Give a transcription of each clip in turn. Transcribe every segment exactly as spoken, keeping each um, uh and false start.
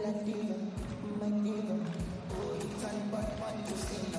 that diva, my diva. Oh, you time but want to see now.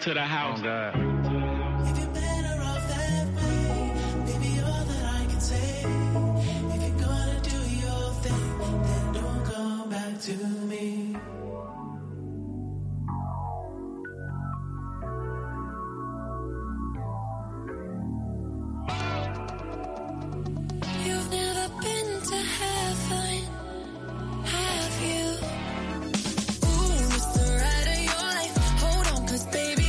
To the house. Oh, if you're better off that way, baby, all that I can say. If you're gonna do your thing, then don't come back to me. You've never been to heaven, have you? Ooh, it's the ride of your life. Hold on, 'cause baby,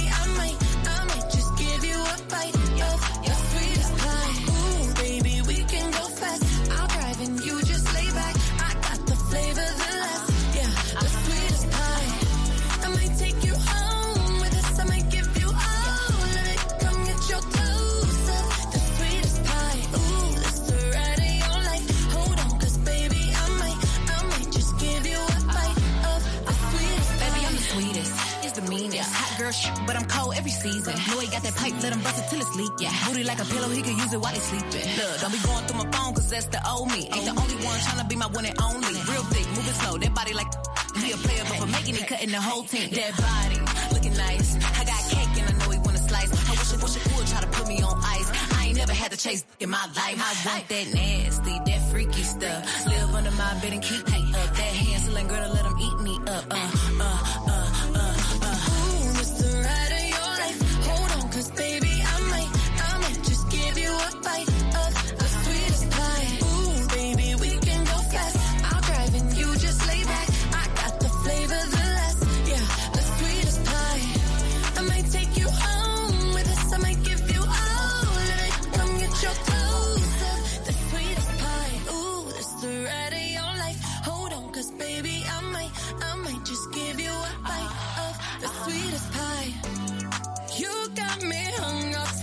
but I'm cold every season. Know he got that pipe, let him bust it till it's leak, yeah. Booty like a pillow, he could use it while he sleeping. Look, don't be going through my phone, 'cause that's the old me. Ain't the only one tryna be my one and only. Real thick, moving slow, that body like he a player, but for making it, cutting the whole team. That body, looking nice. I got cake and I know he wanna slice. I wish it, wish it would try to put me on ice. I ain't never had to chase in my life. I want that nasty, that freaky stuff. Live under my bed and keep me up. That Hansel and Gretel, let him eat me up. Uh, uh, uh, uh, uh. Ooh, it's the ride of your life. Hold on, 'cause baby, I might, I might just give you a bite of the sweetest pie. Ooh,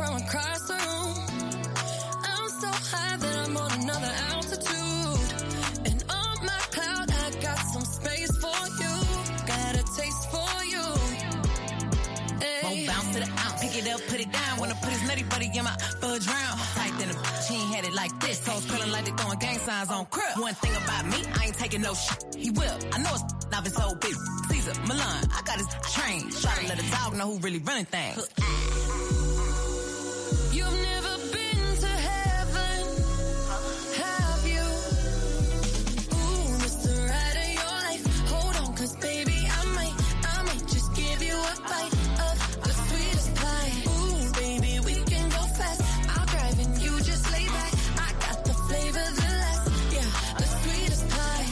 from across the room. I'm so high that I'm on another altitude. And on my cloud, I got some space for you. Got a taste for you. Hey. Won't bounce to the ounce. Pick it up, put it down. Wanna put his nutty buddy in my fudge round. Tight than a bitch, he ain't had it like this. Toes curling like they throwing gang signs on crib. One thing about me, I ain't taking no shit. He will. I know it's off his whole bitch. Caesar, Milan, I got his train. Try to let a dog know who really running things. You've never been to heaven, have you? Ooh, it's the ride of your life. Hold on, cause baby, I might, I might just give you a bite of the sweetest pie. Ooh, baby, we can go fast. I'll drive and you just lay back. I got the flavor, the last, yeah, the sweetest pie.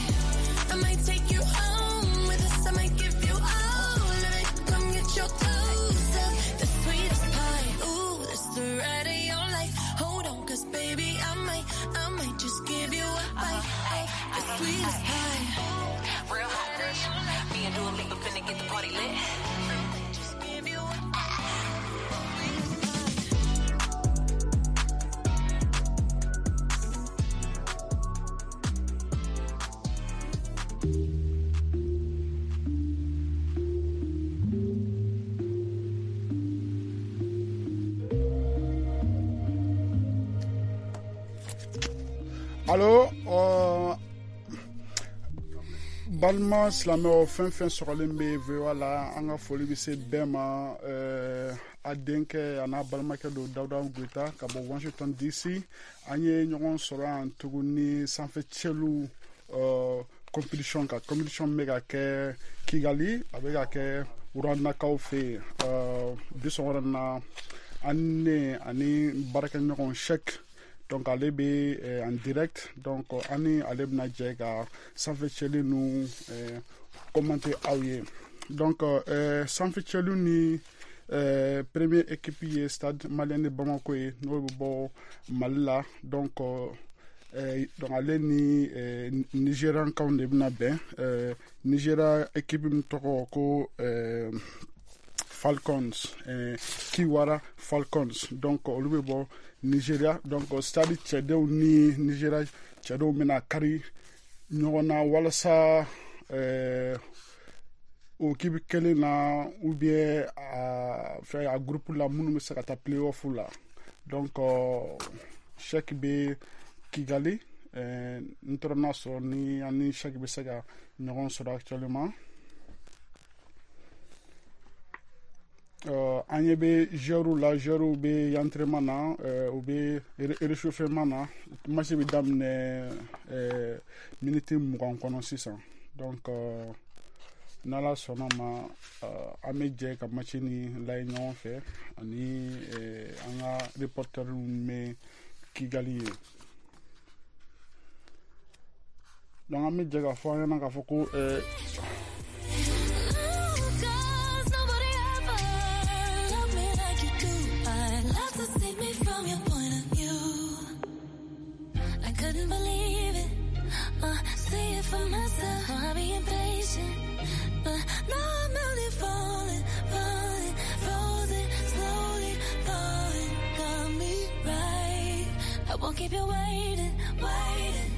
I might take you home with us. I might give you all of it. Come get your dose of the sweetest pie. Ooh, that's the ride of your life. Hold on, cause baby, I might, I might just give you a bite of the sweetest pie. Real hot girl. Me and Dua Lipa finna get the party lit. Just give you a Allo, euh, balima silamɛw fɛn fɛn sɔrɔlen bɛ V O A la, an ka foli bɛ se bɛɛ ma. euh, a denkɛ a n'a balimakɛ don Dawuda Goyita ka bɔ Washington D C. An ye ɲɔgɔn sɔrɔ yan tuguni sanfɛ cɛlu euh, compétition kan. Compétition bɛ ka kɛ Kigali, a bɛ ka kɛ Rwandakaw fɛ yen. Euh, bi sɔgɔmada in na, an ne ani baarakɛɲɔgɔn Cheikh, donc ale bɛ eh, en direct, donc an ni ale bɛna jɛ ka sanfɛ cɛli ninnu eh, commenter aw ye. Donc eh, sanfɛ cɛli ni eh, première équipe ye Stade Malien de Bamako ye, n'o bɛ bɔ Mali la. Donc eh, donc ale ni eh, Nigériankaw de bɛna bɛn. Eh, Nigeria équipe min tɔgɔ ko eh, Falcons, eh, Kiwara Falcons, donc olu bɛ bɔ Nigeria. Donc Stade cɛdenw ni Nigeria cɛdenw bɛna kari ɲɔgɔn na walasa eh, o équipe kelen na ou bien a fɛn a groupe la minnu bɛ se ka taa play-off la. Donc euh, Cheikh bɛ Kigali, eh, n tɔrɔ n'a sɔrɔ ni an ni Cheikh bɛ se ka ɲɔgɔn sɔrɔ actuellement. Euh, an ɲɛ bɛ joueurs la, joueurs bɛ entraînement na, euh, u bɛ réchauffement na. Match bɛ daminɛ euh, minute mugan kɔnɔ sisan. Donc euh, n'Ala sɔnna ma, euh, an bɛ jɛ ka match ni lajɛ ɲɔgɔn fɛ ani euh, an ka reporter bɛ Kigali ye. Donc an bɛ jɛ k'a fɔ an ɲɛna k'a fɔ ko euh, Cause nobody ever loved me like you do. I'd love to see me from your point of view. I couldn't believe it, uh, see it for myself. Oh, I be impatient, but now I'm really falling, falling, frozen, slowly falling. Got me right. I won't keep you waiting, waiting.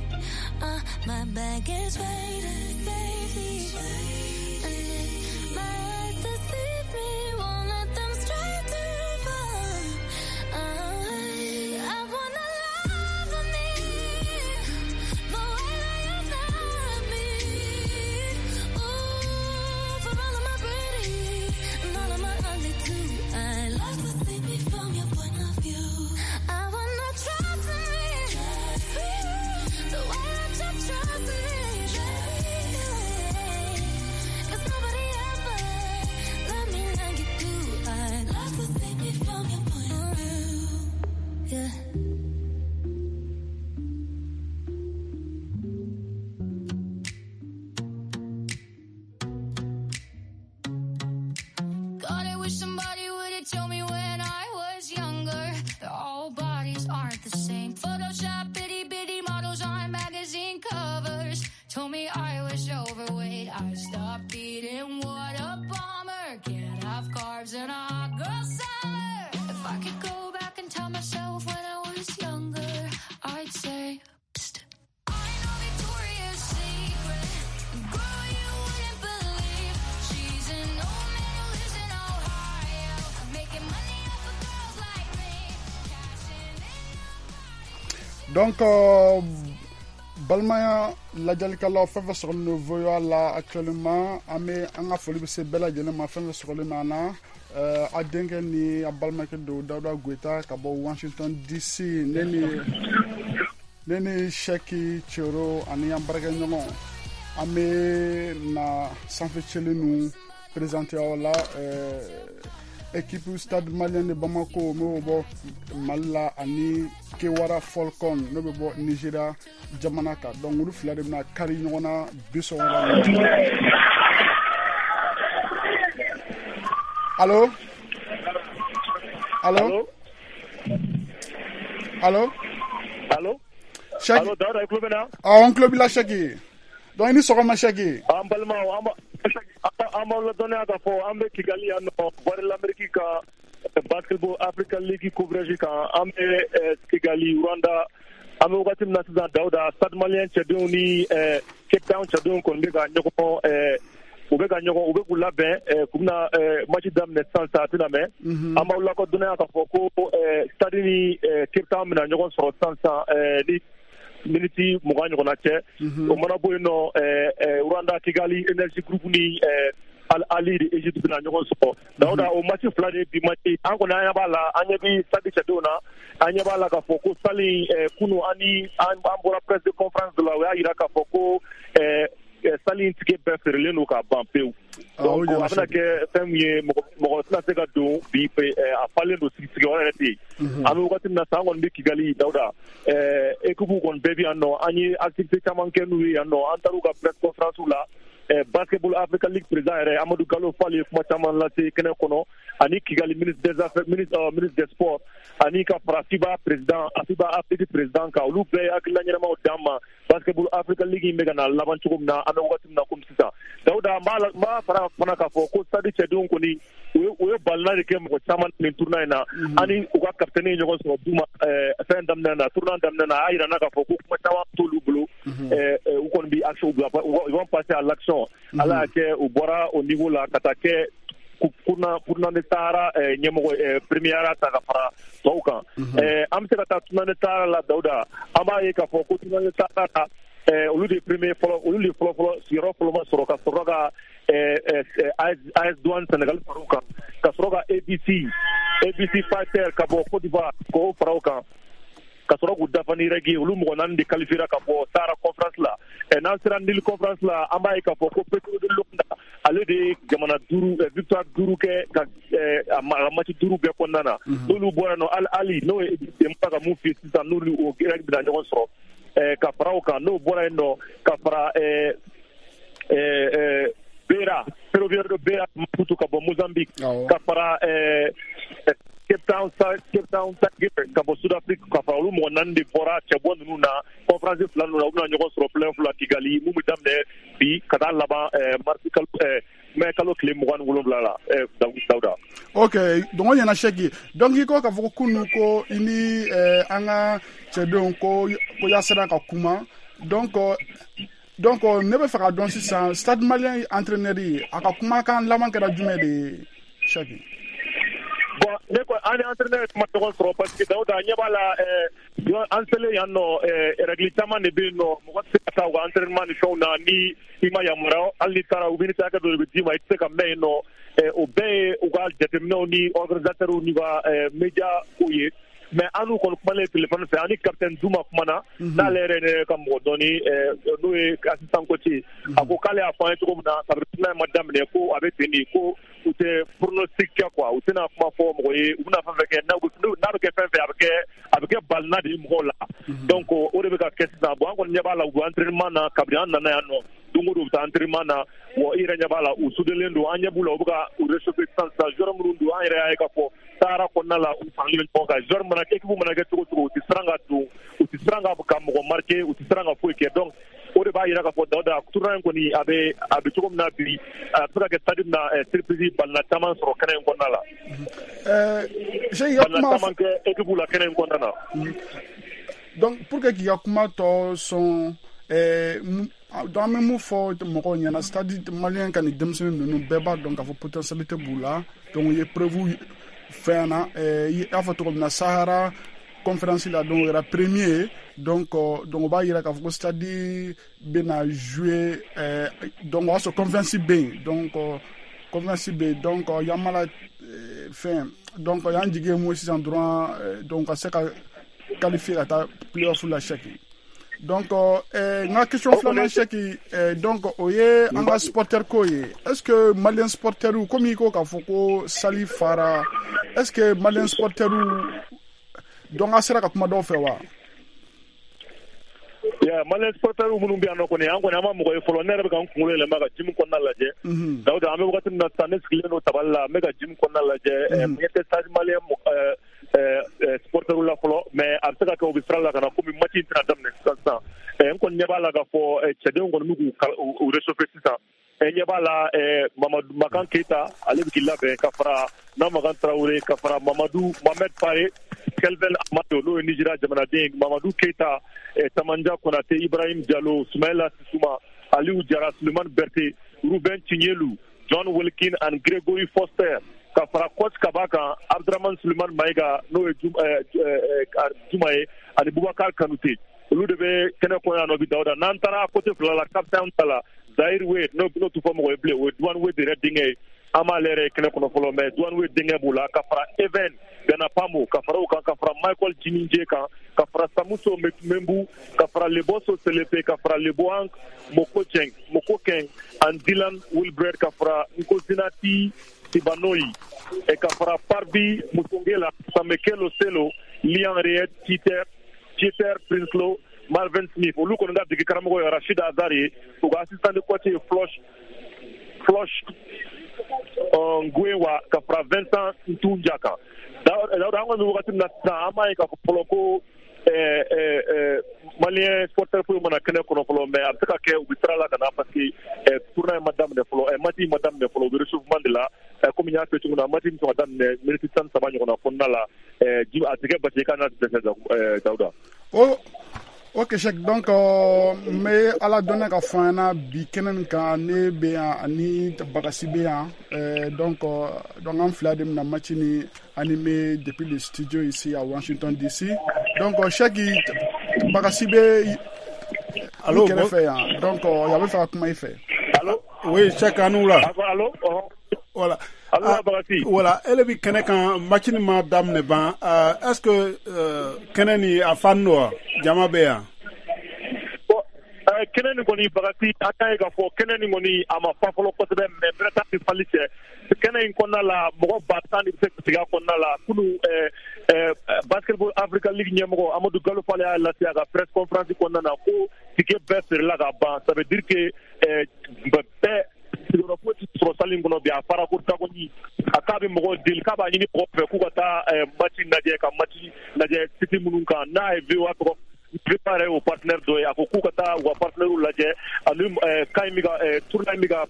Uh, my bag is waiting, safely. And if my eyes deceive me, won't let them stray too far. I, I wanna love for me, the way that you love me. Ooh, for all of my pretty and all of my ugly too. I love to see me from your point of view. I wanna trust in me, the way that you trust me. Cause nobody ever loved me like you do. I love to see me from your point of view. Yeah. God, I wish somebody would've told me when I was younger that all bodies aren't the same. Photoshop itty bitty models on magazine covers told me I was overweight. I stopped eating. What a bummer. Can't have carbs in a hot girl summer. If I could go back, Donc euh, balimaya lajɛlikɛlaw, fɛn fɛn sɔgɔlen don V O A la actuellement, an bɛ an ka foli bɛ se bɛɛ lajɛlen ma. Fɛn fɛn sɔgɔlen bɛ an na, euh, a denkɛ ni a balimakɛ don, Dawuda Goyita ka bɔ Washington D C. Ne ni ne ni Sɛki Cero ani an baarakɛɲɔgɔn, an bɛ na sanfɛ cɛli ninnu présenter aw la. euh, équipe Stade Malien de Bamako, n'o bɛ bɔ Mali la, ani Kewara Falcon, n'o bɛ bɔ Nigeria jamana kan. Donc olu fila de bɛna kari ɲɔgɔn na bi sɔgɔmada in na. Allo, allo, allo? Allo? Sɛki. Allo, Dawuda, i tulo bɛ n na? Awɔ, n tulo b'i la, Sɛki. Donc i ni sɔgɔma, Sɛki. An balimaw, an b'a- an b'aw ladɔnniya k'a fɔ an bɛ Kigali yan nɔ, Voix de l'Amérique ka Basketball Africa League coverage kan. An bɛ eh, Kigali, Rwanda. An bɛ wagati min na sisan, Dawuda, Stade Malien cɛdenw ni eh, Cape Town cɛdenw kɔni bɛ ka ɲɔgɔn eh, u bɛ ka ɲɔgɔn u bɛ k'u labɛn eh, k'u bɛna eh, match daminɛ sisan sisan, a tɛna mɛn. An b'aw lakodɔnniya k'a fɔ ko eh, Stade ni eh, Cape Town bɛna ɲɔgɔn sɔrɔ sisan sisan eh, ni miniti mugan ɲɔgɔnna cɛ. O mana bɔ yen nɔ, eh, eh, Rwanda, Kigali Energy Group ni eh, Al Ahly de Egypte bɛna ɲɔgɔn sɔrɔ. Dawuda, o match fila de ye bi match. An kɔni, an ɲɛ b'a la, an ɲɛ bɛ Stade cɛdenw na, an ɲɛ b'a la k'a fɔ ko salle in, eh, kunu an ni an an bɔra presse de conférence de la, o y'a yira k'a fɔ ko eh, eh, salle in ticket bɛɛ feerelen don ka ban pewu. Ah, o Donc ɲɛna. A bɛna Sɛki. kɛ fɛn min ye, mɔgɔ mɔgɔ tɛna se ka don bi, eh, a falen don, sigi sigiyɔrɔ yɛrɛ tɛ yen. An bɛ wagati min na sisan, an kɔni bɛ Kigali, Dawuda, ɛɛ équipe kɔni bɛɛ bɛ yan nɔ. An ye activité caman kɛ n'u ye yan nɔ, an taar'u ka presse conférence la. ɛɛ Basketball Africa League président yɛrɛ, Amadu Gallo Fall, ye kuma caman lase kɛnɛ kɔnɔ, ani Kigali ministre des affaires, ministre euh, ministre des sports, ani ka fara FIBA président, FIBA Afrique président kan. Olu bɛɛ ye hakilina ɲɛnamaw d'an ma Basketball Africa League in bɛ ka na laban cogo min na. An bɛ wagati min na komi sisan, Dawuda, n b'a la, n b'a fara fana k'a fɔ ko Stade cɛdenw kɔni, u ye u ye balina de kɛ mɔgɔ caman nin tournoi in na. Ani u ka capitaine ye ɲɔgɔn sɔrɔ Duma ɛɛ fɛn daminɛ na, tournoi daminɛ na, a y'a yira n na k'a fɔ ko kuma caman t'olu bolo. ɛɛ ɛɛ u kɔni bɛ action bila, ils vont passer à l'action. Ala y'a kɛ, u bɔra o niveau la ka taa kɛ tournoi tournoi de Sahara ɛɛ ɲɛmɔgɔ, ɛɛ première ta ka fara tɔw kan. ɛɛ an bɛ se ka taa tournoi de Sahara la, Dawuda. An b'a ye k'a fɔ ko tournoi de Sahara la, ɛɛ olu de ye premier fɔlɔ, olu de fɔlɔ fɔlɔ sigiyɔrɔ fɔlɔ ma sɔrɔ, ka sɔrɔ ka ɛɛ ɛɛ A S A S Douane Sénégal fara u kan, ka sɔrɔ ka A B C A B C Fighter ka bɔ Côte d'Ivoire k'o fara u kan, ka sɔrɔ k'u dafa ni règle ye. Olu mɔgɔ naani de qualifiera ka bɔ Sahara conférence la. ɛ n'an sera Nil conférence la, an b'a ye k'a fɔ ko Petro de Luanda, ale de ye jamana duuru ɛ victoire duuru kɛ ka ɛ a ma a ka match duuru bɛɛ kɔnɔna na. N'olu bɔra yen nɔ, Al Ali, n'o ye Egypte, n b'a ka mun f'i ye sisan, n'olu o règle bɛna ɲɔgɔn sɔrɔ ɛ ka fara o kan. N'o bɔra yen nɔ, ka fara ɛ ɛ ɛ Beira, Ferroviario de Beira Maputo ka bɔ Mozambique, Awɔ. ka fara ɛ Cape Town Cape Town Tigers ka bɔ Sud Afrique, ka fara olu mɔgɔ naani de bɔra cɛbɔ ninnu na conférence fila ninnu na. U bɛna ɲɔgɔn sɔrɔ play-off la Kigali, mun bɛ daminɛ bi ka taa laban ɛɛ marisi kalo, ɛɛ mɛ kalo tile mugan ni wolonwula la, ɛɛ Dawuda. Ok, donc o ɲɛna, Sɛki. Donc i ko k'a fɔ ko kunu ko i ni eh, an ka cɛdenw ko ko y'a sera ka kuma. Donc euh, donc euh, ne bɛ fɛ ka dɔn sisan, Stade Malien entraîneur ye, a ka kumakan laban kɛra jumɛn de ye, Sɛki? Bon, ne ko an ni entraîneur ye kuma ɲɔgɔn sɔrɔ, parce que Dawuda, ɲɛ b'a la, ɛɛ yɔ- an selen yan nɔ, ɛɛ règle caman de bɛ yen nɔ. Mɔgɔ tɛ se ka taa u ka entraînement ni fɛnw na ni i ma yamaruya. Hali n'i taara, u bɛ hakɛ dɔ de bɛ d'i ma, i tɛ se ka mɛn yen nɔ. ɛɛ o bɛɛ ye u ka jateminɛw ni organisateurs n'u ka ɛɛ média kow ye. Mais an n'u kɔni kumalen téléphone fɛ, an ni capitaine Duma kumana, n'ale yɛrɛ ne ka mɔgɔ dɔɔni, ɛɛ n'o ye assistant coach ye. A ko k'ale y'a fɔ an ye cogo min na, kabini tournoi in ma daminɛ, ko a bɛ ten de, ko u tɛ pronostic kɛ quoi, u tɛna kuma fɔ mɔgɔ ye. U bɛna fɛn fɛn kɛ, n'a n'a bɛ kɛ fɛn fɛn, a bɛ kɛ a bɛ kɛ balina de ye mɔgɔw la. Donc o de bɛ ka kɛ sisan. Bon, an kɔni ɲɛ b'a la, u bɛ entraînement na kabini an nana yan nɔ. Don o don u bɛ taa entraînement na. Wa i yɛrɛ ɲɛ b'a la, u soudelen don. An ɲɛ b'u la, u bɛ ka u réchauffer sisan sisan. Joueur minnu don, an yɛrɛ y'a ye k'a fɔ Sahara kɔnɔna la, u faralen bɛ ɲɔgɔn kan. Joueur mana, équipe mana kɛ cogo cogo, u tɛ siran ka don, u tɛ siran ka ka mɔgɔ marquer, u tɛ siran ka foyi kɛ. Donc o de b'a yira k'a fɔ, Dawuda, tournoi in kɔni, a bɛ a bɛ cogo min na bi, a bɛ se ka kɛ stade min na, surprise balina caman sɔrɔ kɛnɛ in kɔnɔna la. ɛɛ Sɛki, i ka Balina kuma caman kɛ équipe la kɛnɛ in kɔnɔna na. Donc pour que k'i ka kuma tɔ sɔn, ɛɛ mu- donc an bɛ mun fɔ mɔgɔw ɲɛna? Stade Malien ka nin denmisɛnnin ninnu, bɛɛ b'a dɔn k'a fɔ potentialité b'u la. Donc u ye preuve fɛn na, ɛɛ i y'a fɔ cogo min na, Sahara conférence la, donc o kɛra premier. Donc donc o b'a yira k'a fɔ ko Stade bɛna jouer, donc o y'a sɔrɔ conférence bɛ yen, donc conférence bɛ yen, donc Yamala fɛn, donc y'an jigi ye mun ye sisan dɔrɔn, donc ka se ka qualifier ka taa play-off la, Cheick. Donc n ka question filanan, Cheick, donc o ye an ka supporter ko ye. Est ce que malien supporter, komi i ko k'a fɔ ko salle fara, est ce que malien supporter, donc a sera ka kuma dɔw fɛ wa? Yeah, malien supporter minnu bɛ yan nɔ kɔni, an kɔni an ma mɔgɔ ye fɔlɔ. Ne yɛrɛ bɛ ka n kunkolo yɛlɛma ka gym kɔnɔna lajɛ. Dawuda, an bɛ wagati min na sisan, ne sigilen don tabali la, n bɛ ka gym kɔnɔna lajɛ. N ɲɛ tɛ Stade Malien supporter la fɔlɔ, mais a bɛ se ka kɛ u bɛ sira la ka na, komi match in tɛna daminɛ sisan sisan. N kɔni ɲɛ b'a la k'a fɔ cɛdenw kɔni bɛ k'u réchauffer sisan. N ɲɛ b'a la Mamadu Makan Keyita, ale bɛ k'i labɛn ka fara Namakan Tarawele, ka fara Mamadu Mohamed Pare, Kelvin Amado, n'o ye Nigéria jamanaden, Mamadu Keyita, Tamanja Konate, Ibrahim Diallo, Soumaïla Sissouma, Aliou Diarra, Suleiman Berté, Ruben Tignelu, John Wilkin and Gregory Foster, ka fara coach Kaba kan, Abdurrahman Suleiman Maïga, n'o ye Juma ye, ani Boubacar Kanute. Olu de bɛ kɛnɛ kɔnɔ yan nɔ bi, Dawuda. N'an taara côté fila la, capitaine ta la, Zahir Wade, n'o n'o tɛ fɔ mɔgɔ ye bilen, o ye Douane Wade yɛrɛ denkɛ ye. An b'ale yɛrɛ ye kɛnɛ kɔnɔ fɔlɔ, mais Douane Wade denkɛ b'o la, ka fara Even Ganapamo, ka fara o kan, ka fara Michael Jininje kan, ka fara Samuso Membu, ka fara Leboso Selepe, ka fara Leboang Mokokeng Mokokeng and Dylan Wilbred, ka fara Nkosinati Tibanoi, et ka fara Parbi Musongela, Samekelo Selo, Lian Riet, Peter Peter Prinsloo, Marvin Smith. Olu kɔni ka dege karamɔgɔ ye Rachid Azar ye, u ka assistant de coach ye Flosh Flosh Ngwewa, ka fara Vincent Ntunja kan. Dawuda, an kɔni bɛ wagati min na sisan, an b'a ye k'a fɔ fɔlɔ ko malien supporter foyi mana kɛnɛ kɔnɔ fɔlɔ, mais a bɛ se ka kɛ u bɛ sira la ka na, parce que tournoi ma daminɛ fɔlɔ, match ma daminɛ fɔlɔ, u bɛ réchauffement de la. Komi n y'a fɔ cogo min na, match bɛ sɔn ka daminɛ miniti tan ni saba ɲɔgɔnna kɔnɔna la. A tɛ kɛ basi ye k'a n'a dɛsɛ, Dawuda. O ok Cheick, donc n bɛ ala dɔnna ka fɔ an ɲɛna bi kɛnɛ nin kan, ne bɛ yan ani Bagasi bɛ yan, donc donc an fila de bɛna match ni animé depuis le studio ici à Washington D C. Donc Cheick, Bagasi bɛ Allo, kɛrɛfɛ yan, donc a bɛ fɛ ka kuma i fɛ. Allo. Oui, Cheick, an wula. Allo. Voilà. Allo, Bagasi. Voilà, ele bi kɛnɛ kan, match ni ma daminɛ ban, est-ce que kɛnɛ ni a fan don wa, jama bɛ yan? Kɛnɛ nin kɔni, Bagasi, an y'a ye k'a fɔ kɛnɛ nin kɔni a ma fa fɔlɔ kosɛbɛ, mais bɛrɛ t'a ni fali cɛ. Kɛnɛ in kɔnɔna la, mɔgɔ ba tan de bɛ se ka sigi a kɔnɔna la. Kunu Basketball Africa League ɲɛmɔgɔ Amadu Gallo Fall y'a lase a ka press conférence kɔnɔna na ko ticket bɛɛ feerela ka ban. Ça veut dire que bɛɛ sigiyɔrɔ foyi tɛ sɔrɔ salle in kɔnɔ bi, a fara ko dagoni. A k'a bɛ mɔgɔw deli, k'a b'a ɲini mɔgɔw fɛ k'u ka taa match lajɛ, ka match lajɛ site minnu kan n'a ye V O A tɔgɔ, V O A yɛrɛ y'o partenaire dɔ ye. A ko k'u ka taa u ka partenaire lajɛ ani kan in bɛ ka tournoi in bɛ ka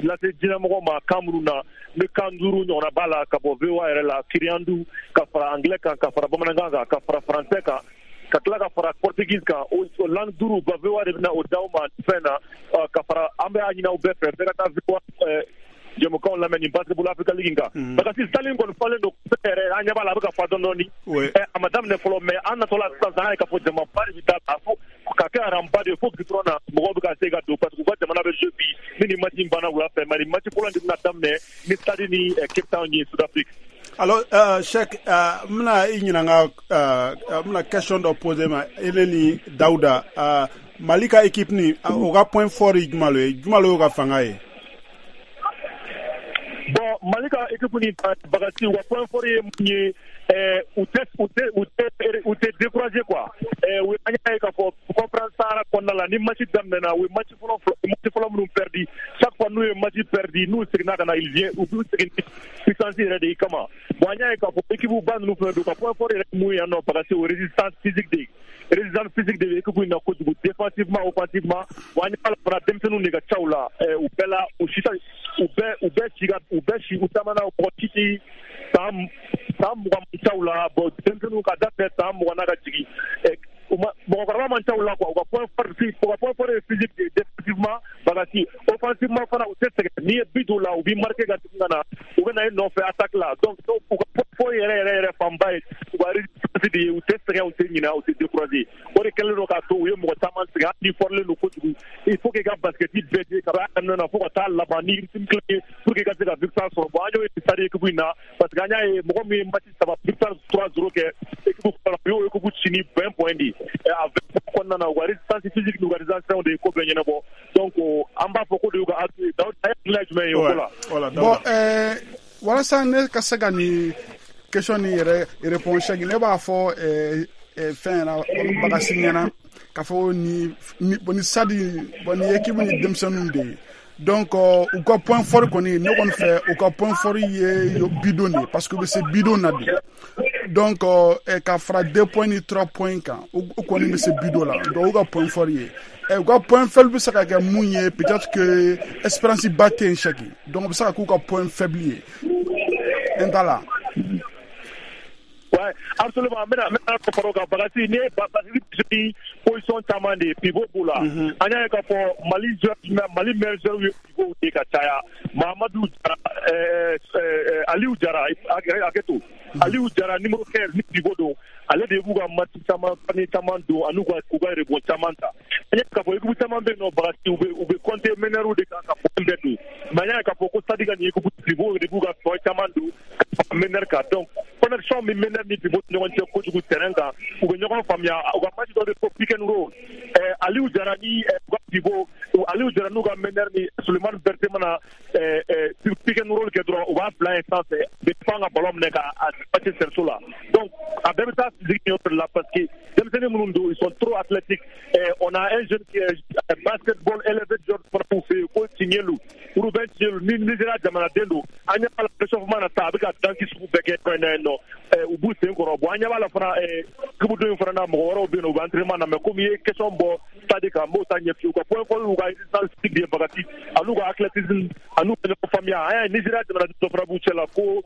lase diɲɛmɔgɔ ma kan minnu na, ni kan duuru ɲɔgɔnna b'a la, ka bɔ V O A yɛrɛ la, Kirundi, ka fara anglais kan, ka fara bamanankan kan, ka fara français kan, ka tila ka fara portugais kan. O langue duuru ba, V O A de bɛna o d'aw ma fɛn na. Ka fara an bɛ a ɲini aw bɛɛ fɛ, bɛɛ ka taa V O A jɛmukanw lamɛn nin Basketball Africa League kan. Parce que salle in kɔni falen don yɛrɛ, an ɲɛ b'a la a bɛ ka fa dɔɔni dɔɔni. A ma daminɛ fɔlɔ, mais an natɔla sisan, an ye k'a fɔ jamaba de bɛ taa a fo ka kɛ aranba de ye fo goudron na, mɔgɔw bɛ ka se ka don, parce que u ka jamana bɛ jouer bi ni nin match in banna wula fɛ. Mais nin match fɔlɔ in de bɛna daminɛ ni Stade ni Cape Town ye, Sud-Afrique. Alors, euh, Cheikh, euh, n bɛna i ɲininka, euh, n bɛna question dɔ poser ma ele ni Dawuda. euh, Mali ka équipe ni o ka point fort ye jumɛn ye, jumɛn y'o ka fanga ye? Bon, Mali ka équipe ni, Bagasi, u ka point fort ye mun ye? U tɛ u tɛ u tɛ u tɛ décourager quoi. U an y'a ye k'a fɔ conférence Sahara kɔnɔna la, ni match daminɛna, u ye match fɔlɔ match fɔlɔ minnu perdu, chaque fois n'u ye match perdu, n'u seginna ka na, ils viennent, u b'u segin ni puissance yɛrɛ de kama. Bon, an y'a ye k'a fɔ équipe ba ninnu fana don, ka point fort yɛrɛ mun ye yan nɔ, Bagasi, o résistance physique de ye, résistance physique de bɛ équipe in na kojugu, défensivement, offensivement. Bon, an ɲɛ b'a la fana, denmisɛnninw de ka ca u la, u bɛɛ la, u si u bɛɛ u bɛɛ si ka u bɛɛ si u caman na, mɔgɔ si ti san san mugan man ca u la. Bon, denmisɛnninw ka daminɛ san mugan na ka jigin, u ma mɔgɔkɔrɔba man ca u la quoi. U ka point fort u ka point fort ye physique de défensivement, Bagasi. Offensivement fana, u tɛ sɛgɛn. N'i ye but don u la, u b'i marquer ka segin ka na, u bɛ na i nɔfɛ attaque la. Donc u ka point fort yɛrɛ yɛrɛ yɛrɛ fanba ye u ka résistance. résistance de ye, u tɛ sɛgɛn, u tɛ ɲinɛ, u tɛ décourager. O de kɛlen don k'a to u ye mɔgɔ caman sɛgɛn, hali ni fɔrilen don kojugu, il faut que i ka basket bɛɛ di ka b'a daminɛ na fo ka taa laban ni rythme kelen ye pour que i ka se ka victoire sɔrɔ. Bon, an y'o ye Stade équipe in na, parce que an y'a ye mɔgɔ min ye match saba victoire trois zéro kɛ équipe fɔlɔ, u y'o équipe ci ni vingt points de ye. A vingt points kɔnɔna na, u ka résistance physique n'u ka résistance de ye ko bɛɛ ɲɛnabɔ. Donc an b'a fɔ ko de y'u ka atout ye. Dawuda, a ye hakilina jumɛn ye o ko la? Bon, ɛɛ walasa ne ka se ka nin question nin yɛrɛ réponse, Cheikh, ne b'a fɔ ɛɛ fɛn ɲɛna, Bagasi ɲɛna, k'a fɔ ni ni Stade, bon, ni équipe ni denmisɛnninw de ye. Donc u ka point fort kɔni, ne kɔni fɛ, u ka point fort ye bidon de ye, parce que u bɛ se bidon na bi. Donc ka fara deux points ni trois points kan, u kɔni bɛ se bidon la. Donc u ka point fort ye, u ka point faible bɛ se ka kɛ mun ye? Peut-être que espérance ba tɛ yen, Cheikh. Donc o bɛ se ka k'u ka point faible ye n ta la. Ouais, absolument. N bɛna n bɛna fara o kan, Bagasi. N'i ye Bagasi position caman de ye, pivot b'u la. An y'a ye k'a fɔ Mali joueur, Mali meilleur joueur ye pivot de ka caya. Mahamadu Jara, ɛɛ Aliou Jara, hakɛ to, Aliou Jara numéro quinze ni pivot don, ale de b'u ka match caman panier caman don ani u ka u ka rebond caman ta. An y'a ye k'a fɔ équipe caman bɛ yen nɔ, Bagasi, u bɛ u bɛ compter meneur de kan ka point bɛɛ don, mais an y'a ye k'a fɔ ko Stade ka nin équipe, pivot de b'u ka point caman don ka fara meneur kan. Donc connexion min meneur ni pivot ni ɲɔgɔn cɛ kojugu terrain kan, u bɛ ɲɔgɔn faamuya. U ka match dɔ bɛ fɔ pick and roll, ɛɛ Aliou Jara ni u ka pivot Aliou Jara n'u ka meneur ni Sulemani Berté mana ɛɛ pick and roll kɛ dɔrɔn, u b'a bila yen sanfɛ, u bɛ pan ka ballon minɛ ka a passer cerceau la. Donc a bɛɛ bɛ taa physique yɔrɔ de la, parce que denmisɛnnin minnu don, ils sont trop athlétiques. On a un jeune qui est basketball élevé joueur fana b'u fɛ yen ko Tiɲɛlu, Ruben Tiɲɛlu ni Nigéria jamanaden don. An ɲɛ b'a la réchauffement na sa, a bɛ ka danki sugu bɛɛ kɛ fɛn na yen nɔ, u b'u sen kɔrɔ. Bon, an ɲɛ b'a la fana équipe dɔ in fana na, mɔgɔ wɛrɛw bɛ yen nɔ, u bɛ entraînement na. Mais komi i ye question bɔ Stade kan, n b'o ta ɲɛf'i ye. U ka point fort y'u ka résistance physique de ye, Bagasi, an'u ka athlétisme, an'u ka ɲɔgɔn faamuya. An y'a ye Nigéria jamanaden dɔ fana b'u cɛ la ko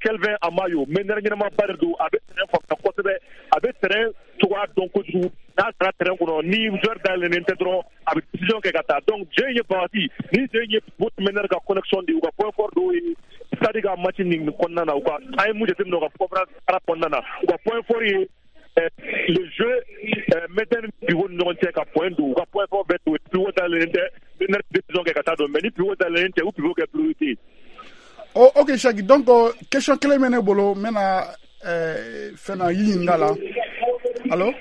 Kelvin Amayo, meneur ɲɛnamaba de don, a bɛ terrain faamuya kosɛbɛ, a bɛ terrain cogoya dɔn kojugu. N'a sera terrain kɔnɔ, ni joueur dayɛlɛnnen tɛ dɔrɔn, a bɛ décision kɛ ka taa. Donc jeu in ye, Bagasi, ni jeu in ye pivot meneur ka connexion de ye, u ka point fort dɔw ye Stade ka match nin kɔnɔna na. U ka, an ye mun jateminɛ u ka conférence arabe kɔnɔna na, u ka point fort ye le jeu meneur ni pivot ni ɲɔgɔn cɛ ka point don. U ka point fort bɛɛ to pivot dayɛlɛnnen tɛ, meneur décision kɛ ka taa don, mais ni pivot dayɛlɛnnen tɛ, u pivot kɛ priorité. Oh, ok Cheikh, donc question kelen bɛ ne bolo, n bɛna fɛn na i ɲininka la. Allo?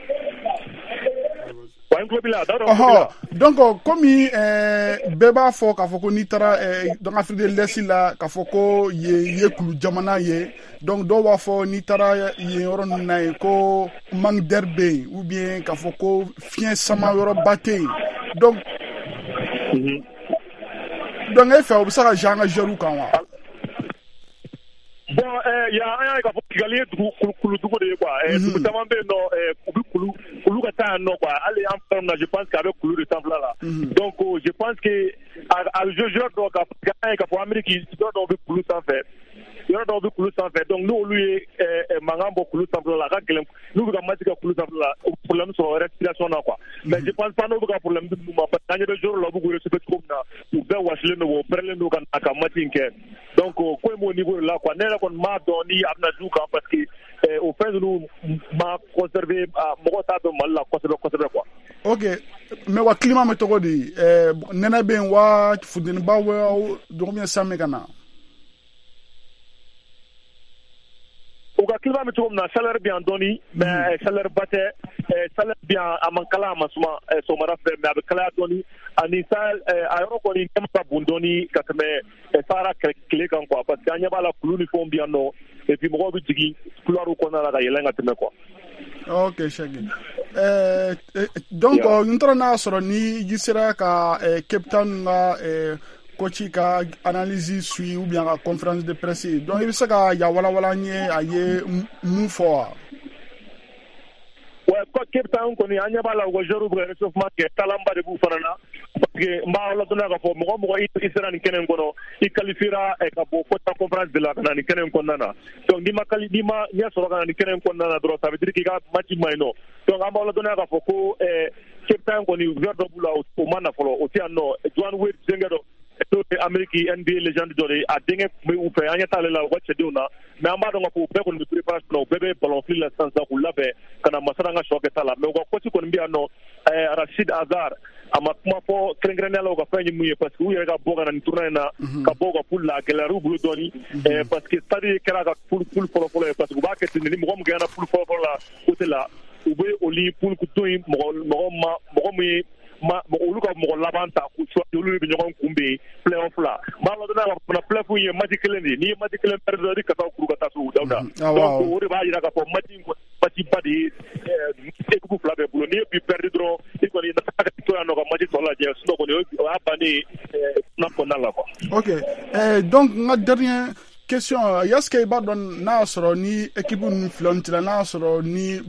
Ɔhɔ, donc komi bɛɛ b'a fɔ k'a fɔ ko n'i taara donc Afrique de l'Est la, k'a fɔ ko yen ye kulu jamana ye, donc dɔw b'a fɔ n'i taara yen yɔrɔ ninnu na yen ko manque d'air bɛ yen, ou bien k'a fɔ ko fiɲɛ sama yɔrɔba tɛ yen. Donc donc e fɛ, o bɛ se ka jouer an ka joueurs kan wa? Bon, yan an y'a ye k'a fɔ Kigali ye dugu kuludugu de ye quoi. Dugu caman bɛ yen nɔ, u bɛ kulu kulu ka taa yan nɔ quoi. Hali an fɛ na, je pense que a bɛ kulu de sanfɛla la. Donc je pense que a a joueur dɔw ka, an y'a ye k'a fɔ Amérique joueur dɔw bɛ kulu sanfɛ, yɔrɔ dɔw bɛ kulu sanfɛ. Donc n'olu ye mankan bɔ kulu sanfɛla la, a ka gɛlɛn n'u bɛ ka match kɛ kulu sanfɛla la, u bɛ problème sɔrɔ respiration na quoi. Mais je pense pas n'u bɛ ka problème di ninnu ma, parce que an ɲɛ bɛ joueur la, u bɛ k'u réchauffer cogo min na, u bɛɛ wasilen don, u pɛrɛlen don ka na ka match in kɛ. Donc ko in b'o niveau de la quoi. Ne yɛrɛ kɔni m'a dɔn ni a bɛna jouer kan, parce que o fɛn ninnu ma conserver, mɔgɔw t'a dɔn Mali la kosɛbɛ kosɛbɛ quoi. Ok, mais wa climat bɛ cogo di? Nɛnɛ bɛ yen wa, funteniba wa, dɔgɔmin san bɛ ka na? U ka climat bɛ cogo min na, chaleur bɛ yan dɔɔni, mais chaleur ba tɛ. Chaleur bɛ yan, a man kalan, a ma suma sɔgɔmada fɛ, mais a bɛ kalaya dɔɔni. Ani Sahel a yɔrɔ kɔni nɛma ka bon dɔɔni ka tɛmɛ Sahara tile kan quoi, parce que an ɲɛ b'a la kulu ni fɛnw bɛ yan nɔ, et puis mɔgɔw bɛ jigin couloir kɔnɔna la ka yɛlɛn ka tɛmɛ quoi. Ok Cheikh, euh, donc n taara n'a sɔrɔ ni i sera ka Cape Town ka coach ka analyse suit ou bien ka conférence de presse, donc i bɛ se ka ya walawala n ye a ye mun fɔ wa? Ouais, Cape Town kɔni, an ɲɛ b'a la u ka joueurs bɛ ka réchauffement kɛ, talanba de b'u fana na, parce que n b'a ladɔnniya k'a fɔ mɔgɔ mɔgɔ i sera nin kɛnɛ in kɔnɔ, i qualifiera ka bɔ Cote conférence de la ka na nin kɛnɛ in kɔnɔna na. Donc n'i ma quali n'i ma ɲɛ sɔrɔ ka na nin kɛnɛ in kɔnɔna na dɔrɔn, ça veut dire k'i ka match ma ɲi nɔ. Donc an b'a ladɔnniya k'a fɔ ko Cape Town kɔni, joueur dɔ b'u la, o ma na fɔlɔ, o tɛ yan nɔ, Duane Wade denkɛ dɔ. N'o ye Amérique N B A légende dɔ de ye, a denkɛ tun bɛ u fɛ, an ɲɛ t'ale la u ka cɛdenw na, mais an b'a dɔn k'a fɔ u bɛɛ kɔni bɛ préparation na, u bɛɛ bɛ ballon fili la sisan sisan k'u labɛn ka na Masara ka sɔ kɛ ta la. Mais u ka coach kɔni bɛ yan nɔ, Rachid Azar, a ma kuma fɔ kɛrɛnkɛrɛnnenya la u ka fɛn ye mun ye, parce que u yɛrɛ ka bɔ ka na nin tournoi in na, ka bɔ u ka poule la, a gɛlɛyara u bolo dɔɔni, parce que Stade kɛra ka poule poule fɔlɔ-fɔlɔ ye, parce que u b'a kɛ ten, ni mɔgɔ min gagné poule fɔlɔ-fɔlɔ la côté la, u bɛ olu poule to yen, mɔgɔ mɔgɔ ma mɔgɔ min ye ma olu ka mɔgɔ laban ta k'u choisi, olu de bɛ ɲɔgɔn kunbɛn play-off la. N b'a ladɔnniya k'a fɔ fana play-off in ye match kelen de ye, n'i ye match kelen perdu dɔrɔn i bɛ kasaw kuru ka taa so, Dawuda. Donc o de b'a jira k'a fɔ match in kɔni match ba de ye équipe fila bɛɛ bolo. N'i ye bi perdu dɔrɔn, i kɔni ka to yan nɔ ka match tɔ lajɛ, sinon kɔni o y'a bannen ye tournoi kɔnɔna la quoi. Ok, eh, donc n ka dernier question, est-ce que i b'a dɔn n'a y'a sɔrɔ ni équipe ninnu fila nin cɛla, n'a y'a sɔrɔ ni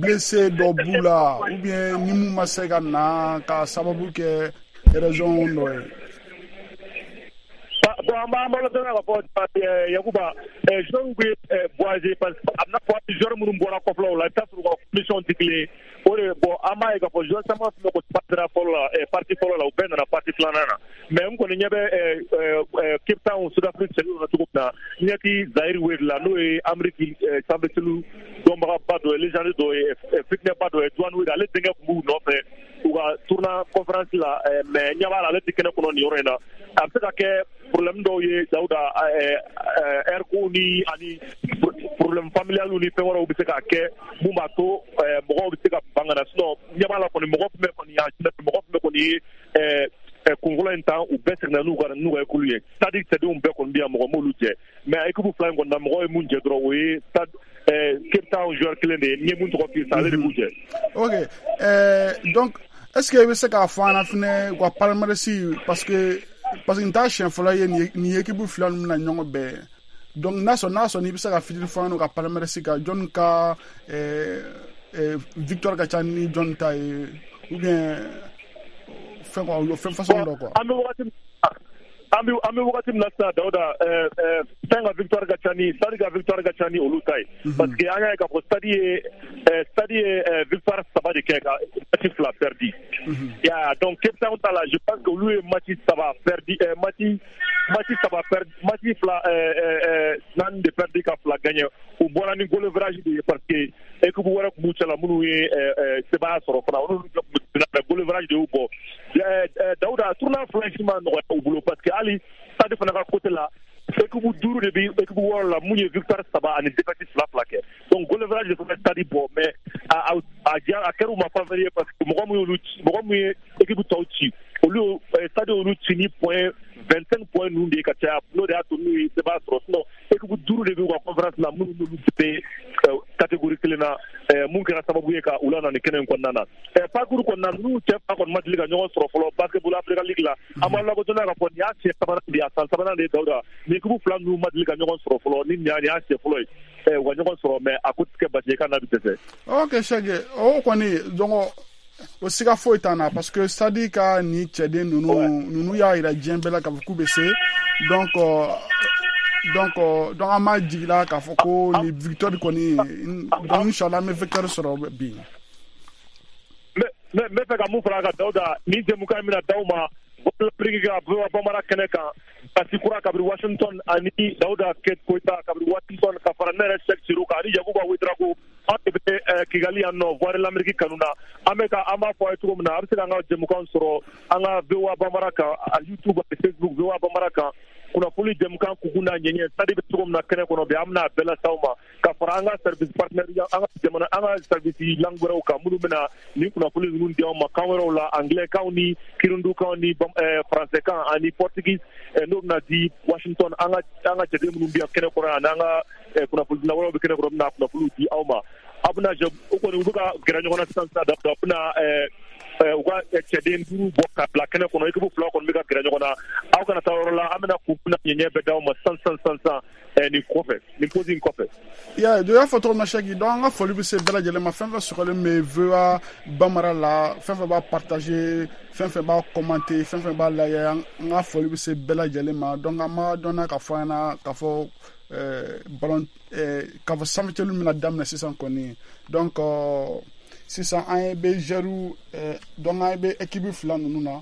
blessé dɔ b'u la, ou bien ni mun ma se ka na ka sababu kɛ raison dɔ ye? Bon, an b'an balo dɔrɔn k'a fɔ Yakuba, joueurs bɛ voyager, parce que a bɛna fɔ joueurs minnu bɔra kɔfɛlaw la, i bɛ taa sɔrɔ u ka condition tɛ kelen ye. O de bon, an b'a ye k'a fɔ joueurs caman tun bɛ ko partie fɔlɔ la, partie fɔlɔ la, u bɛɛ nana partie filanan na. Mais n kɔni ɲɛ bɛ Cape Town Sud-Afrique cɛdenw na cogo min na, n ɲɛ ti Zahir Wade la, n'o ye Amérique sanfɛcelu dɔnbagaba dɔ ye, légende dɔ ye, fitinɛba dɔ ye, Dwyane Wade, ale denkɛ tun b'u nɔfɛ u ka tournoi conférence la, mais ɲɛ b'a la ale tɛ kɛnɛ kɔnɔ nin yɔrɔ in na. A bɛ se ka kɛ problème dɔw ye Dawuda, air ko ni ani problème familial ni fɛn wɛrɛw bɛ se ka kɛ mun b'a to mɔgɔw bɛ se ka ban ka na. Sinon ɲɛ b'a la kɔni, mɔgɔ fɛn bɛɛ kɔni y'a mɔgɔ fɛn bɛɛ kɔni ye kun fɔlɔ in tan, u bɛɛ seginna n'u ka n'u ka école ye. Stade cɛdenw bɛɛ kɔni bɛ yan, mɔgɔ m'olu jɛ, mais équipe fila in kɔni na, mɔgɔ ye mun jɛ dɔrɔn, o ye Stade Cape Town joueur kelen de ye, n ye mun tɔgɔ f'i ye sisan, ale de b'u jɛ. Ok, euh, donc est-ce que i bɛ se k'a fɔ an ɲɛna fɛnɛ u ka palmarès, parce que parce que n t'a siɲɛ fɔlɔ ye nin équipe fila ninnu bɛna ɲɔgɔn bɛn, donc n'a sɔrɔ n'a sɔrɔ n'i bɛ se ka fitinin fɔ an ɲɛna u ka palmarès kan, jɔnni ka victoire ka ca ni jɔnni ta ye, ou bien fɛn quoi, fɛn façon dɔ quoi. An bɛ wagati an bɛ an bɛ wagati min na sisan Dawuda, fɛn ka victoire ka ca ni Stade ka victoire ka ca ni olu ta ye, parce que an y'a ye k'a fɔ Stade ye Stade ye victoire saba de kɛ ka match fila perdu. Ya, donc Cape Town ta la, je pense que olu ye match saba perdu, match match saba perdu, match fila naani de perdu ka fila gagné. U bɔra ni goal average de ye, parce que équipe wɛrɛ tun b'u cɛla minnu ye sebaaya sɔrɔ fana, olu tun bɛ goal average de y'u bɔ. Dawuda, tournoi fila si ma nɔgɔya u bolo, parce que hali Stade fana ka côté la, équipe duuru de bɛ équipe wɔɔrɔ la mun ye victoire saba ani défaite fila fila kɛ, donc goal average de fana Stade bɔ, mais a a a kɛra u ma faveur ye, parce que mɔgɔ min y'olu ci, mɔgɔ min ye équipe tɔw ci, olu Stade olu ci ni point vingt-cinq points ninnu de ye ka caya, n'o de y'a to n'u ye sebaaya sɔrɔ. Sinon équipe duuru de b'u ka conférence la minnu n'olu bɛ catégorie kelen na, mun kɛra sababu ye ka u la na nin kɛnɛ in kɔnɔna na. Parcours kɔnɔna ninnu cɛ fila kɔni ma deli ka ɲɔgɔn sɔrɔ fɔlɔ basketball Africa League la. An b'a lakodɔn k'a fɔ nin y'a siɲɛ sabanan de ye, a san sabanan de ye Dawuda, nin équipe fila ninnu ma deli ka ɲɔgɔn sɔrɔ fɔlɔ, ni nin y'a siɲɛ fɔlɔ ye u ka ɲɔgɔn sɔrɔ, mais a ko tɛ kɛ basi ye k'a n'a bɛ dɛsɛ. Ok Sɛki, o kɔni donc o siga foyi t'an na, parce que Stade ka nin cɛden ninnu ninnu y'a yira diɲɛ bɛɛ la k'a fɔ k'u bɛ se, donc donc donc an b'a jigi la k'a fɔ ko nin victoire kɔni, donc inchallah an bɛ victoire sɔrɔ bi. N bɛ fɛ ka mun fara a kan Dawuda, nin jɛmukan in bɛna d'aw ma Afrique ka bamanan kɛnɛ kan, Basi kura kabini Washington, ani Dawuda Koyita kabini Washington, ka fara ne yɛrɛ Sɛki Siro kan ani Yakuba Ouedraogo, an de bɛ Kigali yan nɔ, Voix de l'Amérique kanu na. An bɛ ka an b'a fɔ a ye cogo min na, a bɛ se k'an ka jɛmukan sɔrɔ an ka V O A Bambara kan, YouTube ani Facebook V O A Bambara kan. Kunnafoni jɛmukan kunkun n'a ɲɛɲɛ, Stade bɛ cogo min na kɛnɛ kɔnɔ bi, an bɛna a bɛɛ lase aw ma, ka fara an ka service partenaire, an ka jamana, an ka service langue wɛrɛw kan minnu bɛna nin kunnafoni ninnu di aw ma kan wɛrɛw la, anglais kan ni kirundu kan ni français kan ani portugais, n'o bɛna di Washington. An ka an ka cɛden minnu bɛ yan kɛnɛ kɔnɔ ani an ka kunnafonidila wɛrɛw bɛ kɛnɛ kɔnɔ, bɛna kunnafoniw di aw ma. A bɛna o kɔni u bɛ ka gɛrɛ ɲɔgɔn na sisan sisan, Dawuda, u bɛna u ka cɛden duuru bɔ ka bila kɛnɛ kɔnɔ, équipe fila kɔni bɛ ka gɛrɛ ɲɔgɔn na. Aw kana taa yɔrɔ la, an bɛna kun na ɲɛɲɛ bɛɛ d'aw ma sisan sisan sisan sisan nin kɔfɛ, nin pause in kɔfɛ. Ya, do y'a fɔ cogo min na Sɛki, donc an ka foli bɛ se bɛɛ lajɛlen ma, fɛn fɛn sɔgɔlen bɛ V O A Bambara la, fɛn fɛn b'a partager, fɛn fɛn b'a commenter, fɛn fɛn b'a lajɛ, an ka foli bɛ se bɛɛ lajɛlen ma. Donc an b'a dɔn k'a fɔ an ɲɛna k'a fɔ ballon k'a fɔ sanfɛcɛlu bɛna daminɛ sisan kɔni. Donc sisan an bɛ joueur, donc an bɛ équipe fila ninnu na.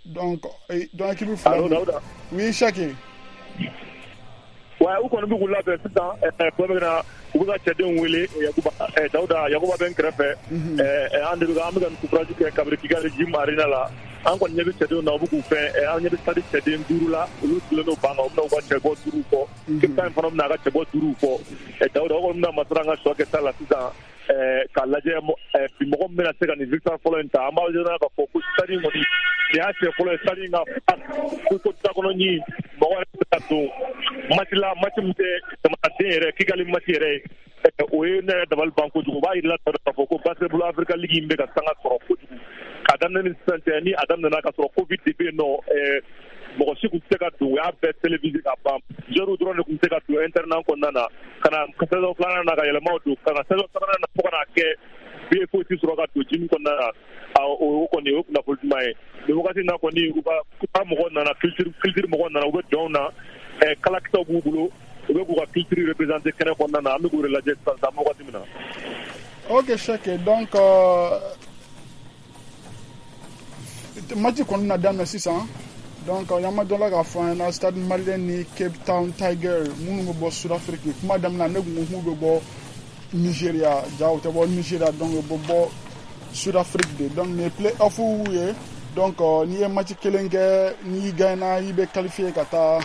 Donc donc équipe fila. Allo Dawuda. Oui Cheick. Ouais, u kɔni bɛ k'u labɛn sisan, bɛɛ bɛ na u bɛ ka cɛdenw wele. Yakuba Dawuda, Yakuba bɛ n kɛrɛfɛ, an de bɛ an bɛ ka nin courage kɛ kabini Kigali Gym Arena la. An kɔni ɲɛ bɛ cɛdenw na, u bɛ k'u fɛn, an ɲɛ bɛ stade cɛden duuru la, olu sigilen don ban kan, u bɛna u ka cɛbɔ duuru fɔ. Cape Town fana bɛna a ka cɛbɔ duuru fɔ. Dawuda, o kɔni bɛna masara an ka sɔ kɛ ta la sisan k'a lajɛ bi mɔgɔ min bɛna se ka nin victoire fɔlɔ in ta. An b'a jira k'a fɔ ko stade in kɔni, nin y'a siɲɛ fɔlɔ ye stade in ka ko ko da kɔnɔ ɲi mɔgɔ yɛrɛ bɛ ka don match la, match min tɛ jamanaden yɛrɛ, Kigali match yɛrɛ ye. O ye ne yɛrɛ dabali ban kojugu. O b'a yira k'a fɔ ko Basketball Africa League in bɛ ka sanga sɔrɔ kojugu k'a daminɛ ni sisan cɛ. Ni a daminɛna ka sɔrɔ Covid de bɛ yen nɔ, mɔgɔ si tun tɛ se ka don, u y'a bɛɛ télévisé ka ban, joueurs dɔrɔn de tun tɛ se ka don internat kɔnɔna na, ka na saison filanan na ka yɛlɛmaw don, ka na saison sabanan na fo ka n'a kɛ billet foyi tɛ sɔrɔ ka don gym kɔnɔna na. O kɔni o ye kunnafoni duman ye. Nin wagati in na kɔni, u ka u ka mɔgɔw nana, culture culture mɔgɔw nana, u bɛ dɔnw na, kalakisɛw b'u bolo, u bɛ k'u ka culture représenter kɛnɛ kɔnɔna na. An bɛ k'u de lajɛ sisan sisan wagati min na. Ok Cheick, donc euh, match kɔni na daminɛ sisan. Donc y'an dɔ la k'a fɔ an ɲɛna, Stade Malien ni Cape Town Tiger minnu bɛ bɔ Sud-Afrique. Kuma daminɛ ne kun ko k'u bɛ bɔ Nigeria, ja u tɛ bɔ Nigeria, donc u bɛ bɔ Sud-Afrique de. Donc nin ye play-off ye. Donc n'i ye match kelen kɛ, n'i gagnera, i bɛ qualifier ka taa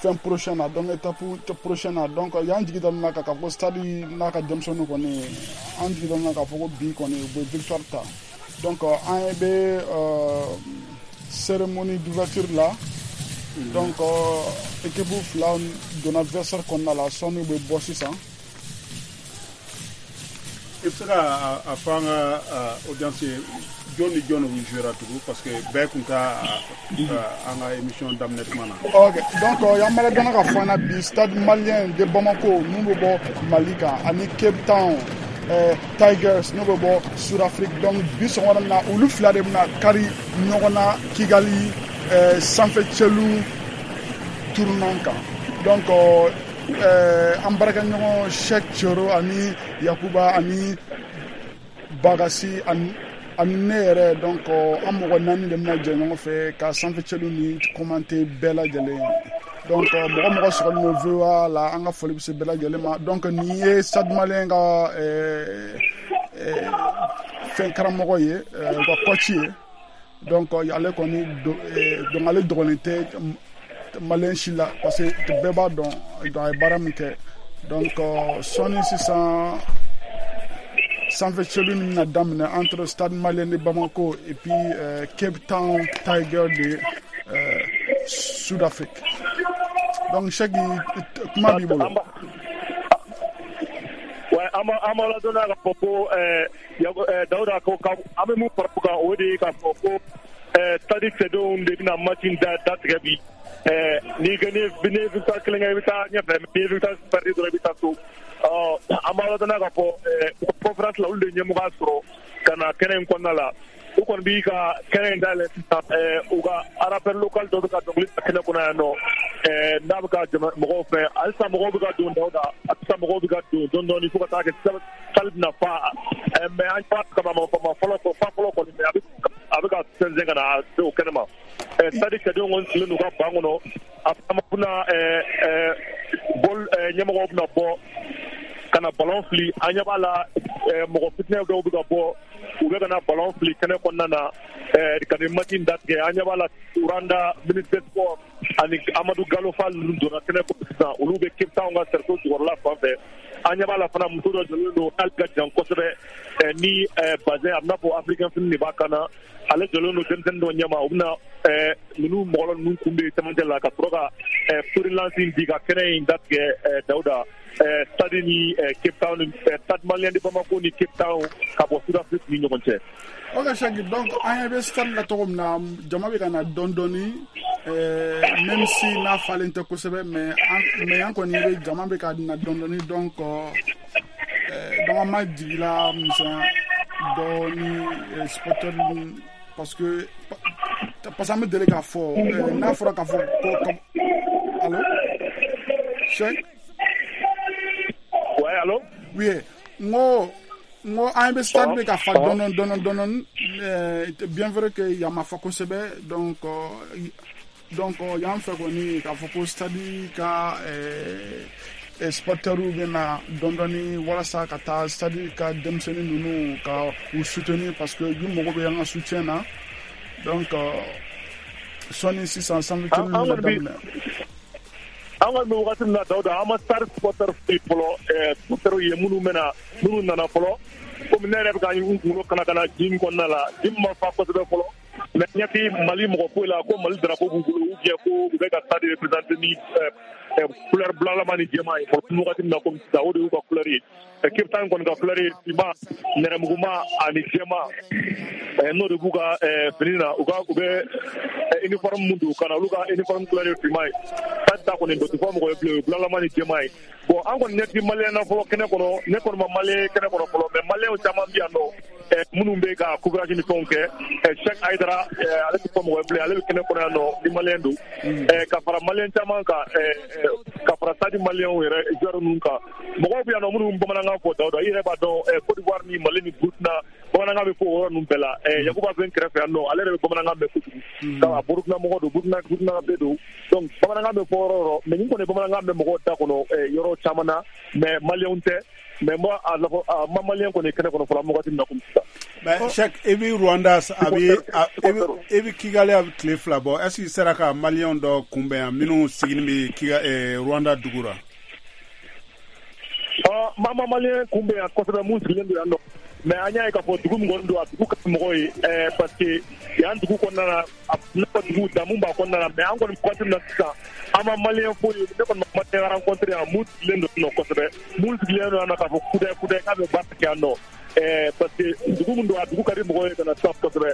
fɛn prochain na, donc étape prochaine na. Donc y'an jigi da min na k'a fɔ Stade n'a ka denmisɛnninw kɔni, an jigi da min na k'a fɔ ko bi kɔni u bɛ victoire ta. Donc an bɛ cérémonie d'ouverture la. Donc équipe fila donna vestiaire kɔnɔna la, sɔnni u bɛ bɔ sisan. I bɛ se ka a fɔ an ka audience ye jɔn ni jɔn de jouera tugun, parce que bɛɛ tun t'a an ka émission daminɛ tuma na. Ok, donc y'an b'a dɔn k'a fɔ an na bi, Stade Malien de Bamako n'u bɛ bɔ Mali kan ani Cape Town eh, Tigers n'u bɛ bɔ Sud-Afrique. Donc bi sɔgɔmada in na, olu fila de bɛna kari ɲɔgɔn na Kigali eh, sanfɛ cɛlu tournant kan. Donc eh, an baarakɛɲɔgɔn Cheick Thioro ani Yakuba ani Bagasi ani ani ne yɛrɛ, donc an mɔgɔ naani de bɛna jɛ ɲɔgɔn fɛ ka sanfɛ cɛlu ni commenter bɛɛ lajɛlen. Donc mɔgɔ mɔgɔ sɔgɔlen don V O A la, an ka foli bɛ se bɛɛ lajɛlen ma. Donc nin ye Stade Malien ka fɛn karamɔgɔ ye, u ka coach ye. Donc ale kɔni, donc ale dɔgɔnin tɛ Malien si la, parce que bɛɛ b'a dɔn a ye baara min kɛ. Donc sɔnni sisan sanfɛ cɛlu min bɛna daminɛ entre Stade Malien de Bamako et puis euh, Cape Town Tiger de euh, Sud-Afrique. Donc Cheick, kuma b'i bolo. Ouais, an b'a ladɔnniya k'a fɔ ko Dawuda ko an bɛ mun fara o kan, o de ye k'a fɔ ko stade cɛdenw de bɛna match in datigɛ bi. Ni ni ye victoire kelen kɛ, i bɛ taa ɲɛfɛ, n'i ye victoire perdu dɔrɔn, i bɛ taa so. An b'a ladɔnniya k'a fɔ conférence la, olu de ɲɛmɔgɔya sɔrɔ ka na kɛnɛ in kɔnɔna la. U kɔni b'i ka kɛnɛ in dayɛlɛ sisan, u ka rappeur local dɔ bɛ ka dɔnkili da kɛnɛ kɔnɔ yan nɔ, n'a bɛ ka mɔgɔw fɛ. Halisa mɔgɔw bɛ ka don Dawuda, halisa mɔgɔw bɛ ka don dɔɔni dɔɔni fo ka taa kɛ salle bɛna fa. Mais an b'a kama ma fɔlɔ fa fɔlɔ kɔni, mais a bɛ a bɛ ka sɛnsɛn ka na se o kɛnɛ ma. Stade cɛdenw kɔni sigilen don u ka ban kɔnɔ, a bɛna bɔl ɲɛmɔgɔw bɛna bɔ ka na ballon fili. An ɲɛ b'a la mɔgɔ fitinɛ dɔw bɛ ka bɔ, u bɛ ka na ballon fili kɛnɛ kɔnɔna na ka nin match in datigɛ. An ɲɛ b'a la Rwanda ministre des sports ani Amadu Gallo Fall ninnu donna kɛnɛ kɔnɔ sisan, olu bɛ Cape Town ka cercle jukɔrɔla fan fɛ. An ɲɛ b'a la fana muso dɔ jɔlen don, n'ale ka jan kosɛbɛ, ni bazin a bɛna fɔ africain fini de b'a kan na, ale jɔlen don denmisɛnnin dɔ ɲɛma. U bɛna ninnu mɔgɔ ninnu kun bɛ cɛmancɛ la ka sɔrɔ ka freelance in di ka kɛnɛ in datigɛ Dawuda. Stade ni Cape Town, Stade Malien de Bamako ni Cape Town ka bɔ Sud-Afrique ni ɲɔgɔn cɛ. Ok Cheick, donc an ɲɛ bɛ stade la cogo min na, jama bɛ ka na dɔɔni dɔɔni, même si n'a falen tɛ kosɛbɛ, mais an mais an kɔni bɛ jama bɛ ka na dɔɔni dɔɔni. Donc donc an ma jigila misɛnya dɔɔni supporter, parce que parce que an bɛ deli k'a fɔ n'a fɔra k'a fɔ ko allo Cheick. Ouais, allô? Oui, n ko n ko an bɛ stade bɛ ka fa dɔɔni dɔɔni dɔɔni, Bien vrai que yan ma fa kosɛbɛ, donc donc yan fɛ kɔni k'a fɔ ko stade ka supporters bɛ na dɔɔni dɔɔni walasa ka taa stade ka denmisɛnnin ninnu ka u soutenir, parce que u mago bɛ an ka soutien na. Donc sɔnni sisan sanfɛ ninnu bɛ daminɛ. An kɔni bɛ wagati min na, Dawuda, an ma Stade supporter foyi fɔlɔ, supporter ye minnu bɛna, minnu nana fɔlɔ. Komi ne yɛrɛ bɛ ka n kunkolo kana kana gym kɔnɔna la, gym ma fa kosɛbɛ fɔlɔ, mais ɲɛ tɛ Mali mɔgɔ foyi la ko Mali drapeau b'u bolo ou bien ko u bɛ ka stade représenter ni couleur bulalama ni jɛman ye fɔlɔ. Wagati min na komi sisan, o de y'u ka couleur ye. Cape Town kɔni ka couleur ye finman, nɛrɛmuguma ani jɛman, n'o de b'u ka fini na. U ka u bɛ uniforme mun don u kan na, olu ka uniforme couleur ye finman ye. Stade ta kɔni, o tɛ fɔ mɔgɔ ye bilen, o ye bulalama ni jɛman ye. Bon, an kɔni ɲɛ tɛ maliyɛn na fɔlɔ kɛnɛ kɔnɔ. Ne kɔni ma maliyɛn kɛnɛ kɔnɔ fɔlɔ, mais maliyɛnw caman bɛ yan nɔ minnu bɛ ka couvrage ni fɛnw kɛ. Cheikh Aïdara, ale tɛ fɔ mɔgɔ ye bilen, ale bɛ kɛnɛ kɔnɔ yan nɔ ni maliyɛn don, ka fara maliyɛn caman kan, ka fara stade maliyɛnw yɛrɛ joueur ninnu kan. Mɔgɔw bɛ yan nɔ minnu bamanankan fɔ, Dawuda, i yɛrɛ b'a dɔn, Côte d'Ivoire ni Mali ni Burkina, bamanankan bɛ fɔ o yɔrɔ ninnu bɛɛ la. Yakuba bɛ n kɛrɛfɛ yan nɔ, ale yɛrɛ bɛ bamanankan mɛn kojugu, ka Burkina mɔgɔ don, Burkina Burkina bɛ don. Donc bamanankan bɛ fɔ yɔrɔ o yɔrɔ, mais nin kɔni bamanankan bɛ mɔgɔw da kɔnɔ yɔrɔ caman na, mais maliyɛnw tɛ. Mais moi, a ma maliyɛn kɔni kɛnɛ kɔnɔ fɔlɔ wagati min na komi sisan. Mais Cheikh, e bɛ Rwanda, a bɛ e bɛ Kigali, a bɛ tile fila bɔ. Est ce que i sera ka maliyɛnw dɔ kunbɛn yan minnu sigilen bɛ Kigali Rwanda dugu la? Ma ma maliyɛn kunbɛn yan kosɛbɛ mun sigilen don yan nɔ, mais an y'a ye k'a fɔ dugu min kɔni don, a dugu ka di mɔgɔw ye, parce que yan dugu kɔnɔna na, a n'a fɔ dugu damu b'a kɔnɔna na. Mais an kɔni waati min na sisan, an ma maliyɛn foyi ye. Ne kɔni ma maliyɛn rencontré yan mun sigilen don yan nɔ kosɛbɛ, mun sigilen don yan nɔ k'a fɔ kudɛ kudɛ k'a bɛ baara kɛ yan nɔ, parce que dugu min don, a dugu ka di mɔgɔw ye ka na sisan kosɛbɛ.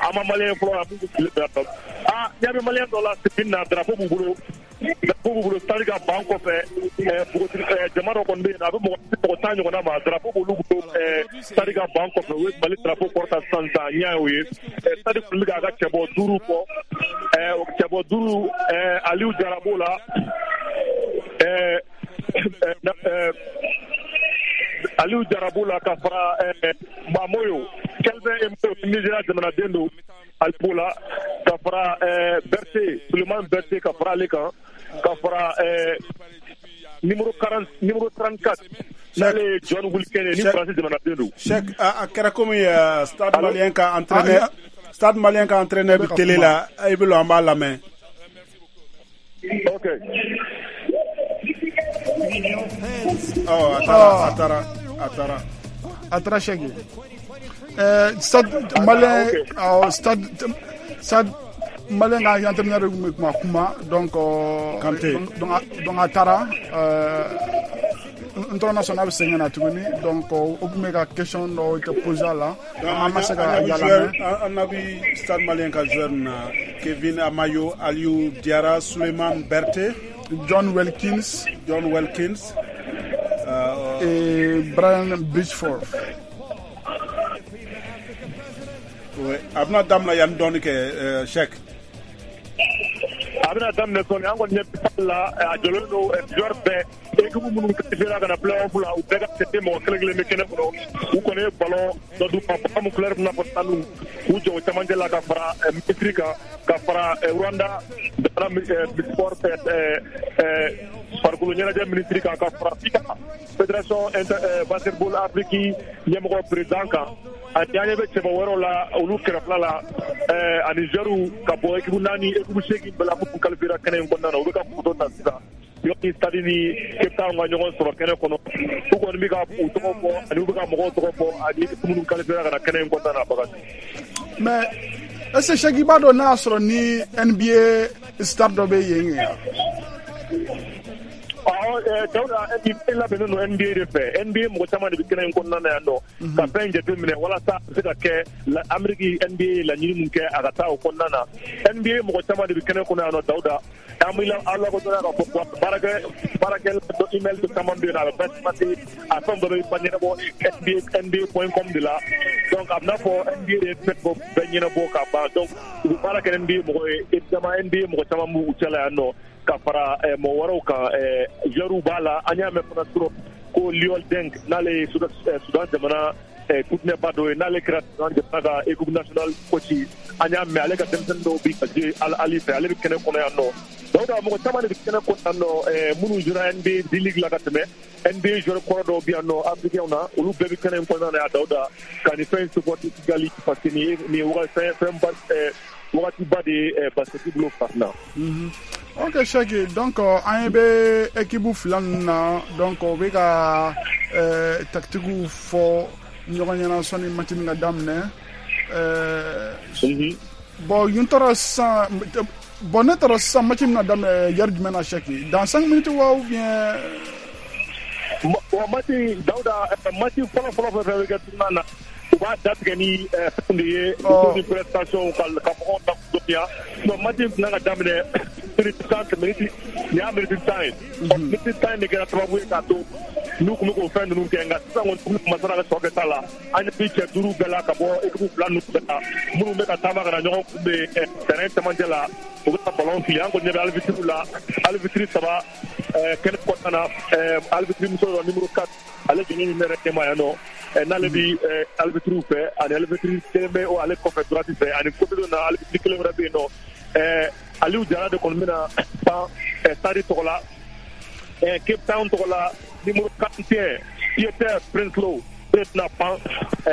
An ma maliyɛn fɔlɔ yan mun sigilen don yan nɔ. Aa, ɲɛ bɛ maliyɛn dɔ la sigi na, drapeau b'u bolo, drapeau b'u bolo stade ka ban kɔfɛ. Npogotigi jama dɔ kɔni bɛ yen, a bɛ mɔgɔ mɔgɔ tan ɲɔgɔnna ma, drapeau b'olu bolo stade ka ban kɔfɛ. U ye Mali drapeau kɔrɔta sisan sisan, n y'a ye o ye. Stade kɔni bɛ k'a ka cɛbɔ duuru bɔ, cɛbɔ duuru, Aliou Jara b'o la, Aliou Jara b'o la, ka fara Mamoyo Kelvin Emoyo, Nigeria jamanaden don, ale b'o la, ka fara Berté, Suleiman Berté, ka fara ale kan, ka fara numéro quarante, numéro trente-quatre, n'ale ye John Wilkins ni Faransi jamanaden don. Cheikh, a kɛra komi Stade Malien ka entraîneur, Stade Malien ka entraîneur bɛ télé la, i bɛ lɔ an b'a lamɛn. Ok. Oh, a taara, a taara, a taara. A taara Cheikh. Stade Malien, Stade Stade Malien ka entraîneur tun bɛ kuma kuma, donc Kanté, donc donc a taara. N tɔrɔ n'a bɛ segin ka na tuguni, donc o tun bɛ ka question dɔw tɛ poser a la, an ma se ka yala. An na bi Stade Malien ka joueur na Kevin Amayo, Aliou Diarra, Suleiman Berté, John Wilkins, John Wilkins euh, et Brian Bridgeford. Ouais, a bɛna daminɛ yan dɔɔni kɛ, Cheikh. A bɛna daminɛ sɔɔni. An kɔni ɲɛ bɛ la, a jɔlen don joueur bɛɛ, équipe minnu qualifié ka na play-off la, u bɛɛ ka tête mɔgɔ kelen kelen bɛ kɛnɛ kɔnɔ. U kɔni ye ballon dɔ d'u ma, ballon min couleur bɛ n'a fɔ sanu, k'u jɔ o camancɛ la, ka fara ministre kan, ka fara Rwanda jamana sport farikolo ɲɛnajɛ ministre kan, ka fara FIBA fédération basketball Afrique ɲɛmɔgɔ président kan. Ani an ɲɛ bɛ cɛbɔ wɛrɛw la olu kɛrɛfɛla la, ani joueurs ka bɔ équipe naani, équipe seegin bɛɛ la minnu qualifié kɛnɛ in kɔnɔna na, u bɛ ka photo ta sisan. Yɔrɔ stade ni Cape Town ka ɲɔgɔn sɔrɔ kɛnɛ kɔnɔ, u kɔni bɛ ka u tɔgɔ fɔ, ani u bɛ ka mɔgɔw tɔgɔ fɔ, ani minnu qualifié ka na kɛnɛ in kɔnɔna na Bakari. Mais est-ce que Cheikh, i b'a dɔn n'a y'a sɔrɔ ni N B A star dɔ bɛ yen yan? Awɔ, Dawuda, N B A labɛnnen don N B A de fɛ. N B A mɔgɔ caman de bɛ kɛnɛ in kɔnɔna na yan nɔ ka fɛn in jateminɛ walasa a bɛ se ka kɛ Amérique N B A ye laɲini min kɛ, a ka taa o kɔnɔna na. N B A mɔgɔ caman de bɛ kɛnɛ kɔnɔ yan nɔ, Dawuda. An bɛ aw lakodɔnna k'a fɔ baarakɛ baarakɛla dɔ email dɔ caman bɛ yen nɔ, a bɛ bɛɛ passer, a fɛn bɛɛ bɛ ɲɛnabɔ N B A point com de la. Donc a bɛ n'a fɔ N B A de ye fɛn bɛɛ ɲɛnabɔ ka ban. Donc u bɛ baara kɛ N B A mɔgɔ ye, évidemment N B A mɔgɔ caman b'u cɛla yan nɔ, ka fara mɔgɔ wɛrɛw kan, joueurs b'a la. An y'a mɛn fana trop ko Liol Deng, n'ale ye Sudan jamana kutinɛba dɔ ye n'ale kɛra jamana ka équipe nationale coach an y'a mɛn ale ka denmisɛnnin dɔw bi ka jouer Al Ahly fɛ ale bɛ kɛnɛ kɔnɔ yan nɔ Dawuda mɔgɔ caman de bɛ kɛnɛ kɔnɔ yan nɔ minnu jouera N B A D-League la ka tɛmɛ N B A joueur kɔrɔ dɔw bɛ yan nɔ africain na olu bɛɛ bɛ kɛnɛ in kɔnɔna na yan Dawuda ka nin fɛn in supporter Kigali parce que nin ye nin fɛn ba wagati ba de ye basket bolo farafinna. Ok Cheick, donc an ɲɛ bɛ équipe fila ninnu na donc o bɛ ka tactique fɔ ɲɔgɔn ɲɛna sɔnni match nin ka daminɛ. Bon n taara sisan bon ne taara sisan match bɛna daminɛ heure jumɛn na Cheick, dans cinq minutes wa ou bien. Wa match Dawuda match fɔlɔ fɔlɔ fɛn fɛn bɛ kɛ tournoi na u b'a datigɛ ni fɛn de ye ni prestation ka ka mɔgɔw dɔnniya donc match in tɛna ka daminɛ minute tan minute nin y'a minute tan ye minute tan in de kɛra sababu ye k'a to n'u tun bɛ k'o fɛn ninnu kɛ nka sisan kɔni masara ka tɔ kɛ ta la an ɲɛ bɛ cɛ duuru bɛɛ la ka bɔ équipe fila ninnu bɛɛ la minnu bɛ ka taama ka na ɲɔgɔn kunbɛn terrain camancɛ la u bɛ ka ballon fili an kɔni ɲɛ bɛ arbitre la arbitre saba kɛnɛ kɔnɔna na arbitre muso dɔ numéro quatre ale jɔlen bɛ ne yɛrɛ ɲɛma yan nɔ n'ale bi arbitre fɛ ani arbitre kelen bɛ ale kɔfɛ droite fɛ ani côté dɔ na arbitre kelen wɛrɛ bɛ yen nɔ Aliou Jara de kɔni bɛna pan Stade tɔgɔ la Cape Town tɔgɔ la numéro quarante et un Pieter Prinsloo o de bɛna pan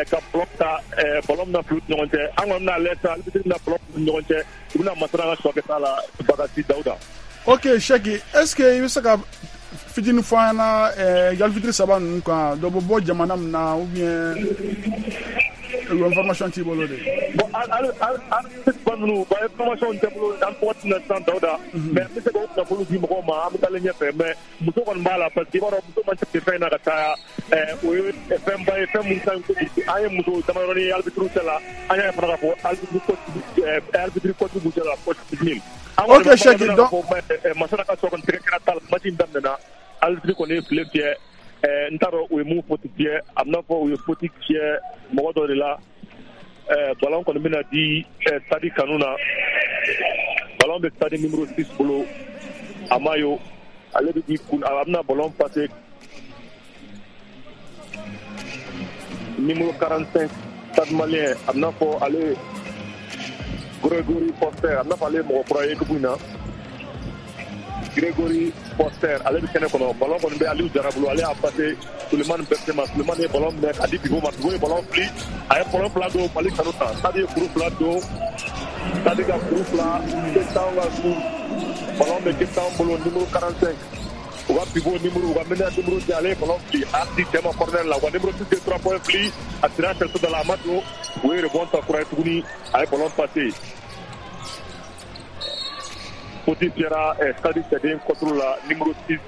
ka ballon ta ballon bɛna fili u ni ɲɔgɔn cɛ an kɔni bɛna lajɛ sisan arbitre bɛna ballon fili u ni ɲɔgɔn cɛ u bɛna masara ka sɔ kɛ t'a la Bagasi Dawuda. Ok Cheick, est-ce que i bɛ se ka fitinin fɔ an ɲɛna arbitre saba ninnu kan dɔ bɛ bɔ jamana min na ou bien information t'i bolo de. Bon arbitre ninnu ba information tɛ bolo an bɛ waati min na sisan Dawuda mais an bɛ se k'o kunnafoni di mɔgɔw ma an bɛ taalen ɲɛfɛ mais muso kɔni b'a la parce que i b'a dɔn muso man ca fɛn in na ka caya o ye fɛnba ye fɛn mun ka ɲi kojugu an ye muso damadɔni ye arbitre cɛ la an y'a ye fana k'a fɔ arbitre coach arbitre coach b'u cɛ la coach Smith. Ok Cheick, donc Masara ka sɔrɔ kɔni tɛgɛ kɛra ta la match in daminɛna arbitre kɔni ye file fiyɛ n t'a dɔn u ye mun faute fiyɛ a bɛna fɔ u ye faute fiyɛ mɔgɔ dɔ de la ballon kɔni bɛna di Stade kanu na ballon bɛ Stade numéro six bolo Amayo ale bɛ di kun a bɛna ballon passer numéro quarante-cinq Stade Malien a bɛna fɔ ale Gregory Foster a bɛna fɔ ale ye mɔgɔ kura ye équipe in na Gregory Foster ale bɛ kɛnɛ kɔnɔ ballon kɔni bɛ Aliou Jara bolo ale y'a passé Sulemani Berté ma Sulemani ye ballon minɛ k'a di Bibo ma Bibo ye ballon fili a ye ballon fila don Mali kanu ta Stade ye kuru fila don Stade ka kuru fila Cape Town ka su ballon bɛ Cape Town bolo numéro quarante-cinq u ka pivot numéro u ka meneur numéro deux ale ye ballon fili a y'a di cɛ ma corner la u ka numéro six ye trois points fili a sira cerceau da la a ma don u ye rebond ta kura ye tuguni a ye ballon passé faute fiyɛra Stade cɛden contre la numéro six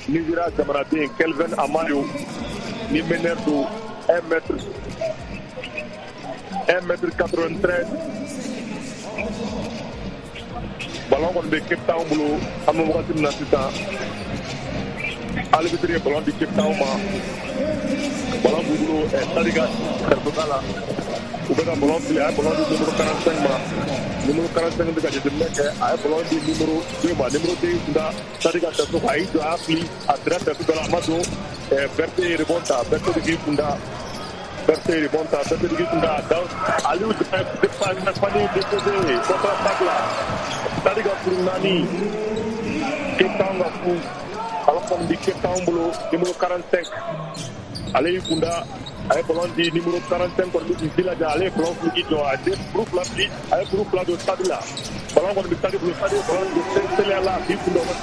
Nigeria jamanaden Kelvin Amayo ni meneur don un mètre un mètre quatre-vingt-treize ballon kɔni bɛ Cape Town bolo an bɛ wagati min na sisan arbitre ye ballon di Cape Town ma ballon b'u bolo Stade ka cerceau la u bɛ ka ballon fili a ye ballon di numéro quarante-cinq ma numéro quarante-cinq bɛ ka jateminɛ kɛ a ye ballon di numéro deux ma numéro deux kun da Stade ka cerceau a y'i jɔ a y'a fili a sira cerceau da la a ma don Berté ye rebond ta Berté bɛ k'i kun da Berté ye rebond ta Berté bɛ k'i kun da Aliou Fani déposé contre-attaque la Stade ka kuru naani Cape Town ka fu ballon kɔni bi Cape Town bolo numéro quarante-cinq ale y'i kun da a ye ballon di numéro quarante-cinq kɔni bɛ k'i jilaja ale ye ballon fili k'i jɔ a ye kuru fila fili a ye kuru fila don Stade la ballon kɔni bɛ Stade bolo Stade ye ballon don teliya la k'i kun da o ka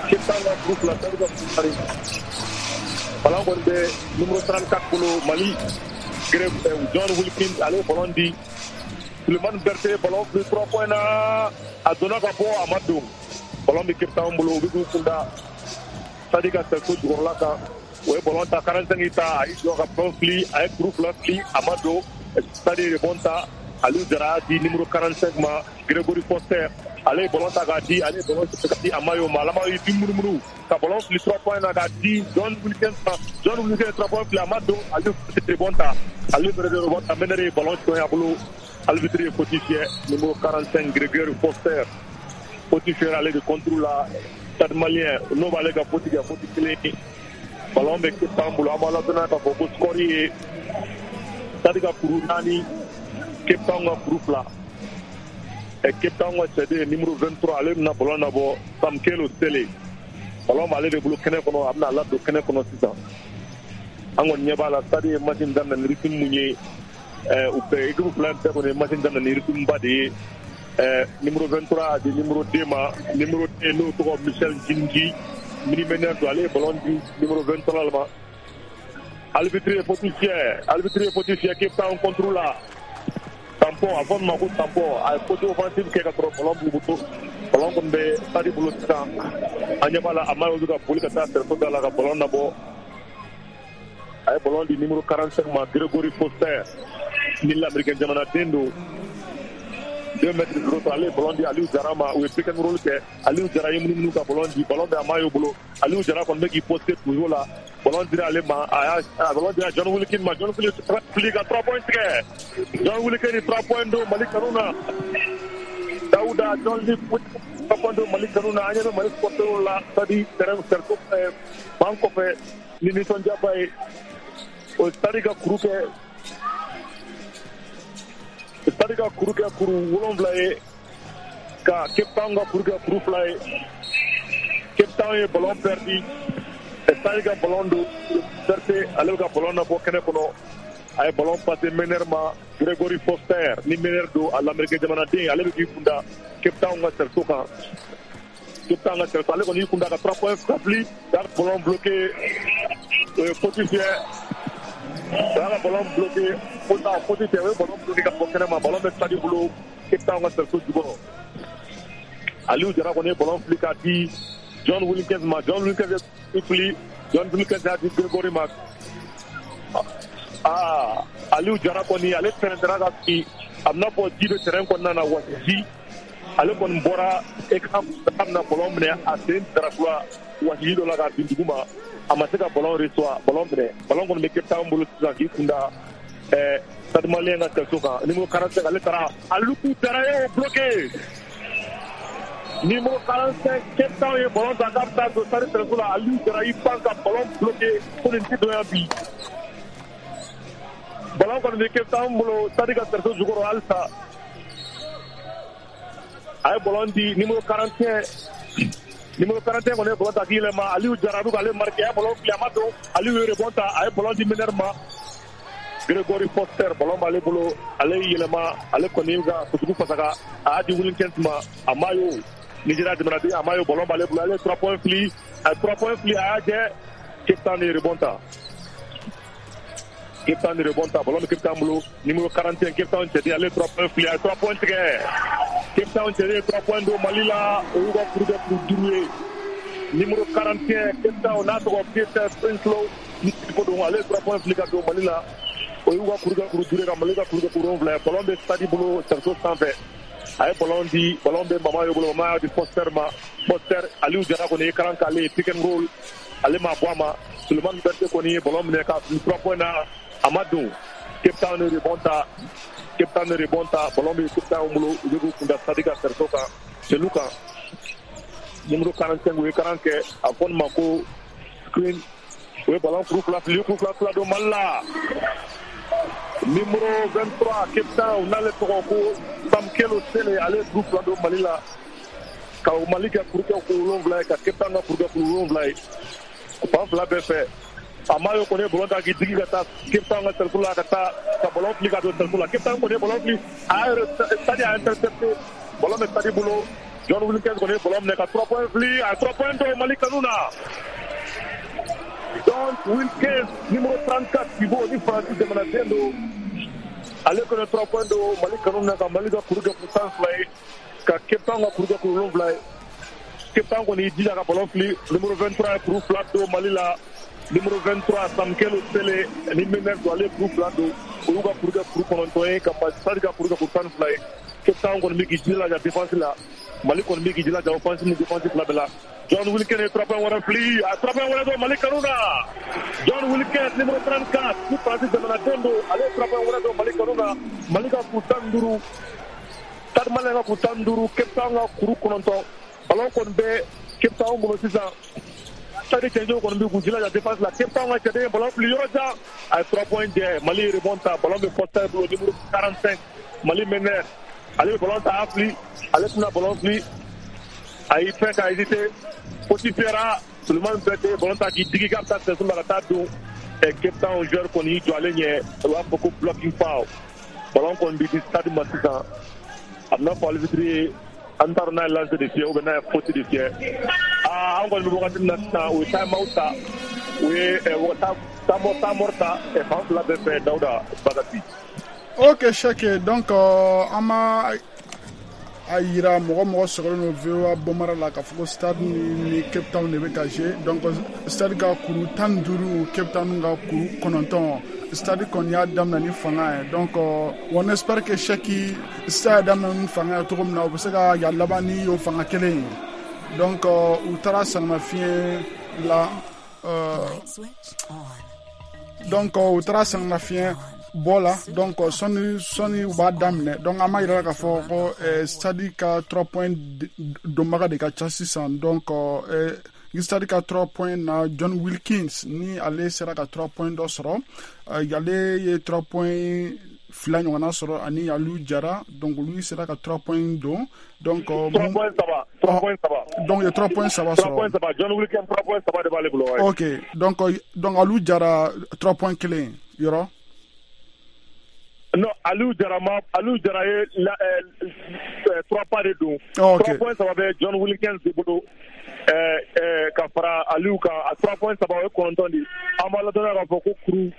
Cape Town ka kuru fila Stade ka kuru naani ballon kɔni bɛ numéro trente-quatre bolo Mali John Wilkins ale ye ballon di Sulemani Berté ballon fili trois points na a donna ka bɔ a ma don ballon bɛ Cape Town bolo u bɛ k'u kun da Stade ka cerceau jukɔrɔla kan o ye ballon ta quarante-cinq ta a y'i jɔ ka ballon fili a ye kuru fila fili a ma don Stade ye rebond ta Aliou Jara y'a di numéro quarante-cinq ma Gregory Foster ale ye ballon ta k'a di ale ye ballon ta k'a di Amayo ma Amayo y'i munumunu ka ballon fili trois points na k'a di John Wilkins ma John Wilkins trois points fili a ma don Aliou rebond ta Aliou fɛnɛ rebond ta meneur ye ballon cɔn a bolo arbitre ye faute fiyɛ numéro quarante-cinq Gregory Foster faute fiyɛra ale de contre la Stade Malien n'o b'ale ka faute kɛ faute kelen Ballon bɛ Cape Town bolo. An b'a ladɔnniya k'a fɔ ko score ye Stade ka kuru naani, Cape Town ka kuru fila. Cape Town ka cɛden numéro vingt-trois, ale bɛna ballon labɔ, Samkelo Sele. Ballon b'ale de bolo kɛnɛ kɔnɔ, a bɛna ladon kɛnɛ kɔnɔ sisan. An kɔni ɲɛ b'a la, Stade ye match in daminɛ ni rythme mun ye, u bɛɛ équipe fila in bɛɛ kɔni ye match in daminɛ ni rythme ba de ye. Numéro vingt-trois a di numéro deux ma, numéro deux n'o tɔgɔ Michel Jinji, mini-meneur don, ale ye ballon di numéro vingt-trois ma. Arbitre ye faute fiyɛ, arbitre ye faute fiyɛ Cape Town contre la. Tampon, a fɔ min ma ko tampon, a ye faute offensive kɛ ka sɔrɔ ballon b'u bolo. Ballon kɔni bɛ Stade bolo sisan. An ɲɛ b'a la, a ma olu ka boli ka taa cerceau da la ka ballon labɔ. A ye ballon di numéro quarante-cinq ma, Gregory Foster, ni l'américain jamanaden don, deux mètres zéro trois. Ale ye ballon di Aliou Jara ma, u ye pick and roll kɛ. Aliou Jara ye munumunu ka ballon di, ballon bɛ Amayo bolo. Aliou Jara kɔni bɛ k'i poster toujours la. Ballon dira ale ma, a y'a ballon dira John Wilkin ma. John Wilkin fili ka trois points tigɛ. John Wilkin ni trois points don Mali kanu na. Dawuda, John Lee trois points don Mali kanu na. An ɲɛ bɛ Mali supporters la Stade terrain cerceau ban kɔfɛ ni nisɔndiyaba ye. O Stade ka kuru kɛ, Stade ka kuru kɛ kuru wolonwula ye, ka Cape Town ka kuru kɛ kuru fila ye. Cape Town ye ballon perdu, Stade ka ballon don Berté, ale bɛ ka ballon labɔ kɛnɛ kɔnɔ. A ye ballon passé meneur ma, Gregory Foster, ni meneur don, a l'américain jamanaden, ale bɛ k'i kunda Cape Town ka cerceau kan. Cape Town ka cerceau, ale kɔni y'i kunda ka trois points ka fili, ka ballon bloqué, o ye faute fiyɛ. O y'a ka ballon bloqué, faute faute fiyɛ, o ye ballon bloqué ka bɔ kɛnɛ ma. Ballon bɛ Stade bolo Cape Town ka cerceau jukɔrɔ. Aliou Jara kɔni ye ballon fili k'a di John Wilkins ma. John Wilkins ye fili, John Wilkins y'a di Gregory ma. Aa, Aliou Jara kɔni ale tɛrɛntɛra ka bin, a bɛna fɔ ji bɛ terrain kɔnɔna na wa ji. Ale kɔni bɔra écran k'a bɛna ballon minɛ, a sen darakura wasiji dɔ la ka bin dugu ma, a ma se ka ballon reçoit, ballon minɛ. Ballon kɔni bɛ Cape Town bolo sisan k'i kunda ɛɛ Stade Malien ka cerceau kan. Numéro quarante-cinq, ale taara, Aliou Jara ye o bloqué. Numéro quarante-cinq, Cape Town ye ballon ta k'a bɛ taa don Stade cerceau la. Aliou Jara y'i pan ka ballon bloqué ko nin tɛ don yan bi. Ballon kɔni bɛ Cape Town bolo Stade ka cerceau jukɔrɔ halisa. A ye ballon di numéro quarante et un, numéro quarante et un kɔni ye ballon ta k'i yɛlɛma. Aliou Jara bɛ k'ale marqué, a ye ballon fili, a ma don. Aliou ye rebond ta, a ye ballon di meneur ma, Gregory Foster. Ballon b'ale bolo, ale y'i yɛlɛma, ale kɔni ka kutugu fasaka, a y'a di Wilkins ma. Amayo, Nigeria jamanaden Amayo, ballon b'ale bolo, ale ye trois points fili, a ye trois points fili, a y'a jɛ. Cape Town ye rebond ta, Cape Town rebond ta, ballon bɛ Cape Town bolo. Numéro quarante et un, Cape Town cɛden, ale ye trois points fili, a ye trois points tigɛ. Cape Town cɛden ye trois points don Mali la, o y'u ka kuru kɛ kuru duuru ye. Numéro quarante et un, Cape Town, n'a tɔgɔ Peter Prinsloo, ni ko don, ale ye trois points fili ka don Mali la, o y'u ka kuru kɛ kuru duuru ye, ka Mali ka kuru kɛ kuru wolonwula ye. Ballon bɛ Stade bolo cerceau sanfɛ. A ye ballon di, ballon bɛ Mamayo bolo, Mamayo y'a di Foster ma. Foster, Aliou Jara kɔni ye karan k'ale ye pick and roll, ale ma bɔ a ma. Sulemani Berté kɔni ye ballon minɛ ka fili trois points na, a ma don. Cape Town ye rebond ta, Cape Town ye rebond ta, ballon bɛ Cape Town bolo, u bɛ k'u kunda Stade ka cerceau kan, celu kan. Numéro quarante-cinq, u ye karan kɛ, a fɔ nin ma ko screen, u ye ballon kuru fila fili, kuru fila fila don Mali la. Numéro vingt-trois, Cape Town, n'ale tɔgɔ ko Samkelo Sele, ale ye kuru fila don Mali la, ka Mali kɛ kuru kɛ kuru wolonwula ye, ka Cape Town ka kuru kɛ kuru wolonwula ye. Fan fila bɛɛ fɛ. Amayo kɔni ye ballon ta k'i digi ka taa Cape Town ka cercle la, ka taa ka ballon fili ka don cercle la. Cape Town kɔni ye ballon fili, a y'a yɛrɛ Stade y'a intercepté, ballon bɛ Stade bolo. John Wilkins kɔni ye ballon minɛ ka trois points fili, a ye trois points don Mali kanu na. John Wilkins, numéro trente-quatre, pivot ni Faransi jamanaden don, ale kɔni ye trois points don Mali kanu na, ka Mali ka kuru kɛ kuru tan fila ye, ka Cape Town ka kuru kɛ kuru wolonwula ye. Cape Town kɔni y'i jija ka ballon fili, numéro vingt-trois ye kuru fila don Mali la. Numéro vingt-trois, Samkelo Sele, ni meneur don, ale ye kuru fila don, o y'u ka kuru kɛ kuru kɔnɔntɔn ye, ka Stade ka kuru kɛ kuru tan ni fila ye. Cape Town kɔni bɛ k'i jilaja défense la, Mali kɔni bɛ k'i jilaja offense ni défense fila bɛɛ la. John Wilkins ye trois points wɛrɛ fili, a trois points wɛrɛ don Mali kanu na. John Wilkins, numéro trente-quatre, ni Faransi jamanaden don, ale ye trois points wɛrɛ don Mali kanu na. Mali ka kuru tan ni duuru, Stade Malien ka kuru tan ni duuru, Cape Town ka kuru kɔnɔntɔn. Ballon kɔni bɛ Cape Town bolo sisan. Stade cɛnjɛw kɔni bɛ k'u jilaja défense la. Cape Town ka cɛden ye ballon fili yɔrɔ jan, a ye trois points jɛ. Mali ye rebond ta, ballon bɛ Foster bolo, numéro quarante-cinq, Mali meneur. Ale bɛ ballon ta, a y'a fili, ale tɛna ballon fili, a y'i fɛn ka hésiter, faute fiyɛra. Sulemani Berté ballon ta k'i digi k'a bɛ taa sɛso la ka taa don. Cape Town joueur kɔni y'i jɔ ale ɲɛ, u b'a fɔ ko blocking foul. Ballon kɔni bɛ di Stade ma sisan, a bɛna fɔ arbitre ye, an t'a dɔn n'a ye lancer de fiyɛ ou bien n'a ye faute de fiyɛ. Aa, an kɔni bɛ wagati min na sisan, u ye time out ta, u ye temps mort ta fan fila bɛɛ fɛ, Dawuda Bagasi. Ok Cheikh, donc an ma a yira mɔgɔ mɔgɔ sɔgɔlen don V O A Bamara la k'a fɔ ko Stade ni Cape Town de bɛ ka jouer. Donc Stade ka kuru tan ni duuru, Cape Town ka kuru kɔnɔntɔn. Stade kɔni y'a daminɛ ni fanga ye. Donc on espère que Cheikh, Stade y'a daminɛ ni fanga ye cogo min na, u bɛ se ka yan laban ni o fanga kelen ye. Donc u taara sɛgɛnnafiɲɛ la, donc u taara sɛgɛnnafiɲɛ bɔ la. Donc sɔnni sɔnni u b'a daminɛ, donc an b'a yira k'a fɔ ko Stade ka trois points donbaga de ka ca sisan. Donc Stade ka trois points na, John Wilkins ni ale sera ka trois points dɔ sɔrɔ, ale ye trois points fila ɲɔgɔnna sɔrɔ, ani Aliou Jara, donc olu sera ka trois points don. Donc trois points saba, trois points saba, donc ye trois points saba sɔrɔ, trois points saba, John Wilkins trois points saba de b'ale bolo. Ok, donc donc Aliou Jara trois points kelen yɔrɔ. Non, Aliou Jara ma, Aliou Jara ye la, euh, trois pas de don. Oh, ok. Trois points saba bɛ John Wilkins de bolo, euh, euh, ka fara Aliou kan, a trois points saba o ye kɔnɔntɔn de. An b'a ladɔnniya k'a fɔ ko kuru,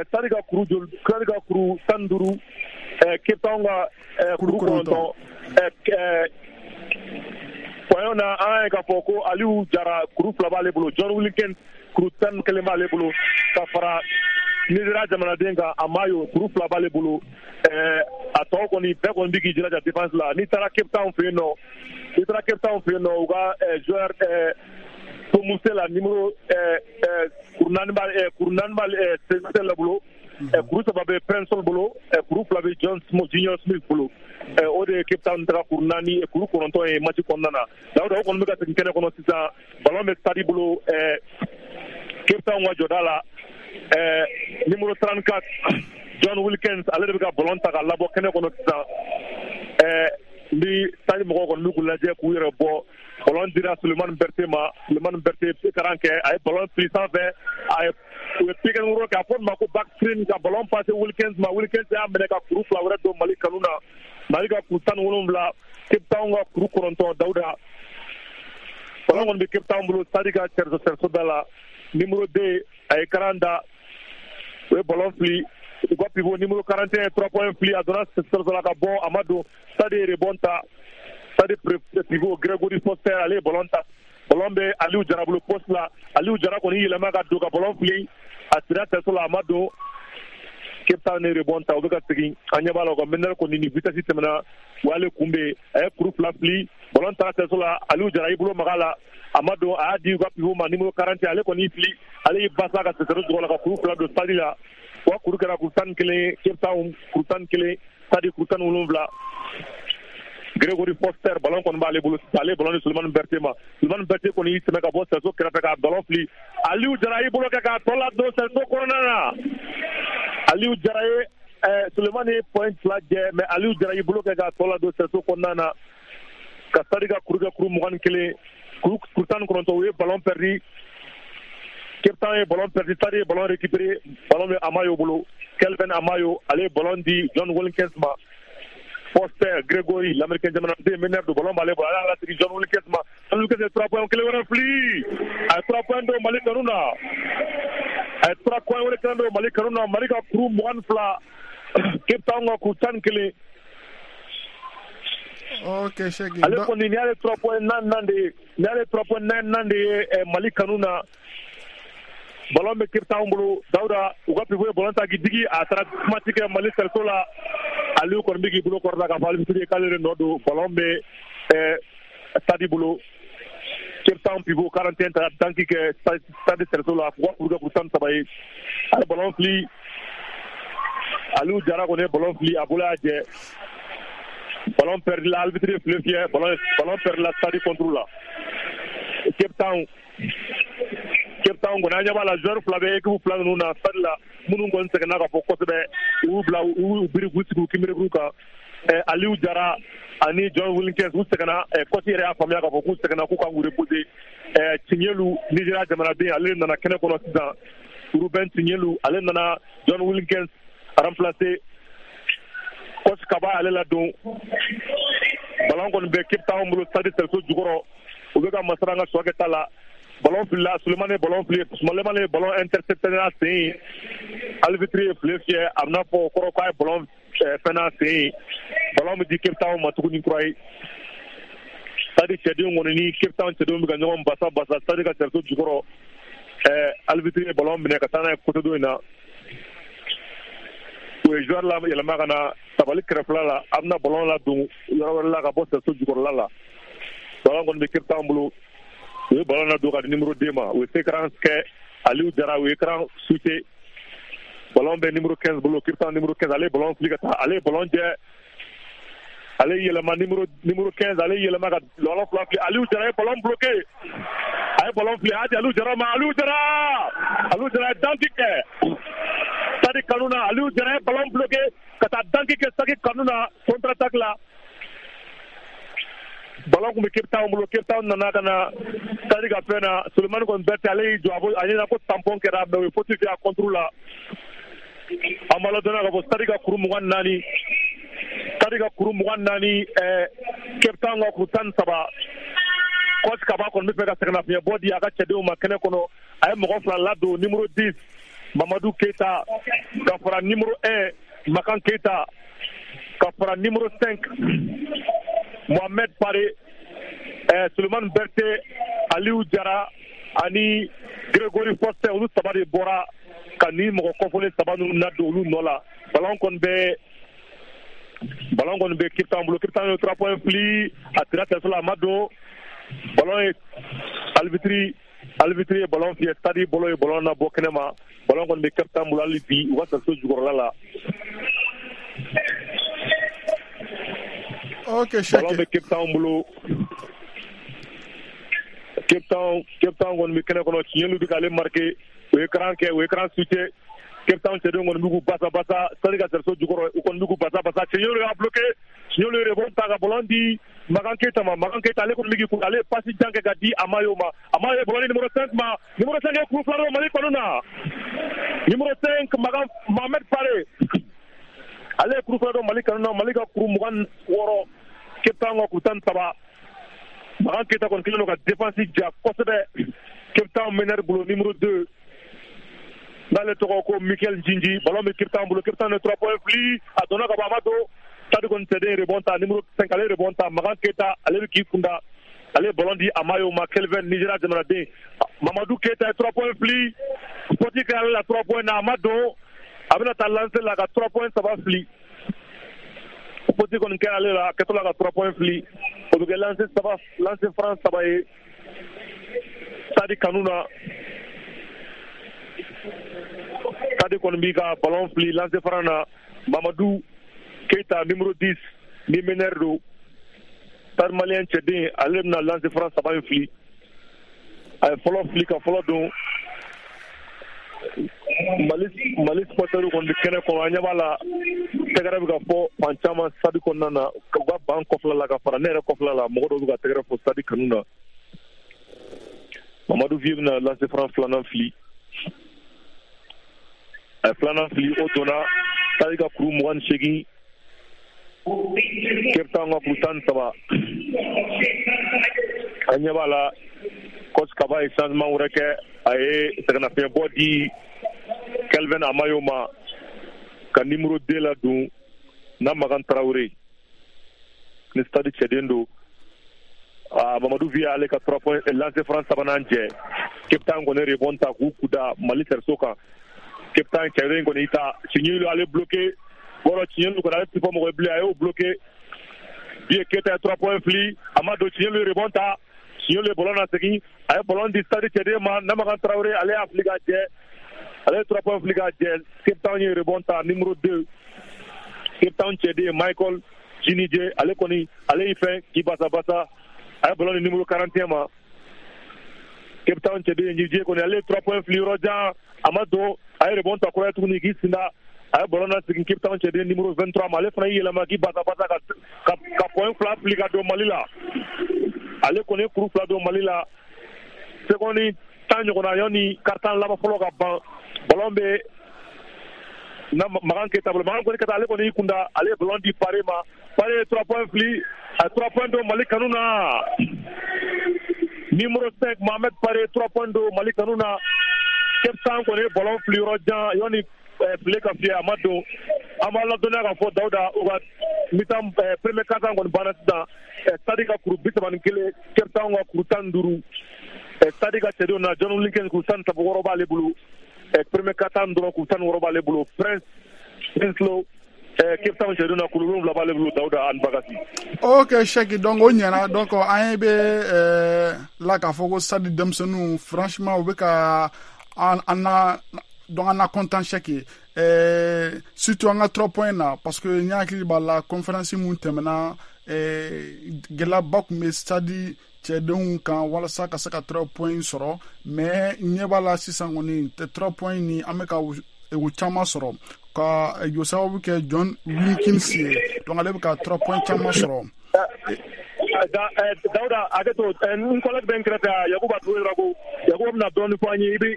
Stade ka kuru joli, Stade ka kuru tan ni duuru, Cape Town ka kuru kɔnɔntɔn. Point na an ye k'a fɔ ko Aliou Jara kuru fila b'ale bolo, John Wilkins kuru tan ni kelen b'ale bolo, ka fara Nizeriya jamanaden kan Amayo kuru fila b'ale bolo. A tɔ kɔni bɛɛ kɔni bɛ k'i jilaja défense la. N'i taara Cape Town fɛ yen nɔ, n'i taara Cape Town fɛ yen nɔ, u ka joueur Tomuse la numéro kuru naani b'ale kuru naani b'ale la bolo, kuru saba bɛ Prince bolo, kuru fila bɛ John Junior Smith bolo. O de ye Cape Town taga kuru naani kuru kɔnɔntɔn ye match kɔnɔna na. Dawuda, o kɔni bɛ ka segin kɛnɛ kɔnɔ sisan, ballon bɛ Stade bolo, Cape Town ka jɔda la. Euh, numéro trente-quatre, John Wilkins, ale de bɛ ka ballon ta k'a labɔ kɛnɛ kɔnɔ sisan. Euh, ni Stade mɔgɔw kɔni bɛ k'u lajɛ k'u yɛrɛ bɔ. Ballon dira Sulemani Berté ma, Sulemani Berté karan kɛ, a ye ballon fili sanfɛ, a ye u ye pick and roll kɛ, a fɔ ma ko back screen, ka ballon passer Wilkins ma. Wilkins y'a minɛ ka kuru fila wɛrɛ don Mali kanu na. Mali ka kuru tan ni wolonwula, Cape Town ka kuru kɔnɔntɔn. Dawuda, ballon kɔni bɛ Cape Town bolo, Stade ka cerceau cerceau da la. Numéro deux a ye karan da, o ye ballon fili, u ka pivot numéro quarante et un trois points fili, a donna cerceau la ka bɔ, a ma don. Stade ye rebond ta, Stade pivot Gregory Foster ale ye ballon ta, ballon bɛ Aliou Jara bolo poste la. Aliou Jara kɔni yɛlɛma ka don ka ballon fili, a sira cerceau la, a ma don. Cape Town ye rebond ta, u bɛ ka segin, an ɲɛ b'a la u ka meneur kɔni ni vitesse tɛmɛna, o y'ale kunbɛn, a ye kuru fila fili, ballon taara cerceau la, Aliou Jara y'i bolo maga la, a ma don, a y'a di u ka pivot ma numéro quarante, ale kɔni y'i fili, ale y'i basa ka cerceau jukɔrɔ la ka kuru fila don Stade la. O ka kuru kɛra kuru tan ni kelen, Cape Town kuru tan ni kelen, Stade kuru tan ni wolonwula. Gregory Foster ballon kɔni b'ale bolo sisan, ale ye ballon di Sulemani Berté ma. Sulemani Berté kɔni y'i tɛmɛ ka bɔ cerceau kɛrɛfɛ k'a ballon fili, Aliou Jara y'i bolo kɛ k'a tɔ ladon cerceau kɔnɔna na. Aliou Jara ye Sulemani ye point fila jɛ, mais Aliou Jara y'i bolo kɛ k'a tɔ ladon cerceau kɔnɔna na ka Stade ka kuru kɛ kuru mugan ni kelen, kuru kuru tan ni kɔnɔntɔn. U ye ballon perdu, Cape Town ye ballon perdu, Stade ye ballon récupéré, ballon bɛ Amayo bolo, Kelvin Amayo ale ye ballon di John Wilkins ma. Foster Gregory, l'américain jamanaden meneur de ballon b'ale bolo, ale y'a lasegin John Wilkins ma. John Wilkins ye trois points kelen wɛrɛ fili, a ye trois points don Mali kanu na, a ye trois points wɛrɛ kelen don Mali kanu na. Mali ka kuru mugan ni fila, Cape Town ka kuru tan ni kelen. Ok Cheikh, ale kɔni nin y'ale trois points naani naani de ye, nin y'ale trois points naani naani de ye Mali kanu na. Ballon bɛ Cape Town bolo, Dawuda, u ka pivot ye ballon ta k'i digi, a taara kumati kɛ Mali cerceau la. Aliou kɔni bɛ k'i bolo kɔrɔta k'a fɔ arbitre ye k'ale de nɔ don. Ballon bɛ Stade bolo, Cape Town pivot quarante et un taara danki kɛ Stade cerceau la, k'u ka kuru kɛ kuru tan ni saba ye. A ye ballon fili, Aliou Jara kɔni ye ballon fili, a bolo y'a jɛ, ballon perdu la, arbitre ye file fiyɛ, ballon ballon perdu la Stade contre la. Cape Town Cape Town kɔni an ɲɛ b'a la joueur fila bɛ équipe fila ninnu na stade la minnu kɔni sɛgɛnna ka fɔ kosɛbɛ u y'u bila u y'u biri k'u sigi u kinberekuru kan Aliou Jara ani John Wilkins u sɛgɛnna coach yɛrɛ y'a faamuya k'a fɔ k'u sɛgɛnna k'u kan k'u reposer Tiɲɛlu Nigéria jamanaden ale nana kɛnɛ kɔnɔ sisan Ruben Tiɲɛlu ale nana John Wilkins remplacer coach Kaba ale ladon ballon kɔni bɛ Cape Town bolo stade Sɛriso jukɔrɔ u bɛ ka masara an ka sɔ kɛ ta la ballon filila Sulemani ye ballon fili Sulemani ye ballon intercepté n'a sen ye arbitre ye file fiyɛ a bɛna fɔ o kɔrɔ k'a ye ballon fɛn n'a sen ye ballon bɛ di Cape Town ma tuguni kura ye stade cɛdenw kɔni ni Cape Town cɛdenw bɛ ka ɲɔgɔn basa basa stade ka Sɛriso jukɔrɔ arbitre ye ballon minɛ ka taa n'a ye côté dɔ in na u ye joueur la yɛlɛma ka na tabali kɛrɛfɛla la a bɛna ballon ladon yɔrɔ wɛrɛ la ka bɔ Sɛriso jukɔrɔla la ballon kɔni bɛ Cape Town bolo u ye ballon ladon ka di numéro deux ma u ye séquence kɛ Aliou Jara u ye écran switché ballon bɛ numéro quinze bolo Cape Town numéro quinze ale ye ballon fili ka taa ale ye ballon jɛ ale yɛlɛma numéro numéro quinze ale yɛlɛma ka ballon fila fili Aliou Jara ye ballon bloqué a ye ballon fili a y'a di Aliou Jara ma Aliou Jara Aliou Jara ye dunk kɛ Stade kanu na Aliou Jara ye ballon bloqué ka taa dunk kɛ Stade kanu na contre attaque la ballon kun bɛ Cape Town bolo Cape Town nana ka na Stade ka fɛn na Sulemani kɔni Berthe ale y'i jɔ a a ɲɛna ko tampon kɛra mais u ye faute kɛ a contre la an b'a ladɔnniya k'a fɔ Stade ka kuru mugan naani Stade ka kuru mugan naani Cape Town ka kuru tan ni saba coach Kaba kɔni bɛ fɛ ka sɛgɛnnafiɲɛbɔ di a ka cɛdenw ma kɛnɛ kɔnɔ a ye mɔgɔ fila ladon numéro dix Mamadou Keita ka fara numéro un Makan Keita ka fara numéro cinq Mohamed Pare eh, Sulemani Berthe Aliou Jara ani Gregory Foster olu saba de bɔra ka ni mɔgɔ kɔfɔlen saba ninnu ladon olu nɔ la ballon kɔni bɛ ballon kɔni bɛ Cape Town bolo Cape Town ye trois points fili a tira tɛso la a ma don ballon ye arbitre arbitre ye ballon fiyɛ stade bolo ye ballon nabɔ kɛnɛ ma ballon kɔni bɛ Cape Town bolo hali bi u ka sɛso jukɔrɔla la. Ok, Cheikh. Ballon bɛ Cape Town bolo Cape Town Cape Town kɔni bɛ kɛnɛ kɔnɔ Tiɲɛlu bɛ k'ale marqué o ye écran kɛ o ye écran switché Cape Town cɛdenw kɔni bɛ k'u basa basa stade ka sɛriso jukɔrɔ u kɔni bɛ k'u basa basa Tiɲɛlu y'a bloqué Tiɲɛlu ye rebond ta ka ballon di Makan Keita ma Makan Keita ale kɔni bɛ k'i kun ale ye passe jan kɛ ka di Amayo ma Amayo ye ballon di numéro cinq ma numéro cinq ye kuru fila don Mali kɔnɔ na numéro cinq Makan Mohamed Pare ale ye kuru fila don Mali kanu na Mali ka kuru mugan wɔɔrɔ Cape Town ka kuru tan ni saba Makan Keita kɔni kɛlen don ka défense ja kosɛbɛ Cape Town meneur bolo numéro deux n'ale tɔgɔ ko Michael Njinji ballon bɛ Cape Town bolo Cape Town ye trois points fili a donna ka bɔ a ma don Stade kɔni cɛden rebond ta numéro cinq ale rebond ta Makan Keita ale bɛ k'i kunda ale ye ballon di Amayo ma Kelvin Nigéria jamanaden Mamadou Keita ye trois points fili faute kɛra ale la trois points na a ma don a bɛna taa lancer la ka trois points saba fili faute kɔni kɛra ale la a kɛtɔ la ka trois points fili o bɛ kɛ lancer saba lancer franc saba ye Stade kanu na Stade kɔni b'i ka ballon fili lancer franc na Mamadou Keita numéro dix ni meneur don Stade malien cɛden ale bɛna lancer franc saba in fili a ye fɔlɔ fili ka fɔlɔ don Mali Mali supporters kɔni bɛ kɛnɛ kɔnɔ an ɲɛ b'a la tɛgɛrɛ bɛ ka fɔ fan caman stade kɔnɔna na u ka ban kɔfɛla la ka fara ne yɛrɛ kɔfɛla la mɔgɔ dɔw bɛ ka tɛgɛrɛ fɔ stade kanu na Mamadou Vieux bɛna lancer franc filanan fili a ye filanan fili o donna stade ka kuru mugan ni seegin Cape Town ka kuru tan ni saba an ɲɛ b'a la coach Kaba ye changement wɛrɛ kɛ a ye sɛgɛnnafiɲɛbɔ di Kelvin Amayo ma ka numéro deux la don na Makan Traoré ni stade cɛden don ah Mamadou Vieux ale ka trois points lancer franc sabanan jɛ Cape Town kɔni rebond ta k'u kuda Mali sɛriso kan Cape Town cɛden kɔni y'i ta Tiɲɛlu ale bloqué wɔrɔ Tiɲɛlu kɔni ale ti fɔ mɔgɔ ye bilen a y'o bloqué Vieux Keita ye trois points fili a ma don Tiɲɛlu ye rebond ta Tiɲɛlu ye ballon lasegin a ye ballon di stade cɛden ma Namakan Traoré ale y'a fili k'a jɛ ale ye trois points fili k'a jɛ Cape Town ye rebond ta numéro deux Cape Town cɛden Michael Jinije ale kɔni ale y'i fɛn k'i basa basa a ye ballon di numéro quarante et un ma Cape Town cɛden J J kɔni ale ye trois points fili yɔrɔ jan, a ma don, a ye rebond ta kura ye tuguni k'i sinda, a ye ballon lasegin Cape Town cɛden numéro vingt-trois ma, ale fana y'i yɛlɛma k'i basa basa ka ka ka point fila fili ka don Mali la. Ale kɔni ye kuru fila don Mali la. Seconde tan ɲɔgɔnna yanni quart-temps laban fɔlɔ ka ban, ballon bɛ na Makan Keita bolo. Makan kɔni Keita ale kɔni y'i kunda, ale ye ballon di Pare ma. Pare ye trois points fili, a ye trois points don Mali kanu na. Numéro cinq Mohamed Pare, trois points don Mali kanu na. Cape Town kɔni ye ballon fili yɔrɔ jan yanni file ka fiyɛ, a ma don. An b'a ladɔnniya k'a fɔ Dawuda, u ka mi-temps premier quart-temps kɔni banna sisan. Stade ka kuru bi saba ni kelen, Cape Town ka kuru tan ni duuru. Stade ka cɛdenw na John Wilkins kuru tan ni saba wɔɔrɔ b'ale bolo. Premier quart-temps dɔrɔn kuru tan ni wɔɔrɔ b'ale bolo. Prince Winslow Cape Town cɛdenw na kuru wolonwula b'ale bolo, Dawuda ani Bakasi. Ok Cheick, donc o ɲɛna. Donc an ye bɛ la k'a fɔ ko Stade denmisɛnninw franchement u bɛ ka an na, donc an na content Cheick, euh, surtout an ka trois points na, parce que n hakili b'a la conférence mun tɛmɛna, gɛlɛyaba tun bɛ Stade cɛdenw kan walasa ka se ka trois points sɔrɔ, mais ɲɛ b'a la sisan kɔni trois points ni an bɛ ka o caman sɔrɔ ka o sababu kɛ John Wilkins ye, donc ale bɛ ka trois points caman sɔrɔ. Dawuda hakɛ to, n collègue bɛ n kɛrɛfɛ Yakuba Togo, Yakuba bɛna dɔɔnin fɔ an ye. I bɛ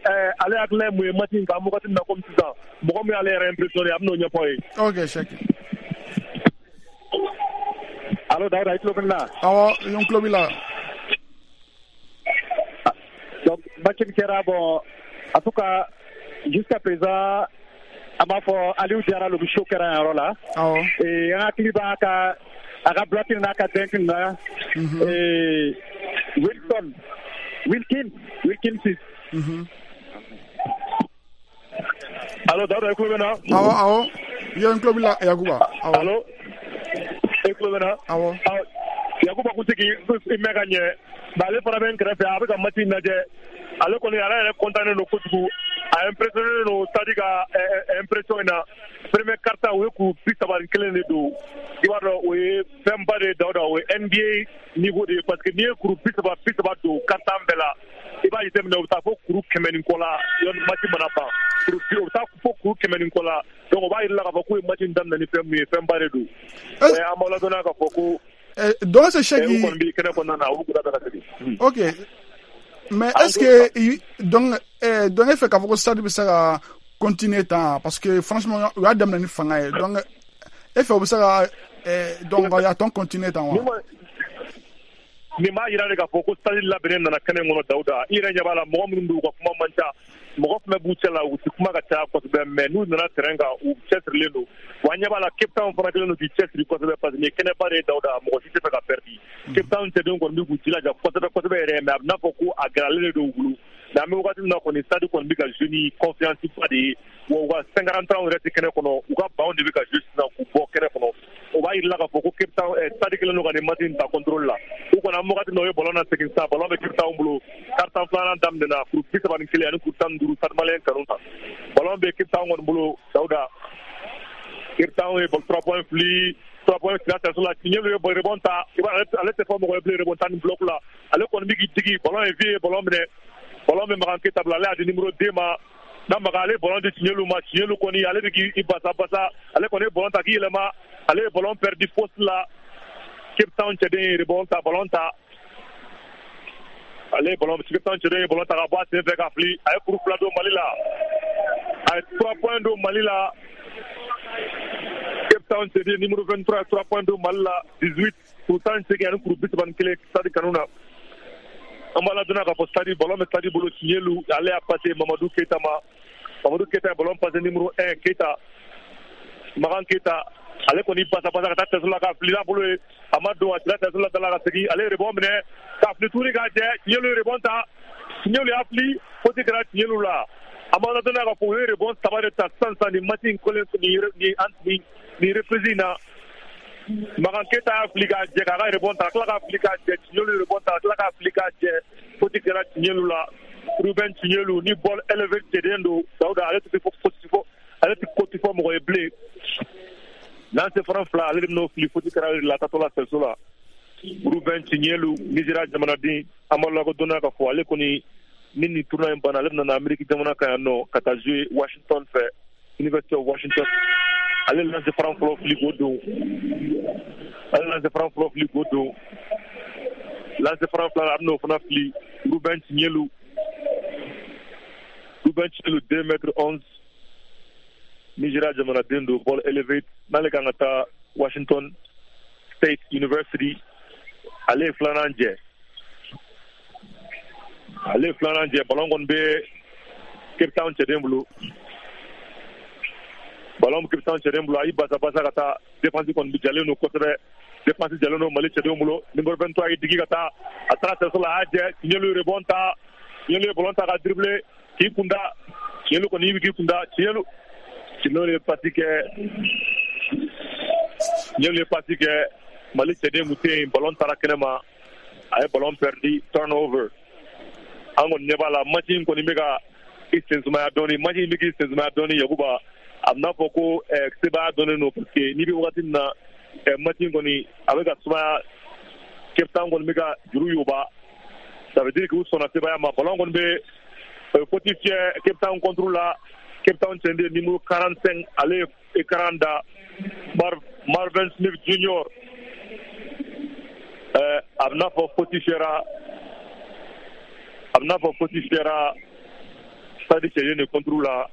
ale hakilina ye mun ye match in kan wagati min na komi sisan mɔgɔ min y'ale yɛrɛ impressionné, a bɛn'o ɲɛfɔ ye. Ok Cheick. Allo Dawuda, i tulo bɛ n na? Awɔ, n tulo b'i la. Donc match min kɛra, bon, en tout cas jusqu'à présent an b'a fɔ Aliou Diarra le show kɛra yan yɔrɔ la. Awɔ. Ee an hakili b'a ka a ka bloc n'a ka dunk na. Ee Wilson Wilkins Wilkins. Allo Dawuda, i tulo bɛ n na? Awɔ awɔ, n tulo b'i la Yakuba. Awɔ. Allo, i tulo bɛ n na? Awɔ. Yakuba kun tɛ k'i mɛn ka ɲɛ, mais ale fana bɛ n kɛrɛfɛ, a bɛ ka match in lajɛ. Ale kɔni ale yɛrɛ content don kojugu, a impressionné don Stade ka impression in na. Premier quart-temps u ye kuru bi saba ni kelen de don, i b'a dɔn o ye fɛnba de ye Dawuda, o ye N B A niveau de ye, parce que n'i ye kuru bi saba bi saba don quart-temps bɛɛ la, i b'a jateminɛ u bɛ taa fo kuru kɛmɛ ni kɔ la yanni match mana ban, kuru bi o bɛ taa fo kuru kɛmɛ ni kɔ la. Donc o b'a yira k'a fɔ k'u ye match in daminɛ ni fɛn min ye, fɛnba de don. An b'aw ladɔnniya k'a fɔ ko donc c'est Cheick. U kɔni bɛ kɛnɛ kɔnɔna na, u b'u ka segin. Ok. Mais est-ce que donc eh, donc e fɛ k'a fɔ ko Stade bɛ se ka continuer tan, parce que franchement u y'a daminɛ ni fanga ye, donc e fɛ u bɛ se ka eh, donc a tɔn continuer tan wa? Nin b'a yira de k'a fɔ ko Stade labɛnnen nana kɛnɛ kɔnɔ Dawuda. I yɛrɛ ɲɛ b'a la mɔgɔ minnu don, u ka kuma man ca, mɔgɔ fɛn b'u cɛ la, u ti kuma ka caya kosɛbɛ, mais n'u nana terrain kan u cɛsirilen don. Wa an ɲɛ b'a la Cape Town fana kɛlen don k'i cɛsiri kosɛbɛ, parce que nin ye kɛnɛba de ye Dawuda, mɔgɔ si tɛ fɛ ka perdi. Cape Town cɛdenw kɔni bɛ k'u jilaja kosɛbɛ kosɛbɛ yɛrɛ, mais a bɛ n'a fɔ ko a gɛlɛyalen de don u bolo. Mais an bɛ wagati min na kɔni Stade kɔni bɛ ka jouer ni confiance ba de ye, wa u ka cinquante ans yɛrɛ tɛ kɛnɛ kɔnɔ, u ka banw de bɛ ka jouer sisan k'u bɔ kɛnɛ kɔnɔ. O b'a yira k'a fɔ ko Cape Town Stade kɛlen don ka nin match in ta contrôle la. U kɔni an bɛ wagati min na u ye ballon lasegin sisan, ballon bɛ Cape Town bolo. Quart-temps filanan daminɛna, kuru bi saba ni kelen ani kuru tan ni duuru Stade Malien kanu ta. Ballon bɛ Cape Town kɔni bolo Dawuda. Cape Town ye trois points fili, trois points fila tɛso la, Tiɲɛlu ye rebond ta, i b'a ale tɛ fɔ mɔgɔ ye bilen rebond ta ni bloc la. Ale kɔni bɛ k'i digi, ballon ye vie ye ballon minɛ. Ballon bɛ Makan Keita bolo, ale y'a di numéro deux ma. N'a Makan ale ye ballon di Tiɲɛlu ma, Tiɲɛlu kɔni ale bɛ k'i basa basa, ale kɔni ye ballon ta k'i yɛlɛma, ale ye ballon perdu poste la. Cape Town cɛden ye rebond ta, ballon ta. Ale ye ballon Cape Town cɛden ye ballon ta ka bɔ a sen fɛ ka fili, a ye kuru fila don Mali la. A ye trois points don Mali la. Cape Town cɛden numéro vingt-trois trois points don Mali la, dix-huit kuru tan ni seegin ani kuru bi saba ni kelen Stade kanu na. An b'a ladɔnniya k'a fɔ Stade ballon bɛ Stade bolo, Tiɲɛlu ale y'a passé Mamadou Keita ma. Mamadou Keita ye ballon passé numéro un Keita, Makan Keita, ale kɔni basa basa ka taa tɛso la k'a fili n'a bolo ye, a ma don, a cira tɛso la da la ka segin, ale ye rebond minɛ k'a fili tuguni k'a jɛ, Tiɲɛlu ye rebond ta, Tiɲɛlu y'a fili, faute kɛra Tiɲɛlu la. An b'a ladɔnniya k'a fɔ u ye rebond saba de ta sisan sisan nin match in kɔlen nin nin nin reprise in na. Makan Keita y'a fili k'a jɛ k'a ka rebond ta, ka tila k'a fili k'a jɛ, Tiɲɛlu ye rebond ta, ka tila k'a fili k'a jɛ, faute kɛra Tiɲɛlu la. Ruben Tiɲɛlu ni ball élevé cɛden don Dawuda, ale tɛ fɔ fɔ ale tɛ ko tɛ fɔ mɔgɔ ye bilen. Lancer franc fila ale de bɛn'o fili, faute kɛra ale de la taatɔ la sɛso la. Ruben Tiɲɛlu Nizeriya jamanaden, an b'a lakodɔnna k'a fɔ ale kɔni Ni nin tournoi in banna, ale bɛna na Amérique jamana kan yan nɔ ka taa jouer Washington fɛ, University of Washington. Ale lancer franc fɔlɔ fili k'o don. Ale lancer franc fɔlɔ fili k'o don. Lancer franc filanan, a bɛna o fana fili. Ruben Chinyelu. Ruben Chinyelu, deux mètres onze. Nigeria jamanaden don, ball elevate. N'ale kan ka taa Washington State University. Ale ye filanan jɛ. Ale ye filanan jɛ. Ballon kɔni bɛ Cape Town cɛden bolo. Ballon bɛ Cape Town cɛden bolo. A y'i basa basa ka taa. Défense kɔni bɛ jalen don kosɛbɛ. Défense jalen don Mali cɛdenw bolo. Numéro vingt-trois y'i digi ka taa. A taara cerceau la, a y'a jɛ. Chinyelu ye rebond ta. Chinyelu ye ballon ta ka dribbler. K'i kun da. Chinyelu kɔni y'i k'i kun da. Chinyelu. Chinyelu ye passe kɛ. Chinyelu ye passe kɛ. Mali cɛden kun tɛ yen. Ballon taara kɛnɛma. A ye ballon perdu. Turnover. An kɔni ɲɛ b'a la, match in kɔni bɛ ka i sen sumaya dɔɔni. Match in bɛ k'i sen sumaya dɔɔni, Yakuba. A bɛ n'a fɔ ko sebaaya dɔnnen don, parce que n'i bɛ wagati min na, match in kɔni a bɛ ka sumaya. Cape Town kɔni bɛ ka juru yoba, ça veut dire k'u sɔnna sebaaya ma. Ballon kɔni bɛ faute fiyɛ Cape Town contre la. Cape Town cɛden numéro quarante-cinq, ale ye écran da, Marvin Smith Junior. A bɛ n'a fɔ faute fiyɛra. A bɛ n'a fɔ faute fiyɛra Stade cɛden de contre la.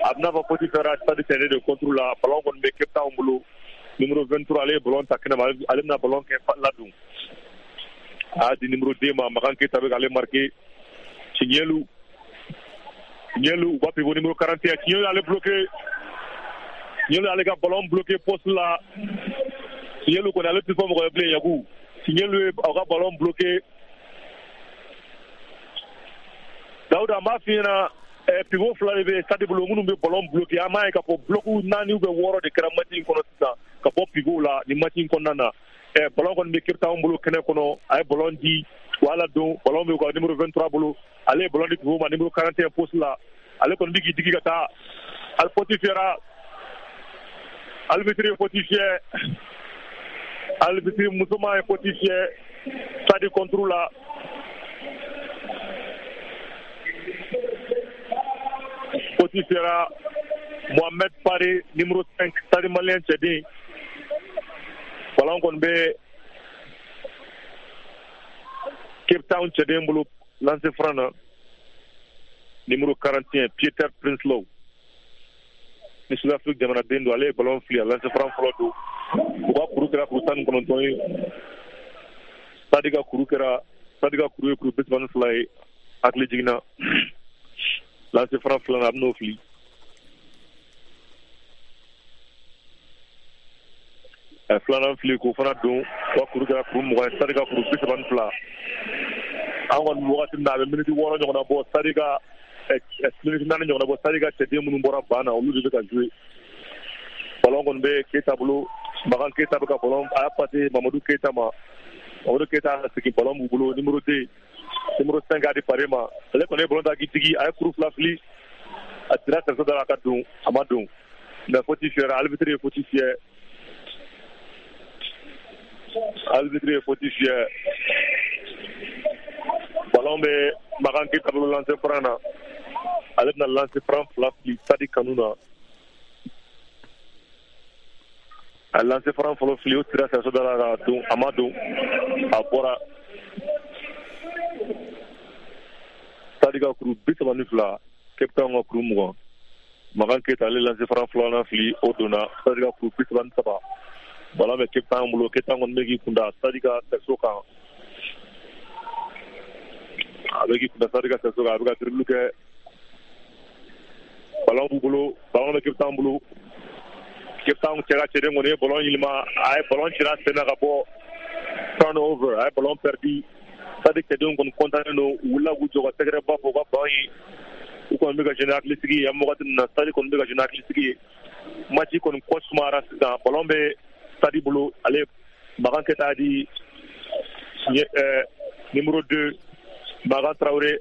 A bɛ n'a fɔ faute fiyɛra Stade cɛden de contre la. Ballon kɔni bɛ Cape Town bolo. Numéro vingt-trois, ale ye ballon ta kɛnɛma. Ale bɛna ballon kɛ ladon. A y'a di numéro deux ma. Makan Keita bɛ k'ale marqué. Chinyelu. Chinyelu, u ka pivot numéro quarante et un. Chinyelu y'ale bloqué. Chinyelu y'ale ka ballon bloqué poste la. Chinyelu kɔni, ale tɛ fɔ mɔgɔ ye bilen, Yaku. Chinyelu ye a ka ballon bloqué. Dawuda, n b'a f'i ɲɛna, pivot fila de bɛ Stade bolo minnu bɛ ballon bloqué. An b'a ye k'a fɔ bloc naani ou bien wɔɔrɔ de kɛra match in kɔnɔ sisan ka bɔ pivot la nin match in kɔnɔna na. Ballon kɔni bɛ Cape Town bolo kɛnɛ kɔnɔ. A ye ballon di, u y'a ladon. Ballon bɛ u ka numéro vingt-trois bolo. Ale ye ballon di pivot ma, numéro quarante et un poste la. Ale kɔni bɛ k'i digi ka taa. Ali faute fiyɛra. Arbitre ye faute fiyɛ. Arbitre musoman ye faute fiyɛ Stade contre la. Faute fiyɛra Mohamed Pare, numéro cinq, Stade Malien cɛden. Ballon kɔni bɛ Cape Town cɛden bolo lancer franc na. Numéro quarante et un, Peter Prinsloo. Ni South Afrique jamanaden don, ale ye ballon fili, a lancer franc fɔlɔ don. U ka kuru kɛra kuru tan ni kɔnɔntɔn ye. Stade ka kuru kɛra, Stade ka kuru ye kuru bi saba ni fila ye. Hakili jiginna. Lancer franc filanan, a bɛn'o fili. A filanan fili k'o fana don. U ka kuru kɛra kuru mugan ye. Stade ka kuru bi saba ni fila. An kɔni bɛ wagati min na, a bɛ miniti wɔɔrɔ ɲɔgɔnna bɔ. Stade ka miniti naani ɲɔgɔnna bɔ. Stade ka cɛden minnu bɔra ban na, olu de bɛ ka jouer. Ballon kɔni bɛ Keita bolo. Makan Keita bɛ ka ballon, a y'a passé Mamadou Keita ma. Mamadou Keita y'a segin, ballon b'u bolo. Numéro deux, numéro cinq a di Pare ma. Ale kɔni ye ballon ta k'i digi, a ye kuru fila fili. A tira cerceau da la ka don, a ma don. Mais faute fiyɛra, arbitre ye faute fiyɛ. Arbitre ye faute fiyɛ. Ballon bɛ Makan Keita bolo lancer franc na. Ale bɛna lancer franc fila fili Stade kanu na. A lancer franc fɔlɔ fili, o tira cerceau da la ka don, a ma don. A bɔra. Stade ka kuru bi saba ni fila, Cape Town ka kuru mugan. Makan Keita ale lancer franc filanan fili, o donna. Stade ka kuru bi saba ni saba. Ballon bɛ Cape Town bolo. Cape Town kɔni bɛ k'i kunda Stade ka cerceau kan. A bɛ k'i kunda Stade ka cerceau kan, a bɛ ka dribble kɛ. Ballon b'u bolo, ballon bɛ Cape Town bolo. Cape Town cɛ ka cɛden kɔni ye ballon yɛlɛma, a ye ballon cira sen na ka bɔ. Turnover, a ye ballon perdu. Stade cɛdenw kɔni content don, u wulila k'u jɔ ka tɛgɛrɛ ba fɔ u ka ban ye. U kɔni bɛ ka jouer ni hakilisigi ye. An bɛ wagati min na, Stade kɔni bɛ ka jouer ni hakilisigi ye. Match kɔni kɔ sumayara sisan. Ballon bɛ Stade bolo. Ale Makan Keita di numéro deux, Makan Traoré.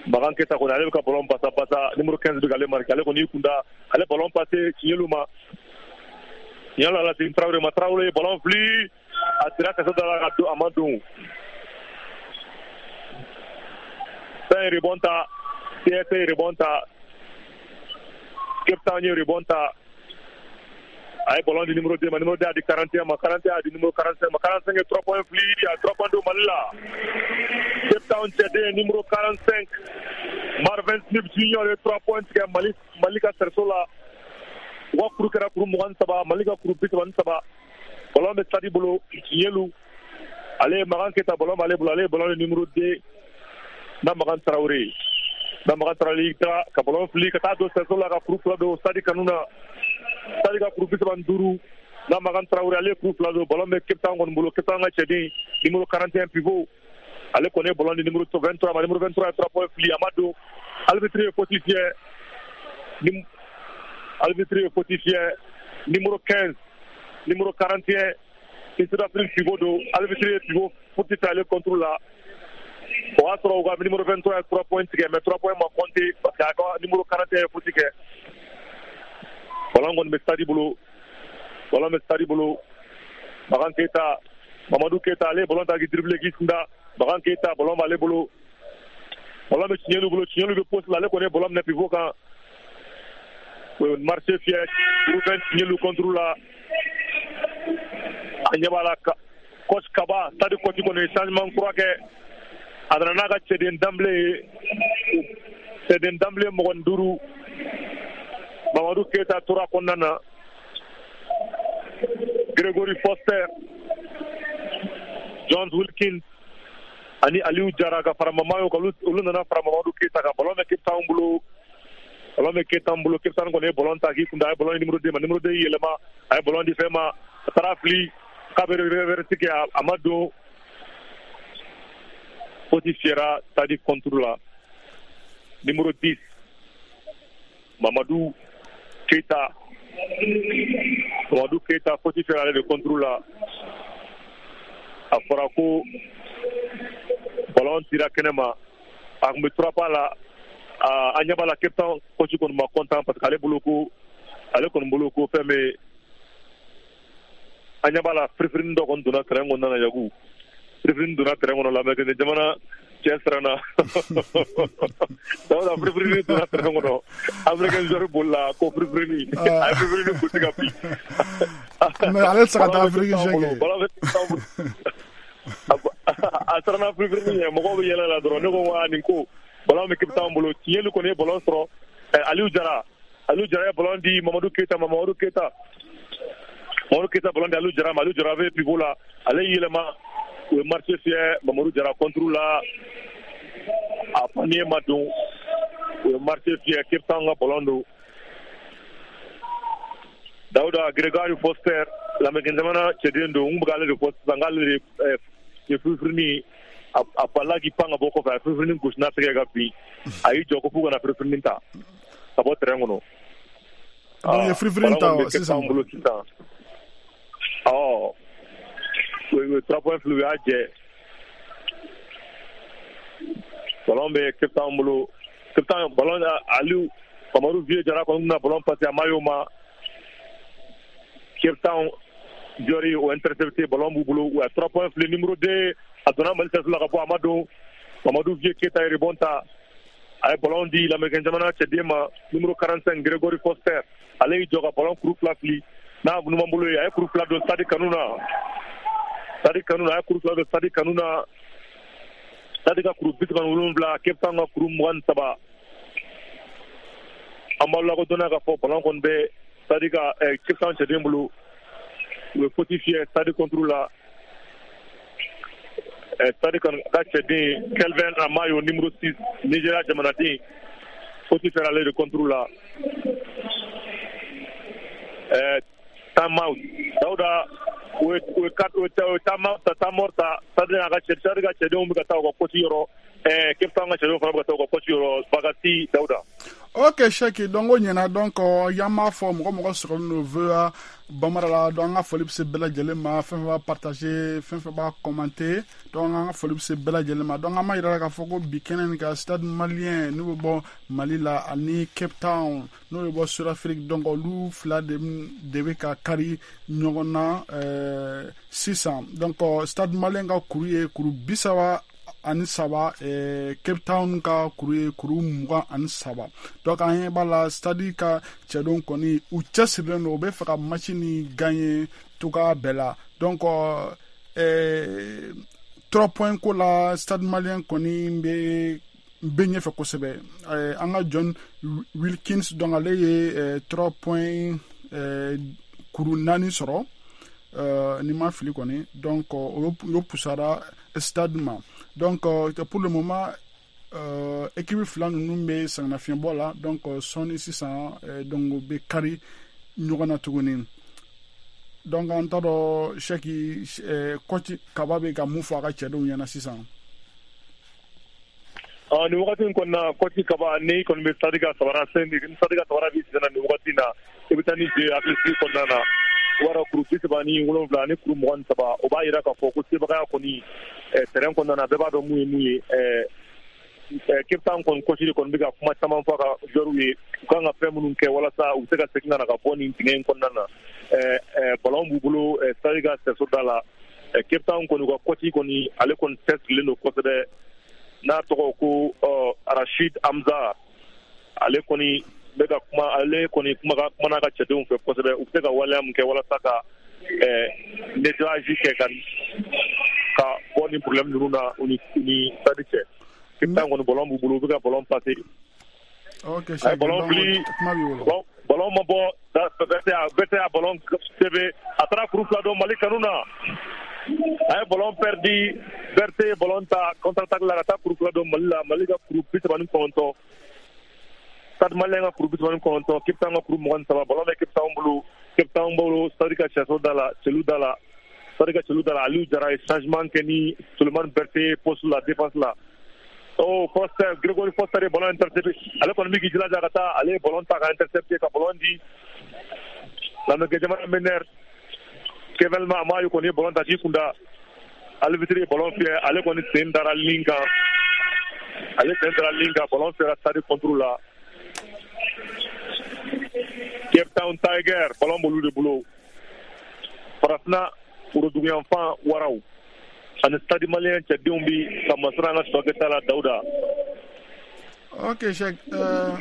Makan Keita kɔni, ale bɛ ka ballon basa basa. Numéro quinze bɛ k'ale marqué. Ale kɔni y'i kunda, ale ballon passé Chinyelu ma. Chinyelu ala segin Traoré ma. Traoré ballon fili, a tira cerceau da la ka don, a ma don. Town ye rebond ta, C S ye rebond ta, Cape Town ye rebond ta. A ye ballon di numéro deux ma, numéro deux a di quarante et un ma, quarante et un a di numéro quarante-cinq ma, quarante-cinq ye trois points fili, a trois points don Mali la. Cape Town cɛden numéro quarante-cinq Marvin Smith Junior ye trois points tigɛ Mali Mali ka cerceau la. U ka kuru kɛra kuru mugan ni saba, Mali ka kuru bi saba ni saba. Ballon bɛ Stade bolo, Tiɲɛlu ale ye Makan Keyita, ballon b'ale bolo, ale ye ballon di numéro deux na Makan Traoré. Na Makan Traoré y'i taga ka ballon fili ka taa don cerceau la ka kuru fila don Stade kanu na. Stade ka kuru bi saba ni duuru na Makan Traoré ale ye kuru fila don, ballon bɛ Cape Town kɔni bolo. Cape Town ka cɛden numéro quarante et un pivot ale kɔni ye ballon di numéro vingt-trois ma, numéro vingt-trois ye trois points fili, a ma don. Arbitre ye faute fiyɛ, ni arbitre ye faute fiyɛ numéro quinze, numéro quarante et un ni Sud-Afrique pivot don, arbitre ye pivot faute fiyɛ ale contre la. O y'a sɔrɔ u ka numéro vingt-trois ye trois points tigɛ, mais trois points ma compter parce que a ka numéro quarante et un ye faute kɛ. Ballon kɔni bɛ Stade bolo, ballon bɛ Stade bolo. Makan Keyita, Mamadou Keyita ale ye ballon ta k'i dribbler k'i kunda. Makan Keyita ballon b'ale bolo, ballon bɛ Tiɲɛlu bolo, Tiɲɛlu bɛ poste la, ale kɔni ye ballon minɛ pivot kan. O ye marché fiyɛ Ruben Tiɲɛlu contre la. A ɲɛ b'a la coach Kaba, Stade coach kɔni ye changement kura kɛ. A nana n'a ka cɛden danbile ye, cɛden danbile mɔgɔ ni duuru. Mamadou Keyita tora kɔnɔna na, Gregory Foster, John Wilkins ani Aliou Jara ka fara Mamayo kan, olu nana fara Mamadou Keyita kan. Ballon bɛ Cape Town bolo, ballon bɛ Cape Town bolo. Cape Town kɔni ye ballon ta k'i kunda, a ye ballon di numéro deux ma, numéro deux y'i yɛlɛma, a ye ballon di fɛn ma, a taara fili k'a bɛ reverse kɛ, a ma don. Faute fiyɛra Stade contre la. Numéro dix Mamadou Keyita, Mamadou Keyita faute fiyɛra ale de contre la. A fɔra ko ballon tira kɛnɛ ma, a tun bɛ trois pas la. An ɲɛ b'a la Cape Town coach kɔni ma content parce que ale bolo ko ale kɔni bolo ko fɛn bɛ, an ɲɛ b'a la firifirinin dɔ kɔni donna terrain kɔnɔna na. Yaku firifirinin donna terrain kɔnɔ la, mais jamana cɛ siranna. Dawuda firifirinin donna terrain kɔnɔ, Africain joueur bolila ko firifirinin, a ye firifirinin gosi ka bin. Mais ale tɛ se ka taa Afrique jeu kɛ. A siranna firifirinin ɲɛ, mɔgɔw bɛ yɛlɛ la dɔrɔn. Ne ko wa nin ko ballon bɛ Cape Town bolo. Tiɲɛli kɔni ye ballon sɔrɔ, Aliou Jara, Aliou Jara ye ballon di Mamadou Keyita ma, Mamadou Keyita, Mamadou Keyita ballon di Aliou Jara ma, Aliou Jara bɛ pivot la, ale y'i yɛlɛma, u ye marché fiyɛ Mamadou Jara contre la, a panier ma don, u ye marché fiyɛ. Cape Town ka ballon don. Dawuda Gregory Foster lamɛn jamana cɛden don, n bɛ k'ale de fɔ sisan, k'ale de ye firifirinin, a balila k'i pan ka bɔ kɔfɛ, a ye firifirinin gosi n'a tɛgɛ ka bin, a y'i jɔ ko f'u kana firifirinin ta ka bɔ terrain kɔnɔ. Donc u ye firifirinin ta sisan. Bolo sisan. Ɔ u ye trois points fili, u y'a jɛ. Ballon bɛ Cape Town bolo. Cape Town ballon Aliou Mamadou Vieux Jara kɔni bɛna ballon passer a ma y'o ma. Cape Town joueur o intercepté, ballon b'u bolo, u ye trois points fili numéro deux a donna Mali cerceau la ka bɔ, a ma don. Mamadou Vieux Keyita ye rebond ta, a ye ballon di lamɛn jamana cɛden ma numéro quarante-cinq Gregory Foster, ale y'i jɔ ka ballon kuru fila fili n'a numan bolo ye, a ye kuru fila don Stade kanu na, Stade kanu na, a ye kuru fila don Stade kanu na. Stade ka kuru bi saba ni wolonwula, Cape Town ka kuru mugan ni saba. An b'aw lakodɔnniya k'a fɔ ballon kɔni bɛ Stade ka Cape Town cɛden bolo. U ye faute fiyɛ Stade contre la. Stade ka cɛden Kelvin Amayo numéro six Nigeria jamanaden, faute fiyɛra ale de contre la. Time out Dawuda, u ye u ye time out ta, time out ta. Stade ka cɛ Stade ka cɛdenw bɛ ka taa u ka coach yɔrɔ, Cape Town ka cɛdenw fana bɛ ka taa u ka coach yɔrɔ. Bagasi Dawuda. Ok Cheick, donc o ɲɛna. Donc y'an b'a fɔ mɔgɔ mɔgɔ sɔrɔlen don V O A Bambara la, donc an ka foli bɛ se bɛɛ lajɛlen ma, fɛn fɛn b'a partager, fɛn fɛn b'a commenter, donc an ka foli bɛ se bɛɛ lajɛlen ma. Donc an b'a yira k'a fɔ ko bi kɛnɛ nin kan, Stade Malien n'u bɛ bɔ Mali la ani Cape Town n'o bɛ bɔ Sud-Afrique, donc olu fila de de bɛ ka kari ɲɔgɔn na sisan. Donc Stade Malien ka kuru ye kuru bi saba ani saba, eh, Cape Town ka kuru ye kuru mugan ani saba. Donc an ɲɛ b'a la Stade ka cɛdenw kɔni u cɛsirilen don, u bɛ fɛ ka match ni gagner cogoya bɛɛ la. Donc eh, trois points ko la, Stade Malien kɔni bɛ bɛ ɲɛfɛ kosɛbɛ. Eh, an ka John Wilkins, donc ale ye eh, trois points eh, kuru naani sɔrɔ, euh, ni ma fili kɔni. Donc o o pusara Stade ma. Donc euh, pour le moment euh, équipe fila ninnu bɛ sɛgɛnnafiɲɛbɔ la. Donc sɔɔni sisan euh, donc u bɛ kari ɲɔgɔn na tuguni. Donc an t'a dɔn Sɛki, eh, coach Kaba bɛ ka mun fɔ a ka cɛdenw ɲɛna sisan. Uh, nin wagati in kɔnɔna, coach Kaba, ni kɔni bɛ Stade ka sabara sen, ni Stade ka sabara b'i sen na nin wagati in na, i bɛ taa ni jeu hakilisigi kɔnɔna na. O b'a dɔn kuru bi saba ni wolonwula ani kuru mugan ni saba, o b'a yira k'a fɔ ko sebagaya kɔni eh, terrain kɔnɔna na, bɛɛ b'a dɔn mun ye mun ye. eh, eh, Cape Town kɔni coach de kɔni bɛ ka kuma caman fɔ a ka joueurs ye, u kan ka fɛn minnu kɛ walasa u bɛ se ka segin ka na ka bɔ nin dingɛ in kɔnɔna na. eh, eh, ballon b'u bolo eh, Stade ka sɛso da la. eh, Cape Town kɔni, u ka coach kɔni, ale kɔni cɛsirilen don kosɛbɛ, n'a tɔgɔ ko uh, Rashid Hamza. Ale kɔni bɛ ka kuma, ale kɔni kuma ka kuma n'a ka cɛdenw fɛ kosɛbɛ, u bɛ se ka waleya mun kɛ walasa ka eh, nettoyage kɛ ka ka bɔ ni problème ninnu na u ni u ni Stade cɛ. Cape Town kɔni, ballon b'u bolo, u bɛ ka ballon passer. Ok, A ye ballon fili, kuma b'i bolo. Ballon ma bɔ, Berthe y'a ballon sɛbɛ, a taara kuru fila don Mali kanu na. A ye ballon perdu, Berthe ye ballon ta contre attaque la ka taa kuru fila don Mali la. Mali ka kuru bi saba ni kɔnɔntɔn, Stade Malien ka kuru bi saba ni kɔnɔntɔn, Cape Town ka kuru mugan ni saba. Ballon bɛ Cape Town bolo, Cape Town bolo, Stade ka sɛso da la, celu da la, Stade ka celu da la. Aliou Jara ye changement kɛ ni Sulemani Berthe poste la, défense la. Oh, Foster, Gregory Foster ye ballon intercepté. Ale kɔni bɛ k'i jilaja ka taa, ale ye ballon ta ka intercepté ka ballon di lamɛnkɛ jamana meneur Kevin Amayo kɔni ye ballon ta k'i kunda. Arbitre ye ballon fiyɛ, ale kɔni sen dara ligne kan, ale sen dara ligne kan, ballon fiyɛra Stade contre la. Cape Town Tiger, ballon b'olu de bolo. Farafinna woroduguyanfan waraw ani Stade Malien cɛdenw bi ka masara an ka sɔkɛta la, Dawuda. Ok Cheikh, euh,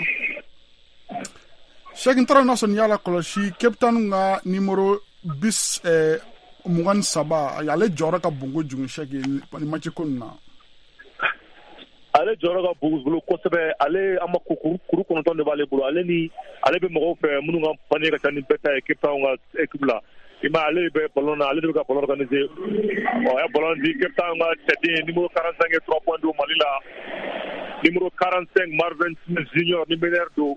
Cheikh, n taara n'a sɔrɔ n'i y'a lakɔlɔsi, Cape Town ka numéro bis eh, mugan ni saba, ale jɔyɔrɔ ka bon kojugu Cheikh nin match ko nin na. Ale jɔyɔrɔ ka bon bolo kosɛbɛ. Ale an ma kuru kuru kɔnɔntɔn de b'ale bolo. Ale ni ale bɛ mɔgɔw fɛ minnu ka panier ka ca ni bɛɛ ta ye Cape Town ka équipe la. I ma, ale bɛ ballon na, ale de bɛ ka ballon organiser. Ɔ, a ye ballon di Cape Town ka cɛden numéro quarante-cinq ye trois points don Mali la. Numéro quarante-cinq, Marvin Smith Junior, ni meneur don,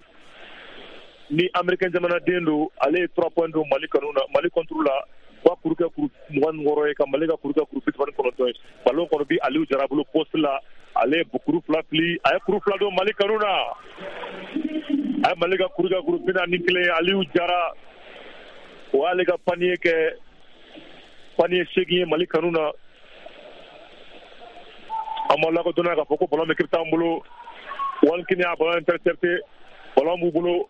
ni américain jamanaden don, ale ye trois points don Mali kanu na, Mali contre la. Wa kuru kɛ kuru mugan ni wɔɔrɔ ye, ka Mali ka kuru kɛ kuru bi saba ni kɔnɔntɔn ye. Ballon kɔnɔ bi Aliou Jara bolo poste la, ale ye kuru fila fili, a ye kuru fila don Mali kanu na. A ye Mali ka kuru kɛ kuru bi naani ni kelen ye. Aliou Jara, o y'ale ka panier kɛ panier seegin ye Mali kanu na. An b'aw lakodɔnna k'a fɔ ko ballon bɛ Cape Town bolo. Walkini y'a ballon intercepté, ballon b'u bolo.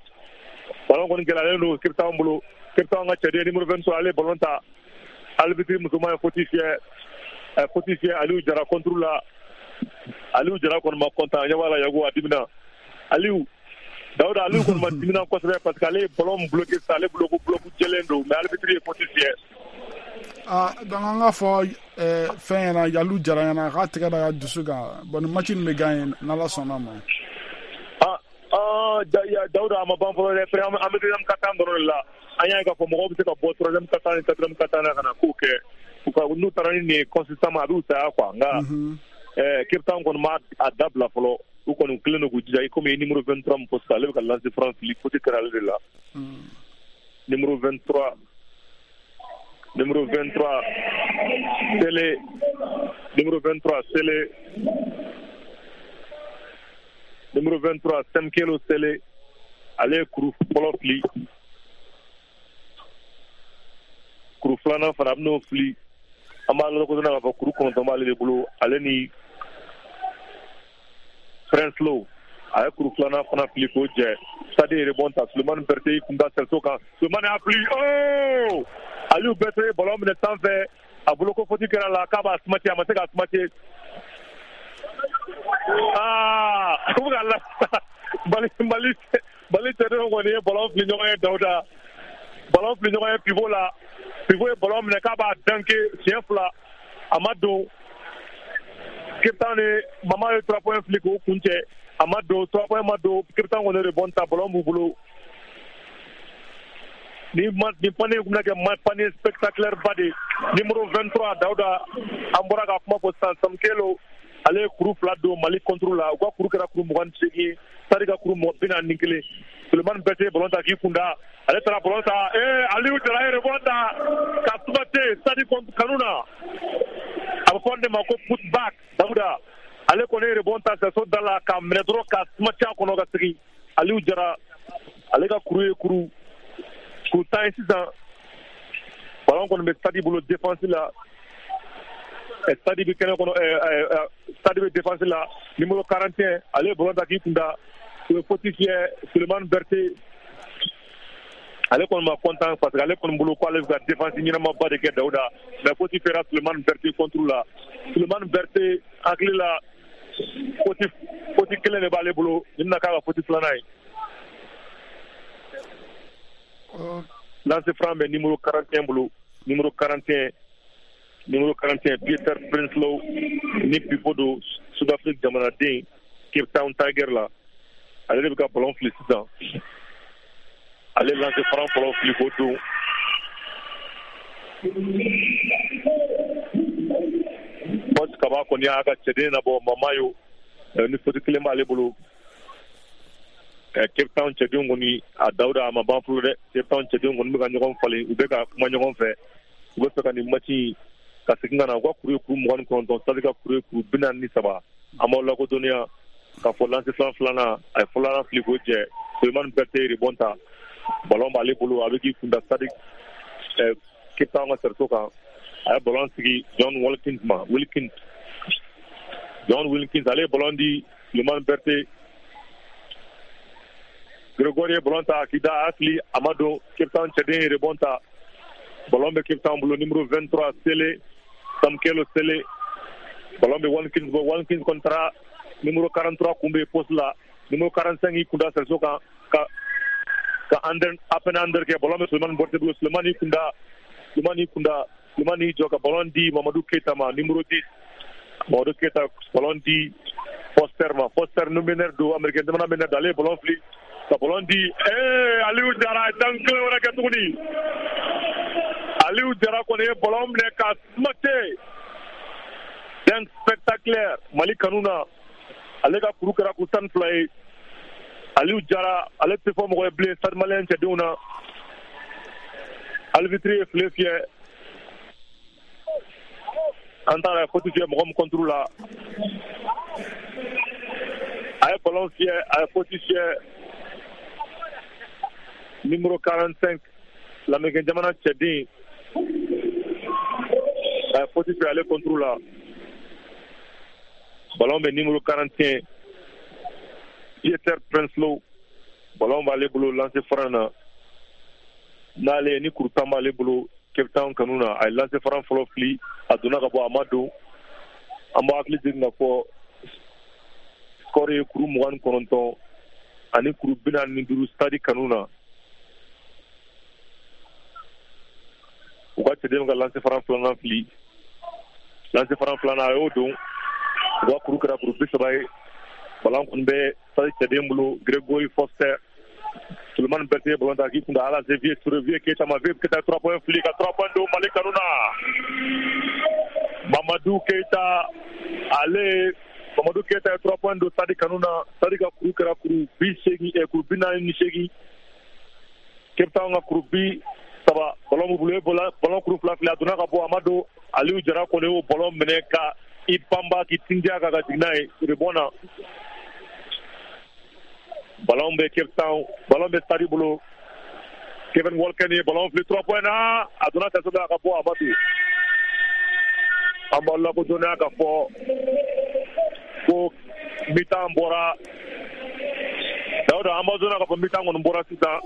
Ballon kɔni gɛlɛyalen don Cape Town bolo. Cape Town ka cɛden numéro vingt-trois, ale ye ballon ta. Arbitre musoman ye faute fiyɛ, ɛ faute fiyɛ Aliou Jara contre la. Aliou Jara kɔni ma content, ɲɛ b'a la Yago, a dimina. Aliou Dawuda, Aliou kɔni ma dimina kosɛbɛ parce que ale ye ballon bloqué sisan, ale bolo ko bloc jɛlen don, mais arbitre ye faute fiyɛ. Ah, donc an k'a fɔ eh, fɛn ɲɛna, Aliou Jara ɲɛna, k'a tɛgɛ da ka dusu kan. Bon, nin match nin bɛ gagner n'Ala sɔnna ma. Ah ah, Dawuda, a ma ban fɔlɔ dɛ. An bɛ deuxième quart-temps dɔrɔn de la. An y'a ye k'a fɔ mɔgɔw bɛ se ka bɔ troisième quart-temps ni quatrième quart-temps na ka na kow kɛ. U ka n'u taara ni nin ye consistamment, a b'u saya quoi. Nka eh, Cape Town kɔni ma a dabila fɔlɔ. U kɔni kelen don k'u jija. I komi numéro vingt-trois min fɔ sisan, ale bɛ ka lancer franc fili, faute kɛra ale de la. Numéro vingt-trois, numéro vingt-trois Sele, numéro vingt-trois Sele, numéro vingt-trois Semkelo Sele, ale ye kuru fɔlɔ fili, kuru filanan fana a bɛn'o fili. An b'a lakodɔn k'a fɔ kuru kɔnɔntɔn b'ale de bolo, ale ni Prince Low. A ye kuru filanan fana fili k'o jɛ. Stade ye rebond ta, Sulemani Berthe y'i kun da sɛriso kan, Sulemani y'a fili. Oh, Aliou Berthe ye ballon minɛ sanfɛ, a bolo ko faute kɛra la, k'a b'a smacher, a ma se k'a smacher. Aa u bɛ ka la Mali Mali Mali cɛdenw kɔni ye ballon fili ɲɔgɔn ye Dawuda. Ballon fili ɲɔgɔn ye pivot la. Pivot ye ballon minɛ k'a b'a danke siɲɛ fila, a ma don. Cape Town ni Mama ye trois points fili k'o kun cɛ, a ma don, trois points ma don. Cape Town kɔni rebond ta, ballon b'u bolo. Ni ma ni panier kun bɛna kɛ ma panier spectaculaire ba de. Numéro vingt-trois, Dawuda, an bɔra ka kuma fɔ sisan, Samkelo, ale ye kuru fila don Mali contre la. U ka kuru kɛra kuru mugan ni seegin ye, Stade ka kuru bi naani ni kelen. Sulemani Berté ye ballon ta k'i kunda, ale taara ballon ta, ee Aliou Jara ye rebond ta ka sumate Stade kanu na. A bɛ fɔ de ma ko put back. Dawuda, ale kɔni ye rebond ta sɛso da la ka minɛ dɔrɔn ka sumati a kɔnɔ ka segin. Aliou Jara, ale ka kuru ye kuru kuru tan ye sisan. Ballon kɔni bɛ Stade bolo défense la. Stade bɛ kɛnɛ kɔnɔ, Stade bɛ défense la. Numéro quarante et un, ale ye ballon ta k'i kunda, u ye faute fiyɛ Sulemani Berté. Ale kɔni ma content parce que ale kɔni bolo ko ale bɛ ka défense ɲɛnamaba de kɛ, Dawuda, mais faute fiyɛra Sulemani Berté contre la. Sulemani Berté hakili la, faute faute kelen de b'ale bolo, nin bɛna k'a ka faute filanan ye. Lancer franc bɛ numéro quarante et un bolo. Numéro quarante et un, numéro quarante et un, Peter Prinsloo, ni pivot don, Sud-Afrique jamanaden, Cape Town Tiger la. Ale de bɛ ka ballon fili sisan. Ale lancer franc fɔlɔ fili k'o don. Coach Kaba kɔni y'a ka cɛden nabɔ Mamayo, ni faute kelen b'ale bolo. Cape Town cɛdenw kɔni, a Dawuda, a ma ban fɔlɔ dɛ. Cape Town cɛdenw kɔni bɛ ka ɲɔgɔn falen, u bɛ ka kuma ɲɔgɔn fɛ, u bɛ fɛ ka nin match in ka segin ka na. U ka kuru ye kuru mugan ni kɔnɔntɔn, Stade ka kuru ye kuru bi naani ni saba. An b'aw lakodɔnniya k'a fɔ lancer franc filanan, a ye filanan fili k'o jɛ. Sulemani Berté ye rebond ta, ballon b'ale bolo, a bɛ k'i kunda Stade Cape Town ka cerceau kan. A ye ballon sigi John Wilkins ma. Wilkins, John Wilkins, ale ye ballon di Sulemani Berté. Gregoire ye ballon ta k'i da, a fili, a ma don. Cape Town cɛden ye rebond ta, ballon bɛ Cape Town bolo. Numéro vingt-trois, Sele, Samkelo Sele, ballon bɛ Wilkins bolo. Wilkins kɔni taara numéro quarante-trois kunbɛn poste la. Numéro quarante-cinq y'i kunda cerceau kan ka ka under up and under kɛ. Ballon bɛ Sulemani Berté bolo. Sulemani y'i kunda, Sulemani y'i kunda, Sulemani y'i jɔ ka ballon di Mamadou Keita ma, numéro dix. Mamadou Keita, ballon di Foster ma. Foster nu meneur don, américain jamana meneur don, ale ye ballon fili ka ballon di ee Aliou Jara ye dan kelen wɛrɛ kɛ tuguni. Aliou Jara kɔni ye ballon minɛ ka sumate, dunk spectaculaire Mali kanu na. Ale ka kuru kɛra kuru tan ni fila ye. Aliou Jara, ale tɛ fɔ mɔgɔ ye bilen Stade Malien cɛdenw na. Arbitre ye file fiyɛ, an taara faute fiyɛ mɔgɔ min contre la. A ye ballon fiyɛ, a ye faute fiyɛ numéro quarante-cinq, lamɛnkɛ jamana cɛden, a ye faute fiyɛ ale contre la. Ballon bɛ numéro quarante et un, Pieter Prinsloo, ballon b'ale bolo lancer franc na. N'ale ni kuru tan b'ale bolo Cape Town kanu na. A ye lancer franc fɔlɔ fili, a donna ka bɔ, a ma don. An b'a hakili jigin ka fɔ score ye kuru mugan ni kɔnɔntɔn ani kuru bi naani ni duuru Stade kanu na. U ka cɛden ka lancer franc filanan fili. Lancer franc filanan, a y'o don, u ka kuru kɛra kuru bi saba ye. Ballon kɔni bɛ Stade cɛden bolo, Gregory Foster. Sulemani Berté ye ballon ta k'i kunda Ala Vieux Touré, Vieux Keita ma. Vieux Keita, trois points fili ka trois points don Mali kanu na. Mamadou Keita, ale Mamadou Keita ye trois points don Stade kanu na. Stade ka kuru kɛra kuru bi seegin, kuru bi naani ni seegin, Cape Town ka kuru bi saba. Ballon b'u bolo, ye ballon kuru fila fili, a donna ka bɔ, a ma don. Aliou Jara kɔni y'o ballon minɛ ka i banba k'i tindiya kan ka jigin n'a ye rebond na. Ballon bɛ Cape Town, ballon bɛ Stade bolo. Kevin Walker ye ballon fili trois points na, a donna cerceau la ka bɔ, a ma don. An b'aw lakodɔnniya ka fɔ ko mi-temps bɔra. Dawuda, an b'aw dɔnniya ka fɔ mi-temps kɔni bɔra sisan.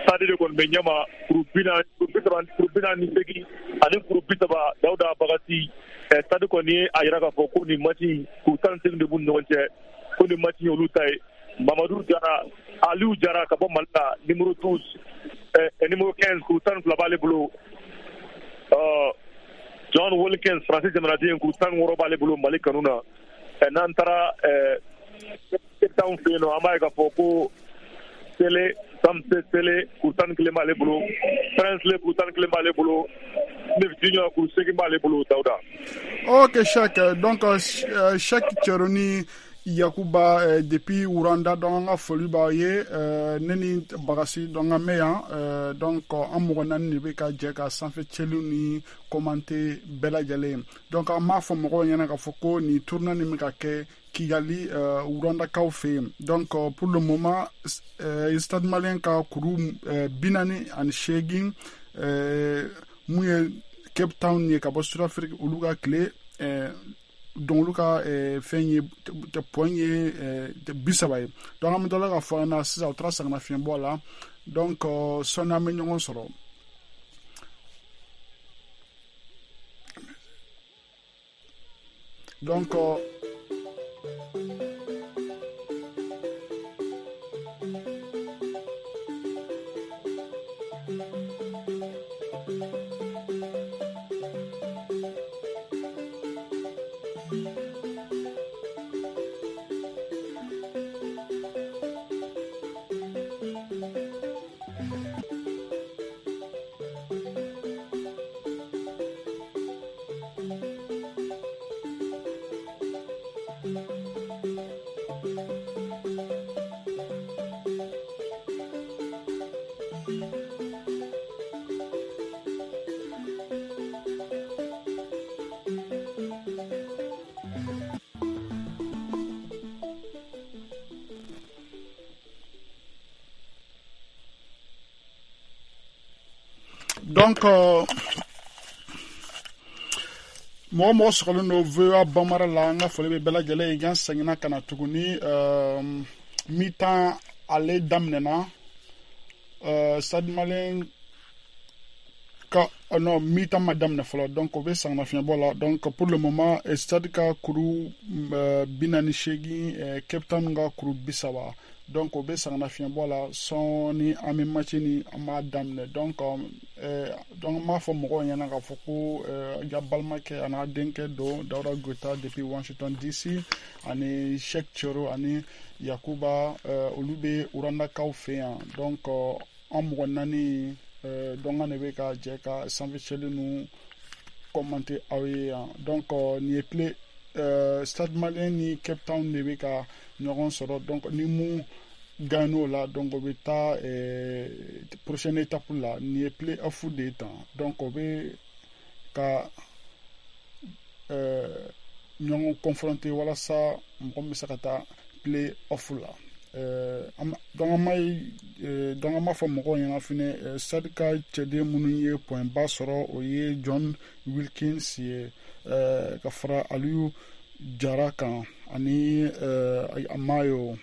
Stade de kɔni bɛ ɲɛma kuru bi naani, kuru bi saba, kuru bi naani ni seegin ani kuru bi saba. Dawuda Bagasi. Stade kɔni ye a yira k'a fɔ ko nin match in kuru tan ni seegin de b'u ni ɲɔgɔn cɛ, ko nin match in olu ta ye. Mamadu Jara, Aliou Jara ka bɔ Mali la, numéro douze, numéro quinze, kuru tan ni fila b'ale bolo. John Wilkins, Faransi jamanaden, kuru tan ni wɔɔrɔ b'ale bolo Mali kanu na. N'an taara Cape Town fɛ yen nɔ, an b'a ye k'a fɔ ko Sele Samse Sele kuru tan ni kelen b'ale bolo, Prince kuru tan ni kelen b'ale bolo, Smith Junior kuru seegin b'ale bolo, Dawuda. Ok Cheikh, donc Cheikh Thiero ni Yakuba eh, depuis Rwanda, donc an ka foli b'aw ye. Ne ni Bagasi, donc an bɛ yan, donc an mɔgɔ naani de bɛ ka jɛ ka sanfɛ cɛliw ni commenter bɛɛ lajɛlen. Donc an b'a fɔ mɔgɔw ɲɛna k'a fɔ ko nin tournoi nin bɛ ka kɛ Kigali, Rwandakaw fɛ yen. Donc pour le moment, Stade Malien ka kuru bi naani ani seegin, mun ye Cape Town ye ka bɔ Sud-Afrique, olu ka tile, donc olu ka fɛn ye point ye bi saba ye. Donc an bɛ dɔ la ka fɔ an na sisan, u taara sɛgɛnnafiɲɛbɔ la. Donc sɔnni an bɛ ɲɔgɔn sɔrɔ. Donc donc mɔgɔ mɔgɔ sɔgɔlen don V O A Bambara la, an ka foli bɛ bɛɛ lajɛlen ye. An seginna ka na tuguni, mi-temps ale daminɛna, Stade Malien ka non, mi-temps ma daminɛ fɔlɔ, donc o bɛ sɛgɛnnafiɲɛbɔ la. Donc pour le moment, Stade ka kuru bi naani seegin, Cape Town ka kuru bi saba. Donc o bɛ sɛgɛnnafiɲɛbɔ la, sɔɔni an bɛ match ni an b'a daminɛ. Donc donc an b'a fɔ mɔgɔw ɲɛna k'a fɔ ko ja balimakɛ a n'a denkɛ don Dawuda Goyita depuis Washington D C, ani Cheikh Thiero ani Yakuba, olu bɛ Rwandakaw fɛ yan. Donc an mɔgɔ naani, donc an de bɛ ka jɛ ka sanfɛ cɛli ninnu commenter aw ye yan. Donc nin ye play Stade Malien ni Cape Town de bɛ ka ɲɔgɔn sɔrɔ. Donc ni mun gagne o la, donc o bɛ taa prochaine étape la. Nin ye play off de ye tan. Donc o bɛ ka ɲɔgɔn confronter walasa mɔgɔ min bɛ se ka taa play off la. Donc an b'a donc an b'a fɔ mɔgɔw ɲɛna fɛnɛ, Stade ka cɛden minnu ye point ba sɔrɔ, o ye John Wilkins ye, ka fara Aliou Jara kan ani Mayo,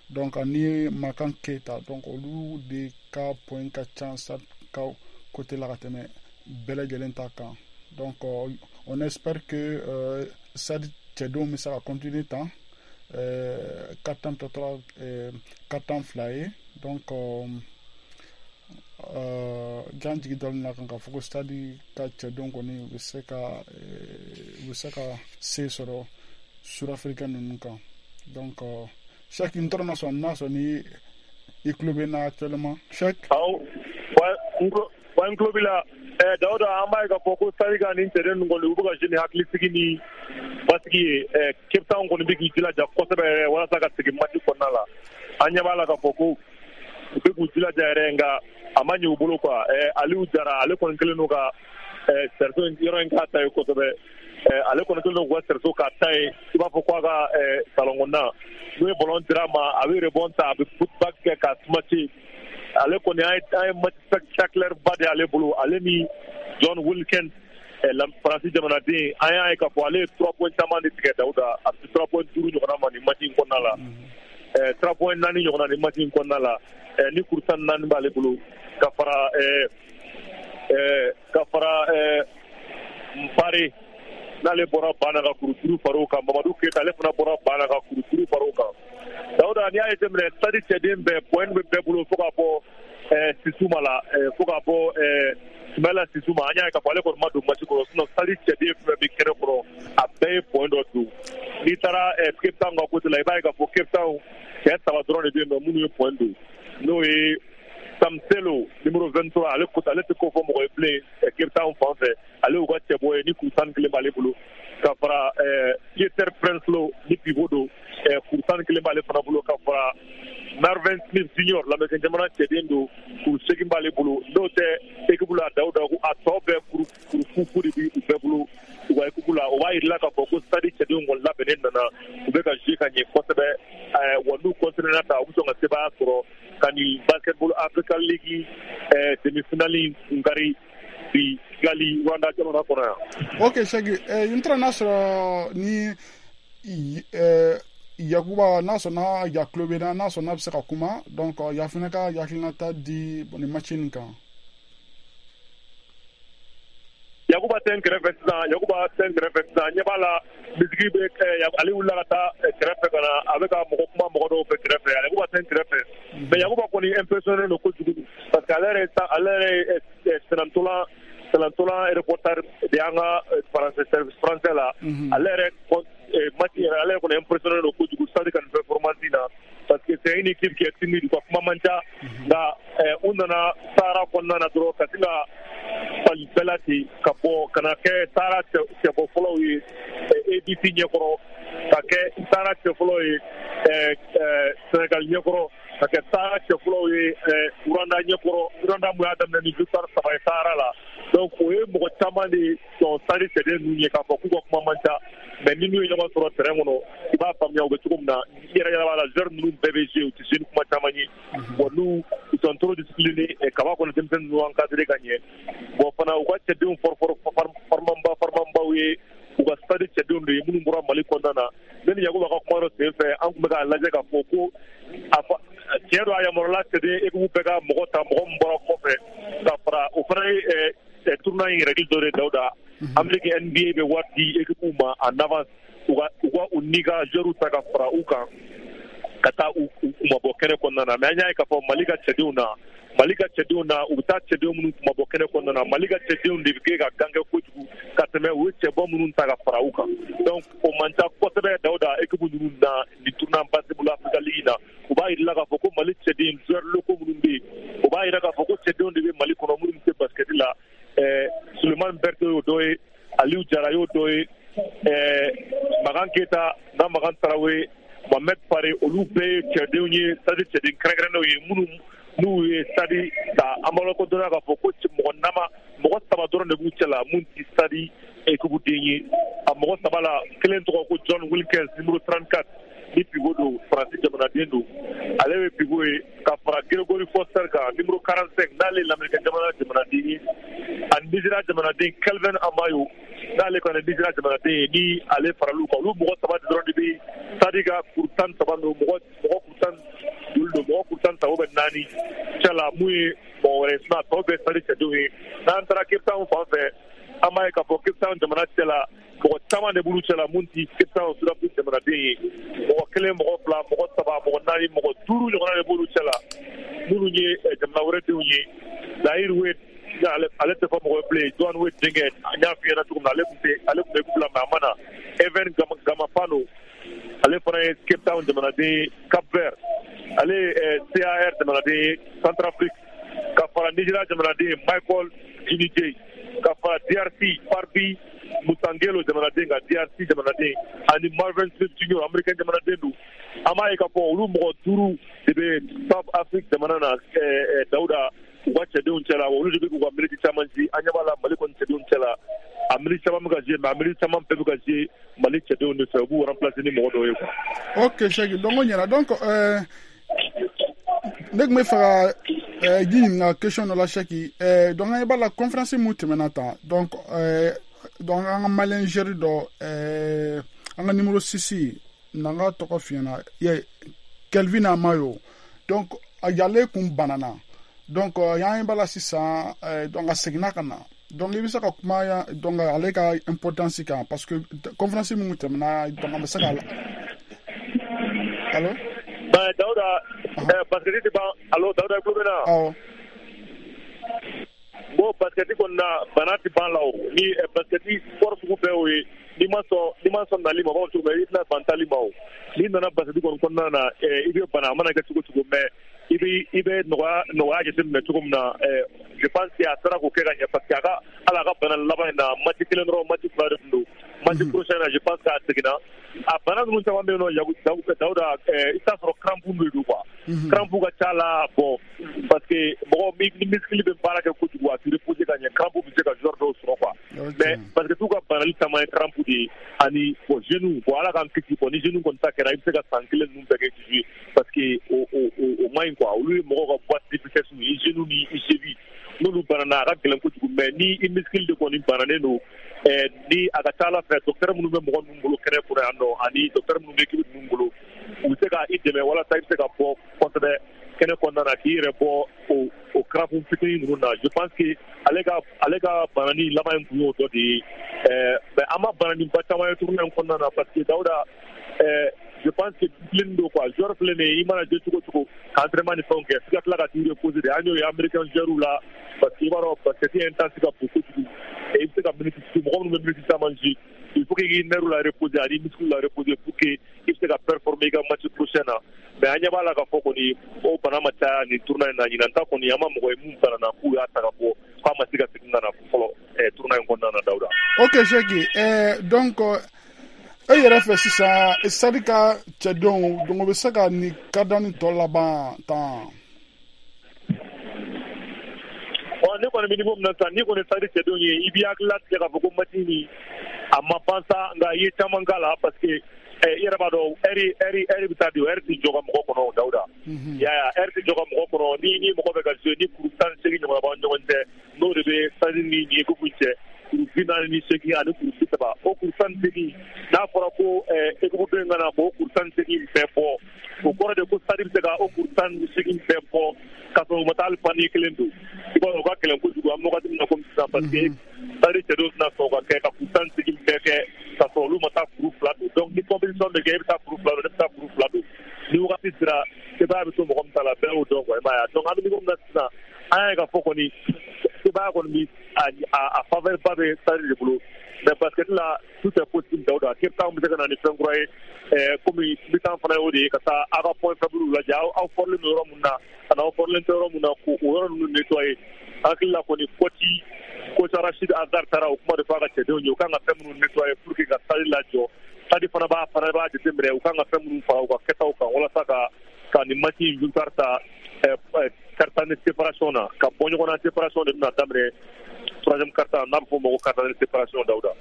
donc ani Makan Keita. Donc olu de ka point ka ca Stade ka côté la ka tɛmɛ bɛɛ lajɛlen ta kan. Donc on espère que Stade cɛdenw bɛ se ka continuer tan, quatre tan tɔ tora quatre tan fila ye. Donc jan jigi dalen na kan k'a fɔ ko Stade ka cɛdenw kɔni u bɛ se ka u bɛ se ka se sɔrɔ Sud-Africain ninnu kan. Donc Cheikh, n tɔrɔ ma sɔn n'a sɔrɔ ni i tulo bɛ n na actuellement, Cheikh? Awɔ, wa n tulo b'i la. Dawuda, an b'a ye k'a fɔ ko Stade ka nin cɛden ninnu kɔni u bɛ ka jouer ni hakilisigi ni basigi ye. Cape Town kɔni bɛ k'i jilaja kosɛbɛ yɛrɛ walasa ka segin match kɔnɔna la. An ɲɛ b'a la k'a fɔ ko u bɛ k'u jilaja yɛrɛ, nka a ma ɲɛ u bolo quoi. Aliou Jara, ale kɔni kɛlen don ka cerceau yɔrɔ in k'a ta ye kosɛbɛ. Ale kɔni kɛlen don k'u ka cerceau k'a ta ye, i b'a fɔ k'a ka salon kɔnɔna n'u ye ballon dira a ma, a bɛ rebond ta, a bɛ putback kɛ ka smasher. Ale kɔni an ye match spectaculaire ba de y'ale bolo, ale ni John Wilkins, Faransi jamanaden. An y'a ye k'a fɔ ale ye trois points caman de tigɛ Dawuda, a bɛ trois points duuru ɲɔgɔnna ma nin match in kɔnɔna la, trois points naani ɲɔgɔnna nin match in kɔnɔna la, ni kuru tan ni naani b'ale bolo ka fara ka fara Mpare N'ale bɔra Bana ka kuru duuru far'o kan. Mamadu Keyita, ale fana bɔra Bana ka kuru duuru far'o kan. Dawuda, n'i y'a jateminɛ, Stade cɛden bɛɛ point bɛ bɛɛ bolo fo ka bɔ Sisuma la, fo ka bɔ Sumayila Sisuma. An y'a ye k'a fɔ ale kɔni ma don match kɔnɔ, sinon Stade cɛden fɛn fɛn bɛ kɛnɛ kɔnɔ, a bɛɛ ye point dɔ don. N'i taara Cape Town ka côté la, i b'a ye k'a fɔ Cape Town cɛ saba dɔrɔn de bɛ yen nɔ minnu ye point don, n'o ye Samselo numéro vingt-trois, ale kota, ale tɛ ko fɔ mɔgɔ ye bilen Cape Town fan fɛ, ale y'u ka cɛbɔ ye ni kuru tan ni kelen b'ale bolo, ka fara Pieter Prinsloo ni pivot don, kuru tan ni kelen b'ale fana bolo, ka fara Marvin Smith Junior, lamɛn jamana cɛden don, kuru seegin b'ale bolo. N'o tɛ équipe la, Dawuda, a tɔ bɛɛ kuru kuru fu de b'u bɛɛ bolo u ka équipe la. O b'a yir'i la k'a fɔ ko Stade cɛdenw kɔni labɛnnen nana, u bɛ ka jouer ka ɲɛ kosɛbɛ. Wa n'u continuer na ta, u bɛ sɔn ka sebaaya sɔrɔ ka nin Basketball Africa League demi-finale kun kari bi Kigali, Rwanda jamana kɔnɔ yan. Ok Segi, n taara n'a sɔrɔ ni Yakuba, n'a sɔnna ya tulo bɛ na, n'a sɔnna a bɛ se ka kuma. Donc ya fana ka hakilinata di nin match nin kan. Yakuba tɛ n kɛrɛfɛ sisan, Yakuba tɛ n kɛrɛfɛ sisan. Ɲɛ b'a la, misigi bɛ, ale wulila ka taa kɛrɛfɛ ka na, a bɛ ka mɔgɔ kuma mɔgɔ dɔw fɛ kɛrɛfɛ. Yakuba tɛ n kɛrɛfɛ, mais Yakuba kɔni impressionné don kojugu, parce que ale yɛrɛ ale yɛrɛ ye senantolan senantolan reporter de y'an ka français, service français la. Ale yɛrɛ match yɛrɛ, ale yɛrɛ kɔni impressionné don kojugu Stade ka nin performance na, parce que c'est une équipe qui est timide, u ka kuma man ca, nka u nana Sahara kɔnɔna na dɔrɔn ka sin ka fali bɛɛ la ten ka bɔ ka na kɛ Sahara cɛbɔ fɔlɔw ye A B C ɲɛkɔrɔ, ka kɛ Sahara cɛ fɔlɔ ye Sénégal ɲɛkɔrɔ, ka kɛ Sahara cɛ fɔlɔw ye Rwanda ɲɛkɔrɔ. Rwanda mun y'a daminɛ ni victoire saba ye Sahara la. Donc o ye mɔgɔ caman de sɔn Stade cɛden ninnu ye k'a fɔ k'u ka kuma man ca, mais ni n'u ye ɲɔgɔn sɔrɔ terrain kɔnɔ, i b'a faamuya u bɛ cogo min na. I yɛrɛ yɛrɛ b'a la, joueurs ninnu bɛɛ bɛ jouer, u tɛ jouer ni kuma caman ye. Bon, n'u ils sont trop disciplinés, kaba kɔni denmisɛnnin ninnu encadré ka ɲɛ. Bon, fana u ka cɛdenw farimanba farimanbaw ye, u ka Stade cɛdenw de ye minnu bɔra Mali kɔnɔna na. Ne ni Yakuba ka kuma dɔ sen fɛ, an tun bɛ k'a lajɛ k'a fɔ ko a fɔ tiɲɛ don, a yamaruyala cɛden équipe bɛɛ ka mɔgɔ ta, mɔgɔ min bɔra kɔfɛ ka fara o fana ye tournoi in règle dɔ de. Dawuda, Amérique N B A bɛ wari di équipe ma en avance, u ka u ka u ni ka joueurs ta ka fara u kan ka taa u kumabɔ kɛnɛ kɔnɔna na. Mais an y'a ye k'a fɔ Mali ka cɛdenw na, Mali ka cɛdenw na, u bɛ taa cɛdenw minnu kumabɔ kɛnɛ kɔnɔna na, Mali ka cɛdenw de bɛ kɛ ka gankɛ kojugu ka tɛmɛ u ye cɛbɔ minnu ta ka fara u kan. Donc o man ca kosɛbɛ, Dawuda, équipe ninnu na nin tournoi Basketball Africa League na. U b'a yir'i la k'a fɔ ko Mali cɛden joueurs locaux minnu bɛ yen, o b'a yira k'a fɔ ko cɛdenw de bɛ Mali kɔnɔ minnu bɛ se basket la. Sulemani Berete y'o dɔ ye, Aliou Jara y'o dɔ ye, Makan Keyita n'a Makan Tarawele, Mohamed Fare, olu bɛɛ ye cɛdenw ye, Stade cɛden kɛrɛnkɛrɛnnenw ye minnu n'u ye Stade ta. An b'a lakodɔnna k'a fɔ ko mɔgɔ nama mɔgɔ saba dɔrɔn de b'u cɛ la mun tɛ Stade équipe den ye. A mɔgɔ saba la, kelen tɔgɔ ko John Wilkins, numéro trente-quatre, ni pivot don, Faransi jamanaden don, ale ye pivot ye, ka fara Gregory Foster kan, numéro quarante-cinq, n'ale ye lamɛrikɛn jamana jamanaden ye, ani Nizeriya jamanaden Kelvin Amayo, n'ale kɔni Nizeriya jamanaden ye, ni ale faral'u kan. Olu mɔgɔ saba dɔrɔn de bɛ Stade ka kuru tan ni saba don, mɔgɔ mɔgɔ kuru tan duuru don, mɔgɔ kuru tan ni saba bɛ naani cɛ la mun ye mɔgɔ wɛrɛ ye, sinon a tɔ bɛɛ Stade cɛdenw ye. N'an taara Cape Town fan fɛ, an b'a ye k'a fɔ Cape Town jamana cɛ la, mɔgɔ caman de b'olu cɛ la mun ti Cape Town Sud-Afrique jamanaden ye. Mɔgɔ kelen, mɔgɔ fila, mɔgɔ saba, mɔgɔ naani, mɔgɔ duuru ɲɔgɔnna de b'olu cɛ la minnu ye jamana wɛrɛ denw ye. Zahir Wade, ale ale tɛ fɔ mɔgɔ ye bilen, Joan Wade denkɛ, an y'a f'i ɲɛna cogo min na, ale tun tɛ ale tun bɛ équipe la, mais a ma na. Evan Gamapano, ale fana ye Cape Town jamanaden ye. Cap Vert, ale ye C A R jamanaden ye, Centrafrique, ka fara Nigeria jamanaden Michael Jinije, ka fara D R C Farbi Musangelo jamanaden kan, D R C jamanaden, ani Marvin Smith Junior, américain jamanaden don. An b'a ye k'a fɔ olu mɔgɔ duuru de bɛ South Afrique jamana na, Dawuda, u ka cɛdenw cɛla, olu de bɛ k'u ka minute caman ci. An ɲɛ b'a la Mali kɔni cɛdenw cɛla, a minute caman bɛ ka jouer, mais a minute caman bɛɛ bɛ ka jouer Mali cɛdenw de fɛ, u b'u remplacer ni mɔgɔ dɔw ye quoi. Ok Segi, donc o ɲɛna. Donc euh, ne tun bɛ fɛ ka euh, ji ɲininka question dɔ la, Seki. euh, donc an ɲɛ b'a la, conférence mun tɛmɛna tan, donc euh, donc an ka malien joueur dɔ, euh, an ka numéro six, n'an ka tɔgɔ f'i ɲɛna ye, Kelvin Amayo, donc ale kun banana. Donc euh, an ɲɛ b'a la sisan, euh, donc a seginna ka na. Donc i bɛ se ka kuma yan donc ale ka importance kan, parce que conférence min tɛmɛna, donc an bɛ se ka allo. Ben Daouda, basket tɛ ban. Allo Daouda, i tulo bɛ n na? Awɔ. Bon, basket kɔni na, bana tɛ ban la o. Ni basket sport sugu bɛɛ y'o ye, n'i ma sɔn n'i ma sɔn nali ma, u b'a fɔ cogo min, i tɛna ban taali ma o. N'i nana basket kɔni kɔnɔna na, i bɛ bana, a mana kɛ cogo cogo, mais i bɛ i bɛ nɔgɔya nɔgɔya jateminɛ cogo min na, je pense que a sera k'o kɛ ka ɲɛ, parce que a ka hali a ka bana laban in na, match kelen dɔrɔn, match fila de tun don. Match prochain na, je pense que a seginna. A bana ninnu caman bɛ yen nɔ, Dawuda, i bɛ taa sɔrɔ crampe de don quoi. Crampe ka ca la, bon, parce que mɔgɔ ni muscle bɛ baara kɛ kojugu, a tɛ reposer ka ɲɛ, crampe bɛ se ka joueur dɔw sɔrɔ quoi. Mais parce que t'u ka banali caman ye crampe de ye, ani bon genou, bon Ala k'an kisi, bon ni genou kɔni ta kɛra, i bɛ se ka san kelen ninnu bɛɛ kɛ i tɛ jouer, parce que o o o man ɲi quoi. Olu ye mɔgɔw ka boîte de vitesse ye, i genou ni i cheville, n'olu banana, a ka gɛlɛn kojugu. Mais ni i muscle de kɔni bananen don, ni a ka ca Ala fɛ, docteur minnu bɛ mɔgɔ ninnu bolo kɛnɛ kɔnɔ yan nɔ, ani docteur minnu bɛ équipe ninnu bolo, u bɛ se ka i dɛmɛ walasa i bɛ se ka bɔ kosɛbɛ kɛnɛ kɔnɔna na, k'i yɛrɛ bɔ o o crampe fitinin ninnu na. Je pense que ale ka ale ka banani laban in tun y'o dɔ de ye. Mais an ma bananiba caman ye tournoi in kɔnɔna na, parce que Dawuda, je pense que discipline don quoi. Joueur filɛ nin ye, i mana jouer cogo cogo, ka entraînement ni fɛnw kɛ, f'i ka tila ka t'i reposer de. An y'o ye américain joueur la, parce que i b'a dɔn basket intense ka bon kojugu, i bɛ se ka minute, mɔgɔ minnu bɛ minute caman jouer, il faut que i nerf la reposer ani muscle la reposer pour que i bɛ se ka performer i ka match prochain na. Mais an ɲɛ b'a la k'a fɔ kɔni o bana ma caya nin tournoi in na. Ɲinan ta kɔni, an ma mɔgɔ ye mun banana k'u y'a ta ka bɔ k'a ma se ka segin ka na fɔlɔ tournoi in kɔnɔna na, Dawuda. Ok Seki, eh, donc e yɛrɛ fɛ sisan, Stade ka cɛdenw, donc o bɛ se ka nin quart ni tɔ laban tan? Bon, ne kɔni bɛ niveau min na sisan, n'i kɔni Stade cɛdenw ye, i b'i hakili latigɛ k'a fɔ ko match nin a ma ban sa, nka i ye caman k'a la, parce que i yɛrɛ b'a dɔn heure heure heure bɛ taa di, heure tɛ jɔ ka mɔgɔ kɔnɔ, Dawuda. I y'a ye, heure tɛ jɔ ka mɔgɔ kɔnɔ. Ni ni mɔgɔ bɛ ka jouer, ni kuru tan ni seegin ɲɔgɔnna b'aw ni ɲɔgɔn cɛ, n'o de bɛ Stade ni nin équipe cɛ, kuru bi naani ni seegin ani kuru bi saba, o kuru tan ni seegin, n'a fɔra ko équipe dɔ in ka na k'o kuru tan ni seegin bɛɛ bɔ, o kɔrɔ de ko Stade bɛ se ka o kuru tan ni seegin bɛɛ bɔ k'a sɔrɔ u ma taa hali panier kelen don. I b'a dɔn o ka gɛlɛn kojugu an bɛ wagati min na komi sisan, parce que Stade cɛdenw tɛna sɔn ka kɛ ka kuru tan ni seegin bɛɛ kɛ k'a sɔrɔ olu ma taa kuru fila don. Donc ni compétition bɛ kɛ, e bɛ taa kuru fila don, ne bɛ taa kuru fila don, ni wagati sera, sebaaya bɛ to mɔgɔ min ta la, bɛɛ y'o dɔn quoi, i m'a ye. Donc an bɛ niveau min na sisan, an y'a ye k'a fɔ kɔni sebaaya kɔni bi a a faveur ba bɛ Stade de bolo. Mais basket la, tout est possible, Dawuda. Cape Town bɛ se ka na ni fɛn kura ye, komi mi-temps fana y'o de ye, ka taa aw ka point faible lajɛ, aw aw fɔrilen don yɔrɔ min na ani aw fɔrilen tɛ yɔrɔ min na, k'o yɔrɔ ninnu nettoyer. Hakili la kɔni, coach coach Rachid Azar taara o kuma de fɔ a ka cɛdenw ye, u kan ka fɛn minnu nettoyer pour que ka Stade lajɔ. Stade fana b'a fana b'a jateminɛ u kan ka fɛn minnu fara u ka kɛtaw kan walasa ka ka nin match in victoire ta quart-temps de séparation na, ka bɔ ɲɔgɔn na. Séparation de bɛna daminɛ troisième quart-temps, n'a bɛ fɔ o ma ko quart-temps de séparation, Dawuda.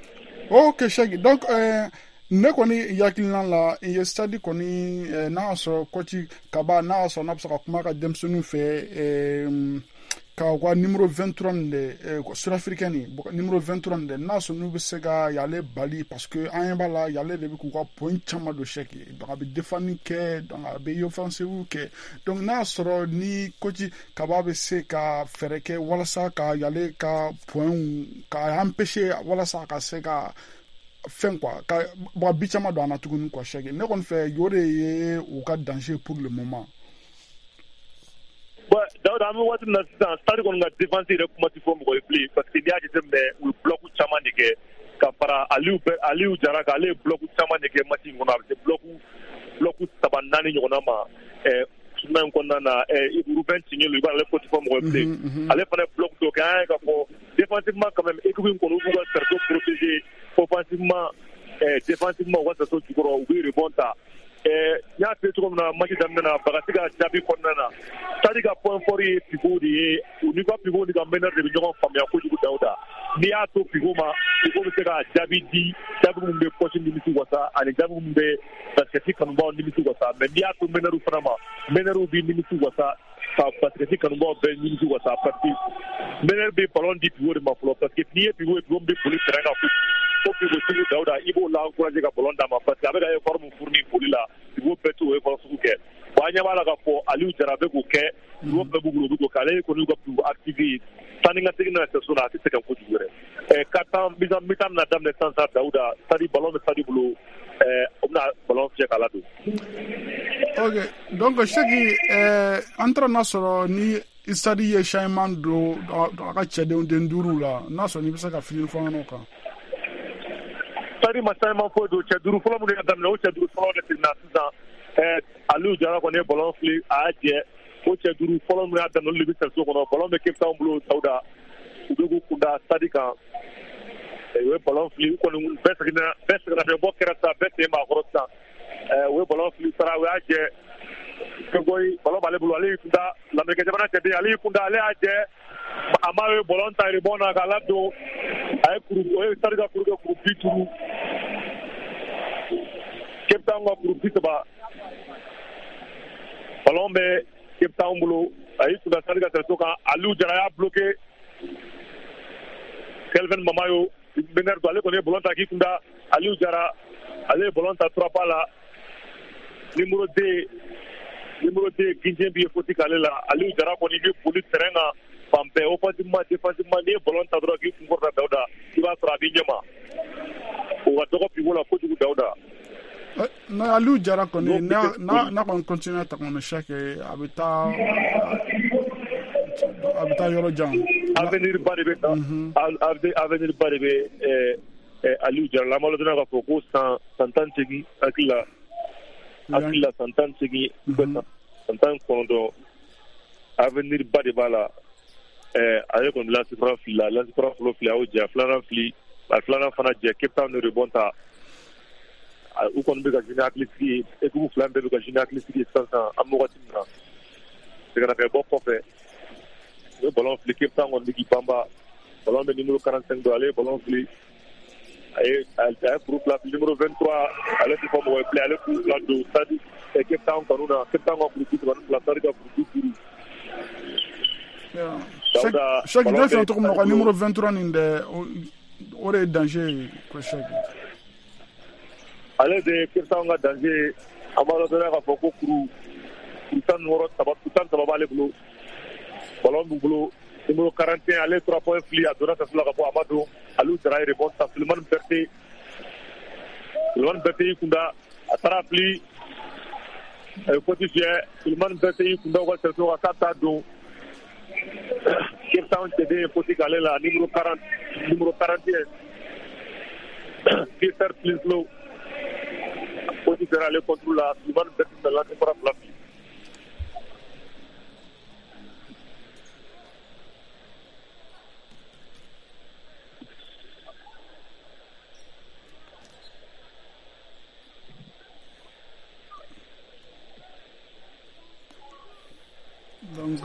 Ok Seki, donc euh, ne kɔni hakilina la, i ye Stade kɔni, n'a y'a sɔrɔ coach Kaba, n'a y'a sɔrɔ n'a bɛ se ka kuma ka denmisɛnninw fɛ, ka u ka numéro vingt-trois nin de, sud-africain nin numéro vingt-trois nin de, n'a sɔrɔ n'u bɛ se ka y'ale bali, parce que an ɲɛ b'a la, y'ale de bɛ k'u ka point caman don Seki. Donc a bɛ défendre kɛ, donc a bɛ offensive kɛ. Donc n'a y'a sɔrɔ ni coach Kaba bɛ se ka fɛɛrɛ kɛ walasa ka y'ale ka point ka empêcher, walasa a ka se ka fɛn quoi, ka bon bi caman don an na tuguni quoi, Seki. Ne kɔni fɛ, o de ye u ka danger pour le moment. Bon Dawuda, an bɛ waati min na sisan, Stade kɔni ka défense yɛrɛ kuma tɛ fɔ mɔgɔ ye bilen, parce que n'i y'a jateminɛ, u ye bloc caman de kɛ ka fara Aliou Aliou Jara kan. Ale ye bloc caman de kɛ match in kɔnɔ, a bɛ se bloc bloc saba naani ɲɔgɔnna ma tournoi in kɔnɔna na. Ruben Tignelu, i b'a ale ko tɛ fɔ mɔgɔ ye bilen, ale fana ye bloc dɔ kɛ. An y'a ye k'a fɔ défensivement quand même, équipe in kɔni, u b'u ka cercle protéger offensivement, défensivement, u ka cercle jukɔrɔ, u bɛ rebond ta. N y'a f'i ye cogo min na match daminɛ na, Bagasi ka jaabi kɔnɔna na, Stade ka point fort ye pivot de ye. U n'i ka pivot ni ka meneur de bɛ ɲɔgɔn faamuya kojugu, Dawuda. N'i y'a to pivot ma, pivot bɛ se ka jaabi di, jaabi min bɛ coach nimisi wasa ani jaabi min bɛ basket kanubaw nimisi wasa. Mais n'i y'a to meneur fana ma, meneur b'i nimisi wasa ka basket kanubaw bɛɛ nimisi wasa, parce que meneur bɛ ballon di pivot de ma fɔlɔ, parce que n'i ye pivot ye, pivot bɛ boli terrain kan kojugu. Ko pivot sugu, Dawuda, i b'o la encourager ka ballon d'a ma, parce que a bɛ ka effort min fourni boli la, pivot bɛɛ t'o effort sugu kɛ. Bon an ɲɛ b'a la k'a fɔ Aliou Jara bɛ k'o kɛ n'o bɛɛ b'u bolo u bɛ k'o kɛ ale kɔni y'u ka plus active ye taa ni ka segin na sɛso la a tɛ sɛgɛn kojugu yɛrɛ ɛ ka tan mi-temps bɛna daminɛ sisan sa Dawuda Stade ballon bɛ Stade bolo ɛ o bɛna ballon fiyɛ k'a ladon. Ok donc Seki ɛɛ an taara n'a sɔrɔ ni Stade ye changement don a ka cɛdenw den duuru la n'a sɔrɔ n'i bɛ se ka fili fɔ an ɲɛna o kan. Stade ma changement foyi don cɛ duuru fɔlɔ minnu y'a daminɛ o cɛ duuru fɔlɔ de seginna sisan ɛɛ Aliou Jara kɔni ye ballon fili a y'a jɛ o cɛ duuru fɔlɔ minnu y'a daminɛ olu de bɛ sɛso kɔnɔ ballon bɛ Cape Town bolo Dawuda u bɛ k'u kunda Stade kan u ye ballon fili u kɔni bɛɛ seginna bɛɛ seginna fɛn bɔ kɛra sisan bɛɛ sen b'a kɔrɔ sisan ɛɛ u ye ballon fili sara u y'a jɛ Kegoyi ballon b'ale bolo ale y'i kunda Lamɛrikɛn jamana cɛden ale y'i kunda ale y'a jɛ a ma ye ballon ta rebond na k'a ladon a ye kuru o ye Stade ka kuru kɛ kuru bi duuru Cape Town ka kuru bi saba ballon bɛ Cape Town bolo a y'i kunda Stade ka sɛso kan Aliou Jara y'a bloqué Kelvin Mamayo meneur don ale kɔni ye ballon ta k'i kunda Aliou Jara ale ye ballon ta trois pas la numéro deux numéro deux Gindien bi ye faute k'ale la Aliou Jara kɔni bɛ boli terrain kan fan bɛɛ offensivement défensivement n'i ye ballon ta dɔrɔn k'i kun kɔrɔta Dawuda i b'a sɔrɔ a b'i ɲɛma o ka dɔgɔ pivot la kojugu Dawuda. Na Aliou Jara kɔni n'a n'a kɔni continue ta kɔni Seki a bɛ taa a bɛ taa yɔrɔ jan. Avenir ba de bɛ avenir ba de bɛ Aliou Jara la an b'a dɔn k'a fɔ ko san san tan ni seegin hakili la hakili la san tan ni seegin san tan ni kɔnɔntɔn avenir ba de b'a la ɛɛ ale kɔni lancer franc fili la lancer franc fɔlɔ fili a y'o jɛ a filanan fili a filanan fana jɛ Cape Town de rebond ta u kɔni bɛ ka jouer ni hakilisigi ye équipe fila bɛɛ bɛ ka jouer ni hakilisigi ye sisan sisan an bɛ wagati min na sɛgɛnnafiɲɛbɔ kɔfɛ u ye ballon fili Cape Town kɔni bɛ k'i banba ballon bɛ numéro quarante-cinq don ale ye ballon fili a ye a ye kuru fila fili numéro vingt-trois ale tɛ fɔ mɔgɔ ye bilen ale kuru fila don Stade Cape Town kanu na Cape Town ka kuru bi saba ni fila Stade ka kuru bi duuru. Seki ne fɛn cogo min na o ka numéro vingt-trois nin dɛ o de ye danger ye ko Seki. Ale de ye Cape Town ka danger ye an b'a dɔn k'a fɔ ko kuru kuru tan ni wɔɔrɔ saba kuru tan ni saba b'ale bolo ballon b'u bolo numéro quarante et un ale trois points fili a donna sɛso la ka bɔ a ma don Aliou Jara ye rebond ta Sulemani Berté Sulemani Berté y'i kunda a taara fili a ye faute fiyɛ Sulemani Berté y'i kunda u ka sɛso kan k'a t'a don Cape Town cɛden ye faute k'ale la numéro quarante numéro quarante et un Peter Plinslow faute fiyɛra ale contre la Sulemani Berté bɛna lancer franc fila fili. Donc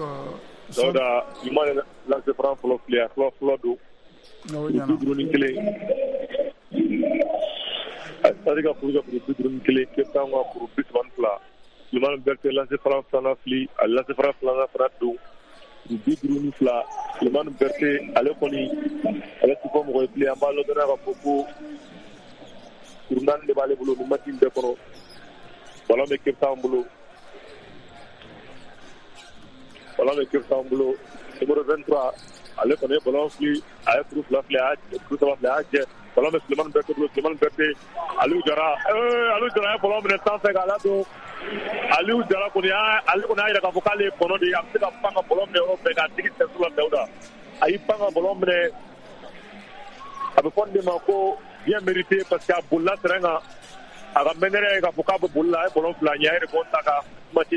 Dawuda ɲuman ye lancer franc fɔlɔ fili a fɔlɔ fɔlɔ don bi duuru ni kelen Stade ka kuru ka kuru bi duuru ni kelen Cape Town ka kuru bi saba ni fila Sulemani Berté lancer franc filanan fili a lancer franc filanan fana don bi duuru ni fila Sulemani Berté ale kɔni ale ti fɔ mɔgɔ ye bilen an b'a lɔdɔnna k'a fɔ ko kuru naani de b'ale bolo nin match in bɛɛ kɔnɔ ballon bɛ Cape Town bolo ballon bɛ Cape Town bolo numéro vingt-trois ale kɔni ye ballon fili a ye kuru fila fili a y'a kuru saba fili a y'a jɛ ballon bɛ Sulemani Berté bolo Sulemani Berté Aliou Jara ee Aliou Jara ye ballon minɛ sanfɛ k'a ladon Aliou Jara kɔni y'a ale kɔni y'a jira k'a fɔ k'ale ye kɔnɔ de ye a bɛ se ka pan ka ballon minɛ yɔrɔ bɛɛ k'a digi sɛso la Dawuda a y'i pan ka ballon minɛ a bɛ fɔ nin de ma ko bien mérité parce que a bolila terrain kan a ka meneur ye k'a fɔ k'a bɛ boli la a ye ballon fila ɲɛ a ye rebond ta ka match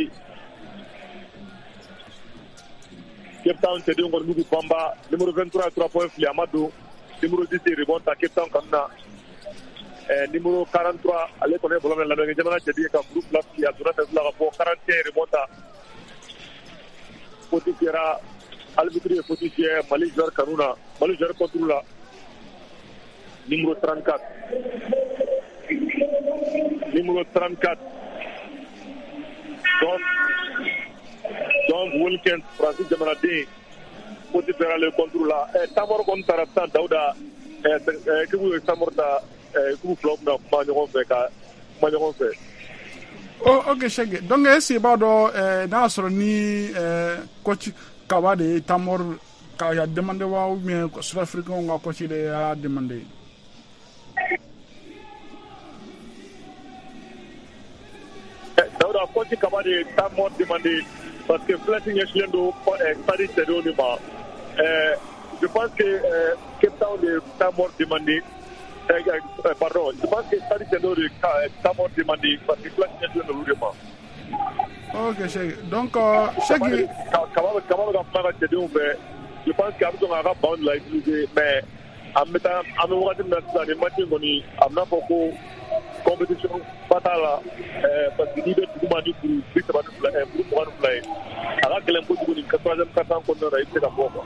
Cape Town cɛdenw kɔni b'u k'u banba numéro vingt-trois trois points fili a ma don numéro dix ye rebond ta Cape Town kanu na ɛɛ numéro quarante-trois ale kɔni ye ballon minɛ Lamɛrikɛn jamana cɛden ye ka kuru fila fili a donna sɛso la ka bɔ quarante et un rebond ta faute fiyɛra arbitre ye faute fiyɛ Mali joueur kanu na Mali joueur contre la numéro trente-quatre numéro trente-quatre donc donc Wilkins Francis jamanaden faute fiyɛra ale contre la ɛ Tamor kɔni taara sisan Dawuda ɛ équipe ye Tamor ta équipe filaw bɛna kuma ɲɔgɔn fɛ ka kuma ɲɔgɔn fɛ. Oh, ok Cheikh, donc est-ce que b'a dɔn eh, n'a y'a sɔrɔ ni eh, coach Kaba de ye temps mort k'a ya demandé wa, ou bien Sud-Africain ka coach de y'a demandé? Dawuda, coach Kaba de ye temps mort demandé parce que Flex ɲɛsinnen don Stade cɛdenw de ma. Je pense que euh, Cape Town de temps mort demandé. Euh, euh, pardon, je pense que Stade cɛdenw de temps mort demandé parce que Flex ɲɛsinnen don olu de ma. Ok Cheikh, donc euh, Cheikh Kaba bɛ Kaba bɛ ka kuma ka cɛdenw fɛ. Je pense que a bɛ sɔn k'a ka banc de la utiliser, mais an bɛ taa an bɛ wagati min na sisan, nin match in kɔni a bɛna fɔ ko compétition ba t'a la, parce que n'i bɛ duguma ni kuru bi saba ni fila kuru mugan ni fila ye, a ka gɛlɛn kojugu nin troisième quart-temps kɔnɔna na i bɛ se ka bɔ quoi.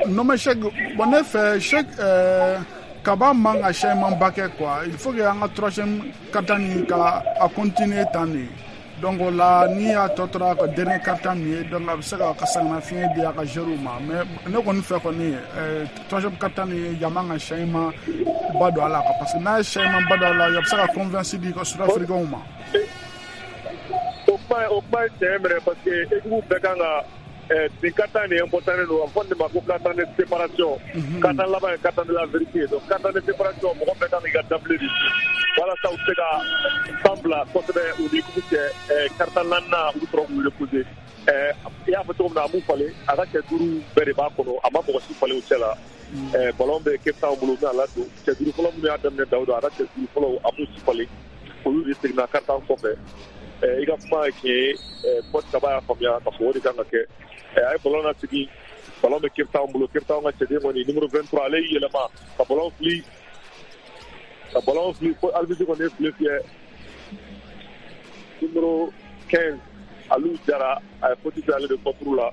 Non mais Cheikh, bon ne fɛ Cheikh euh, Kaba man ka changement ba kɛ quoi. Il faut que an ka troisième quart-temps nin ka a continuer tan de. Donc o la ni y'a tɔ tora ka dernier quart-temps min ye, donc a bɛ se ka ka sɛgɛnnafiɲɛ di a ka joueurs ma. Mais ne kɔni fɛ kɔni euh, troisième quart-temps nin yan man ka changement ba don a la quoi, parce que n'a ye changement ba don a la, a bɛ se ka confiance di ka Sud-Africains ma. O kuma o kuma ye tiɲɛ minɛ parce que équipe bɛɛ kan ka nin quart-temps nin important don, a bɛ fɔ nin ma ko quart-temps de séparation. Quart-temps laban ye quart-temps de la vérité, donc quart-temps de séparation mɔgɔ bɛɛ kan k'i ka dabile de walasa u bɛ se ka fan bila kosɛbɛ u ni équipe cɛ. Quart-temps naaninan u bɛ sɔrɔ k'u reposer. I y'a fɔ cogo min na, a m'u falen, a ka cɛ duuru bɛɛ de b'a kɔnɔ, a ma mɔgɔ si falen u cɛ la. Ballon bɛ Cape Town bolo, u bɛna ladon cɛ duuru fɔlɔ minnu y'a daminɛ Dawuda, a ka cɛ duuru fɔlɔ a m'u si falen, olu de seginna quart-temps kɔfɛ. I ka kuma ye tiɲɛ ye, coach Kaba y'a faamuya k'a fɔ o de kan ka kɛ. A ye ballon lasegin, ballon bɛ Cape Town bolo. Cape Town ka cɛden kɔni numéro vingt-trois, ale y'i yɛlɛma ka ballon fili ka ballon fili fo arbitre kɔni ye file fiyɛ. Numéro quinze, Aliou Jara, a ye faute kɛ ale de contre la.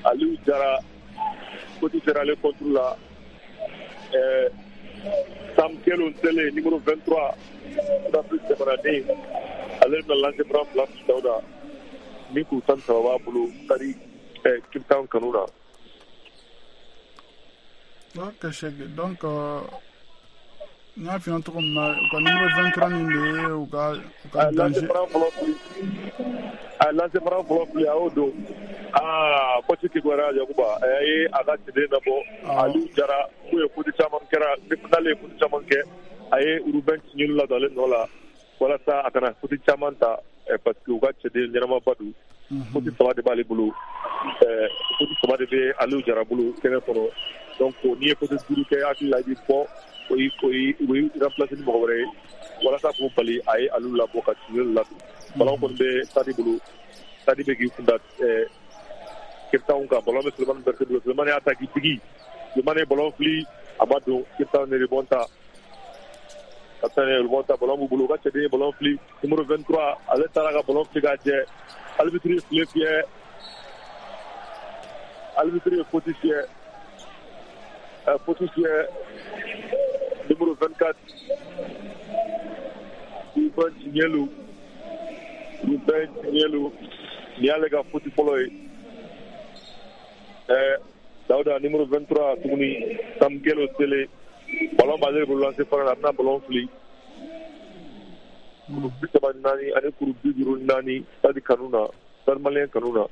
Aliou Jara faute kɛra ale contre la. Sam Kelo Nsele numéro vingt-trois, Sud-Afrique jamanaden, ale bɛna lancer franc fila fili Dawuda ni kuru tan ni saba b'a bolo Stade Cape Town kanu na. Ok Cheikh, donc n y'a f'i ɲɛna cogo min na, u ka numéro vingt-trois nin de ye u ka u ka danger. Lancer franc fɔlɔ fili, a ye lancer franc fɔlɔ fili, a y'o don. Aa, coach kibaruya Yakuba, a ye a ka cɛden labɔ Aliou Jara, mun ye faute caman kɛra n'ale ye faute caman kɛ, a ye Ruben Tiɲɛli ladon ale nɔ la walasa a kana faute caman ta, parce que u ka cɛden ɲɛnamaba don. Faute saba de b'ale bolo, faute saba de bɛ Aliou Jara bolo kɛnɛ kɔnɔ. Donc n'i ye faute duuru kɛ, hakili la i bɛ bɔ, o y'i o y'i o y'i remplacer ni mɔgɔ wɛrɛ ye walasa k'o bali. A ye Aliou labɔ ka Tiɲɛli ladon. Ballon kɔni bɛ Stade bolo, Stade bɛ k'i kun da Cape Town kan. Ballon bɛ Sulemani Berté bolo, Sulemani y'a ta k'i digi, Sulemani ye ballon fili, a ma don. Cape Town ye rebond ta, Cape Town ye rebond ta, ballon b'u bolo, u ka cɛden ye ballon fili, numéro vingt-trois, ale taara ka ballon fili k'a jɛ, arbitre ye file fiyɛ, arbitre ye faute fiyɛ, faute fiyɛ numéro vingt-quatre, Ruben Tiɲɛlu, Ruben Tiɲɛlu, nin y'ale ka faute fɔlɔ ye. Dawuda, numéro vingt-trois tuguni, Samkelo Sele, ballon b'ale bolo lancer franc la, a bɛna ballon fili. Kuru bi saba ni naani ani kuru bi duuru ni naani Stade kanu na, Stade Malien kanu na,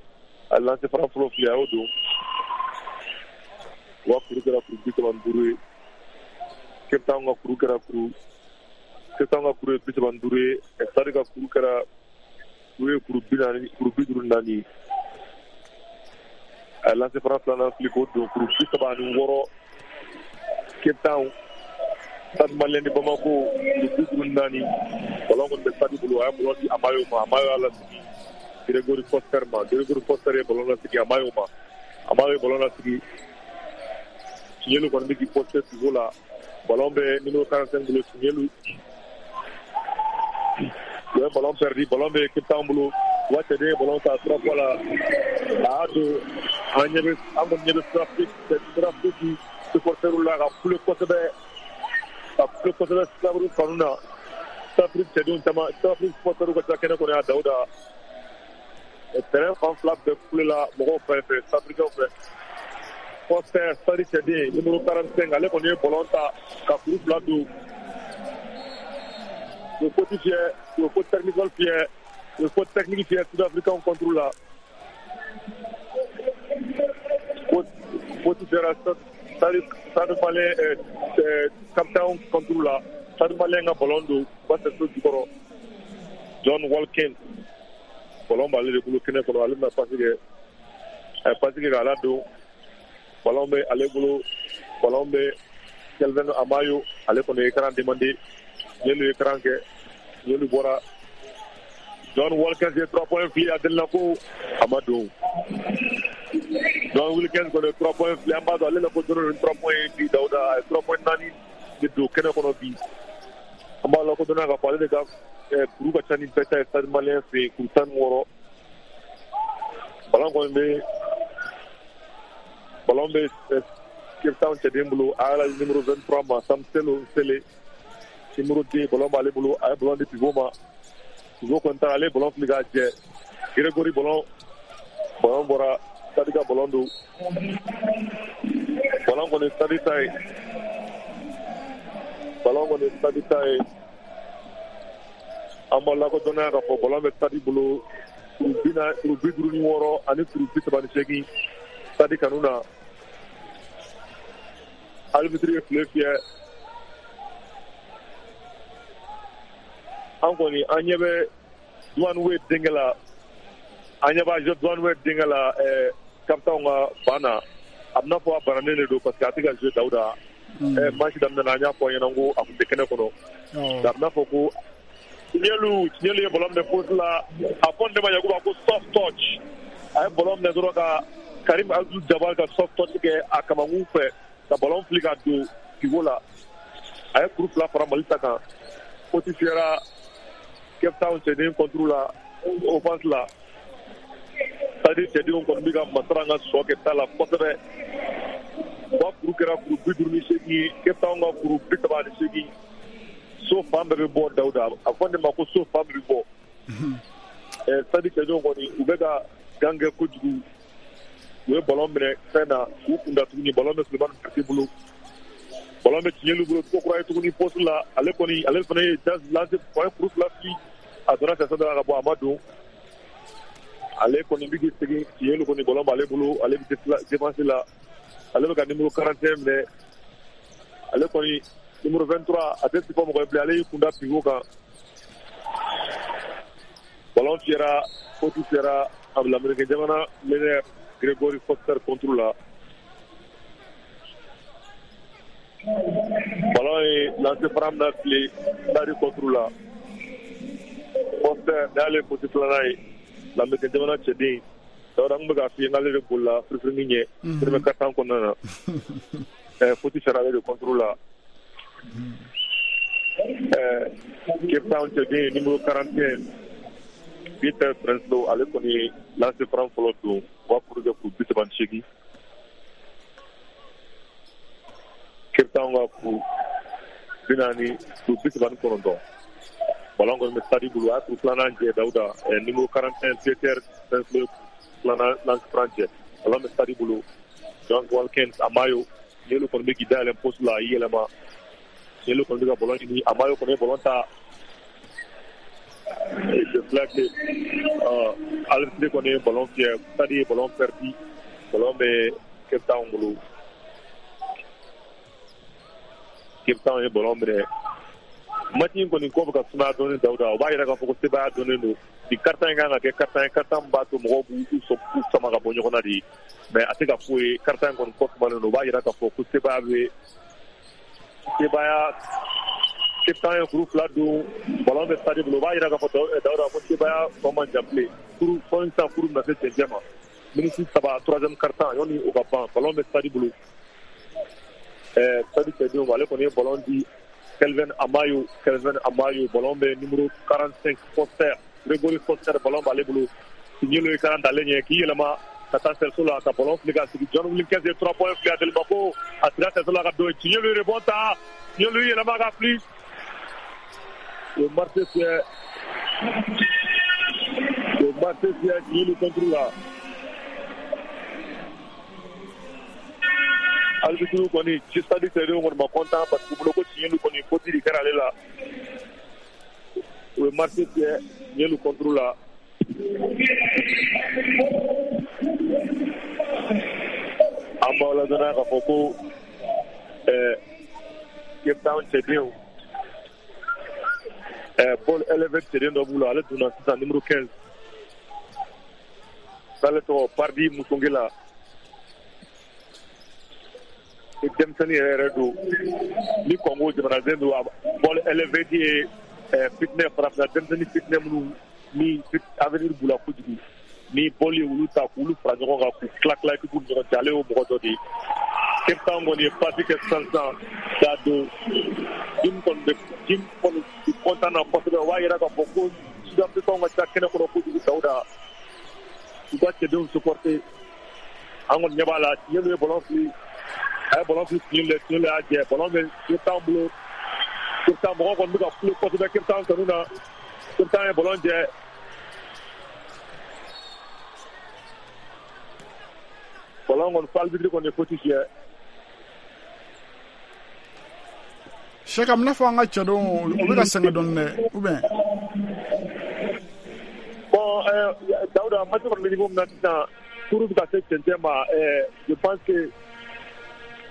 a lancer franc fɔlɔ fili, a y'o don. Wa kuru kɛra kuru bi saba ni duuru ye. Cape Town ka kuru kɛra kuru Cape Town ka kuru ye bi saba ni duuru ye, Stade ka kuru kɛra kuru ye kuru bi naani kuru bi duuru ni naani. A lancer franc filanan fili k'o don, kuru bi saba ani wɔɔrɔ Cape Town. Stade Malien de Bamako kuru bi duuru ni naani. Ballon kɔni bɛ Stade bolo, a ye ballon di Amayo ma, Amayo y'a lasigi Gregory Foster ma, Gregory Foster ye ballon lasigi Amayo ma, Amayo ye ballon lasigi Tiɲɛlu kɔni bɛ k'i poster pivot la. Ballon bɛ numéro quarante-cinq bolo, Tiɲɛlu u ye ballon perdu, ballon bɛ Cape Town bolo, u ka cɛden ye ballon ta trois fois la, a y'a don. An ɲɛ bɛ an kɔni ɲɛ bɛ Sud-Afrique Sud-Afrique supporters la ka kule kosɛbɛ, ka kule kosɛbɛ Sud-Afrique kanu na. Sud-Afrique cɛdenw caman, Sud-Afrique supporters ka ca kɛnɛ kɔnɔ yan Dawuda. Terrain fan fila bɛɛ kule la mɔgɔw fɛ fɛ Sud-Africains fɛ. Foster, Stade cɛden numéro quarante-cinq, ale kɔni ye ballon ta ka kuru fila don. U ye faute fiyɛ, u ye faute technique fiyɛ, u ye faute technique fiyɛ Sud-Africain contre la. Faute fiyɛra Stade Stade Malien Cape Town contre la. Stade Malien ka ballon don u ka cercle jukɔrɔ. John Walken ballon b'ale de bolo kɛnɛ kɔnɔ, ale bɛna passe kɛ, a ye passe kɛ k'a ladon. Ballon bɛ ale bolo, ballon bɛ Kelvin Amayo, ale kɔni ye écran demandé, Ɲelu ye écran kɛ, Ɲelu bɔra. John Wilkins ye trois points fili a delila ko a ma don. John Wilkins kɔni ye trois points fili, an b'a dɔn ale la ko dɔrɔn trois points bi Dawuda, a ye trois points naani de don kɛnɛ kɔnɔ bi. An b'a lakodɔnna k'a fɔ ale de ka kuru ka ca ni bɛɛ ta ye Stade Malien fɛ yen, kuru tan ni wɔɔrɔ. Ballon kɔni bɛ ballon bɛ Cape Town cɛden bolo, a y'a numéro vingt-trois ma, Samselo Sele, numéro deux, ballon b'ale bolo, a ye ballon di pivot ma. Pivot kɔni taara, ale ye ballon fili k'a jɛ. Gregory ballon ballon bɔra, Stade ka ballon don. Ballon kɔni Stade ta ye. Ballon kɔni Stade ta ye. An b'a lakodɔnna k'a fɔ ballon bɛ Stade bolo kuru bi naani, kuru bi duuru ni wɔɔrɔ ani kuru bi saba ni seegin Stade kanu na. Arbitre ye file fiyɛ. An kɔni an ɲɛ bɛ Duane Wade denkɛ la, an ɲɛ b'a Duane Wade denkɛ la ɛɛ Cape Town ka ban na. A bɛna fɔ a bananen de don parce que a tɛ ka jouer Dawuda. Ɛɛ match daminɛ na an y'a fɔ a ɲɛna ko a tun tɛ kɛnɛ kɔnɔ. A bɛna fɔ ko Tiɲɛlu Tiɲɛlu ye ballon minɛ poste la, a fɔ ne ma Yakuba ko soft touch. A ye ballon minɛ dɔrɔn ka Karim Abdul Jabbar ka soft touch kɛ a kamankun fɛ ka ballon fili ka don pivot la. A ye kuru fila fara Mali ta kan. Faute fiyɛra Cape Town cɛden contre la, offense la. Stade cɛdenw kɔni bɛ ka Masara ka sɔ kɛ ta la kosɛbɛ. U ka kuru kɛra kuru bi duuru ni seegin ye, Cape Town ka kuru bi saba ni seegin. So fan bɛɛ bɛ bɔ Dawuda, a fɔ ne ma ko so fan bɛɛ bɛ bɔ. Ɛɛ Stade cɛdenw kɔni u bɛ ka gan kɛ kojugu. U ye ballon minɛ fɛn na k'u kunda tuguni, ballon bɛ Sulemani Berete bolo. Ballon bɛ Tiɲɛlu bolo ko kura ye tuguni poste la, ale kɔni ale fana ye lancer, a ye kuru fila fili, a donna sɛsɛ dɔ la ka bɔ, a ma don. Ale kɔni bɛ k'i segin, Tiɲɛlu kɔni ballon b'ale bolo, ale bɛ défense la, ale bɛ ka numéro quarante et un minɛ. Ale kɔni numéro vingt-trois a tɛ fɔ mɔgɔ ye bilen, ale y'i kunda pivot kan. Ballon fiyɛra, faute fiyɛra a Lamɛrike jamana meneur Gregory Foster contre la. Ballon ye lancer franc na fili Stade contre la. Foster n'ale faute filanan ye, Lamɛrike jamana cɛden. Dawuda n bɛ k'a f'i ye n'ale de bolila firifirinin ɲɛ premier quart-temps kɔnɔna na. Ɛɛ faute fiyɛra ale de contre la. Ɛɛ Cape Town cɛden numéro quarante et un Peter Prinsloo, ale kɔni ye lancer franc fɔlɔ don, u b'a kuru kɛ kuru bi saba ni seegin. Cape Town ka kuru bi naani, kuru bi saba ni kɔnɔntɔn. Ballon kɔni bɛ Stade bolo, a y'a kuru filanan jɛ Dawuda, numéro quarante et un Peter Prinsloo filanan lancer franc jɛ. Ballon bɛ Stade bolo, John Walkins Amayo, Ɲelu kɔni bɛ k'i dayɛlɛ poste la, a y'i yɛlɛma. Ɲelu kɔni bɛ ka ballon ɲini, Amayo kɔni ye ballon ta. Je flaque, euh, arbitre kɔni ye ballon fiyɛ, Stade ye ballon perdu, ballon bɛ Cape Town bolo. Cape Town ye ballon minɛ. Match in kɔni ko bɛ ka sumaya dɔɔni Dawuda, o b'a yira k'a fɔ ko sebaaya dɔnnen don. Nin quart-temps in kan ka kɛ quart-temps ye, quart-temps min b'a to mɔgɔw b'u u sama ka bɔ ɲɔgɔn na de. Mais a tɛ ka f'o ye, quart-temps in kɔni kɔ sumalen don, o b'a yira k'a fɔ ko sebaaya bɛ sebaaya. Cape Town ye kuru fila don, ballon bɛ Stade bolo, o b'a yira k'a fɔ Dawuda ko sebaaya tɔ man jan bilen. Kuru fɔ sisan kuru bɛna se cɛncɛn ma. Minute saba troisième quart-temps yanni o ka ban, ballon bɛ Stade bolo. Ɛɛ Stade cɛdenw, ale kɔni ye ballon di Kelvin Amayo, Kelvin Amayo, ballon bɛ numéro quarante-cinq Foster, Gregory Foster, ballon b'ale bolo. Tiɲɛlu ye karan d'ale ɲɛ k'i yɛlɛma ka taa cerceau la ka ballon fili ka sigi. John Wilkins ye trois points fili a delima ko a sira cerceau la ka don. Tiɲɛlu ye rebond ta, Tiɲɛlu yɛlɛma ka fili. O marché fiyɛ, o marché fiyɛ Tiɲɛlu contre la. Arbitre kɔni Stade cɛdenw kɔni ma content parce que u bolo ko Tiɲɛlu kɔni faute de kɛra ale la. bɛ marché fiyɛ Ɲɛlu contre la. An b'aw ladɔnniya k'a fɔ ko ɛɛ Cape Town cɛdenw ɛɛ Paul Elevate cɛden dɔ b'u la, ale donna sisan numéro quinze, n'ale tɔgɔ Pardi Musongela. Denmisɛnnin yɛrɛ yɛrɛ don ni Congo jamanaden don. Paul Elevate ye ɛɛ fitinɛ farafinna denmisɛnnin fitinɛ minnu ni avenir b'u la kojugu, ni bɔli ye olu ta k'olu fara ɲɔgɔn kan k'u tila tila équipe ni ɲɔgɔn cɛ, ale y'o mɔgɔ dɔ de ye. Cape Town kɔni ye passe kɛ sisan sisan k'a don Jim kɔni bɛ Jim kɔni content na kosɛbɛ. O b'a yira k'a fɔ ko Sud-Africains ka ca kɛnɛ kɔnɔ kojugu. Dawuda, u ka cɛdenw supporter. An kɔni ɲɛ b'a la, Tiɲɛlu ye ballon fili, a ye ballon fili Tiɲɛlu la, Tiɲɛlu y'a jɛ, ballon bɛ Cape Town bolo. Cape Town mɔgɔw kɔni bɛ ka kule kosɛbɛ Cape Town kanu na. Cape Town ye ballon jɛ. Ballon kɔni arbitre kɔni ye faute fiyɛ. Cheikh, a bɛna fɔ an ka cɛdenw o bɛ ka sɛgɛn dɔɔni dɛ, ou bien? Bon, euh, Daouda, match kɔni bɛ niveau min na sisan, turu bɛ ka se cɛncɛn ma. Je pense que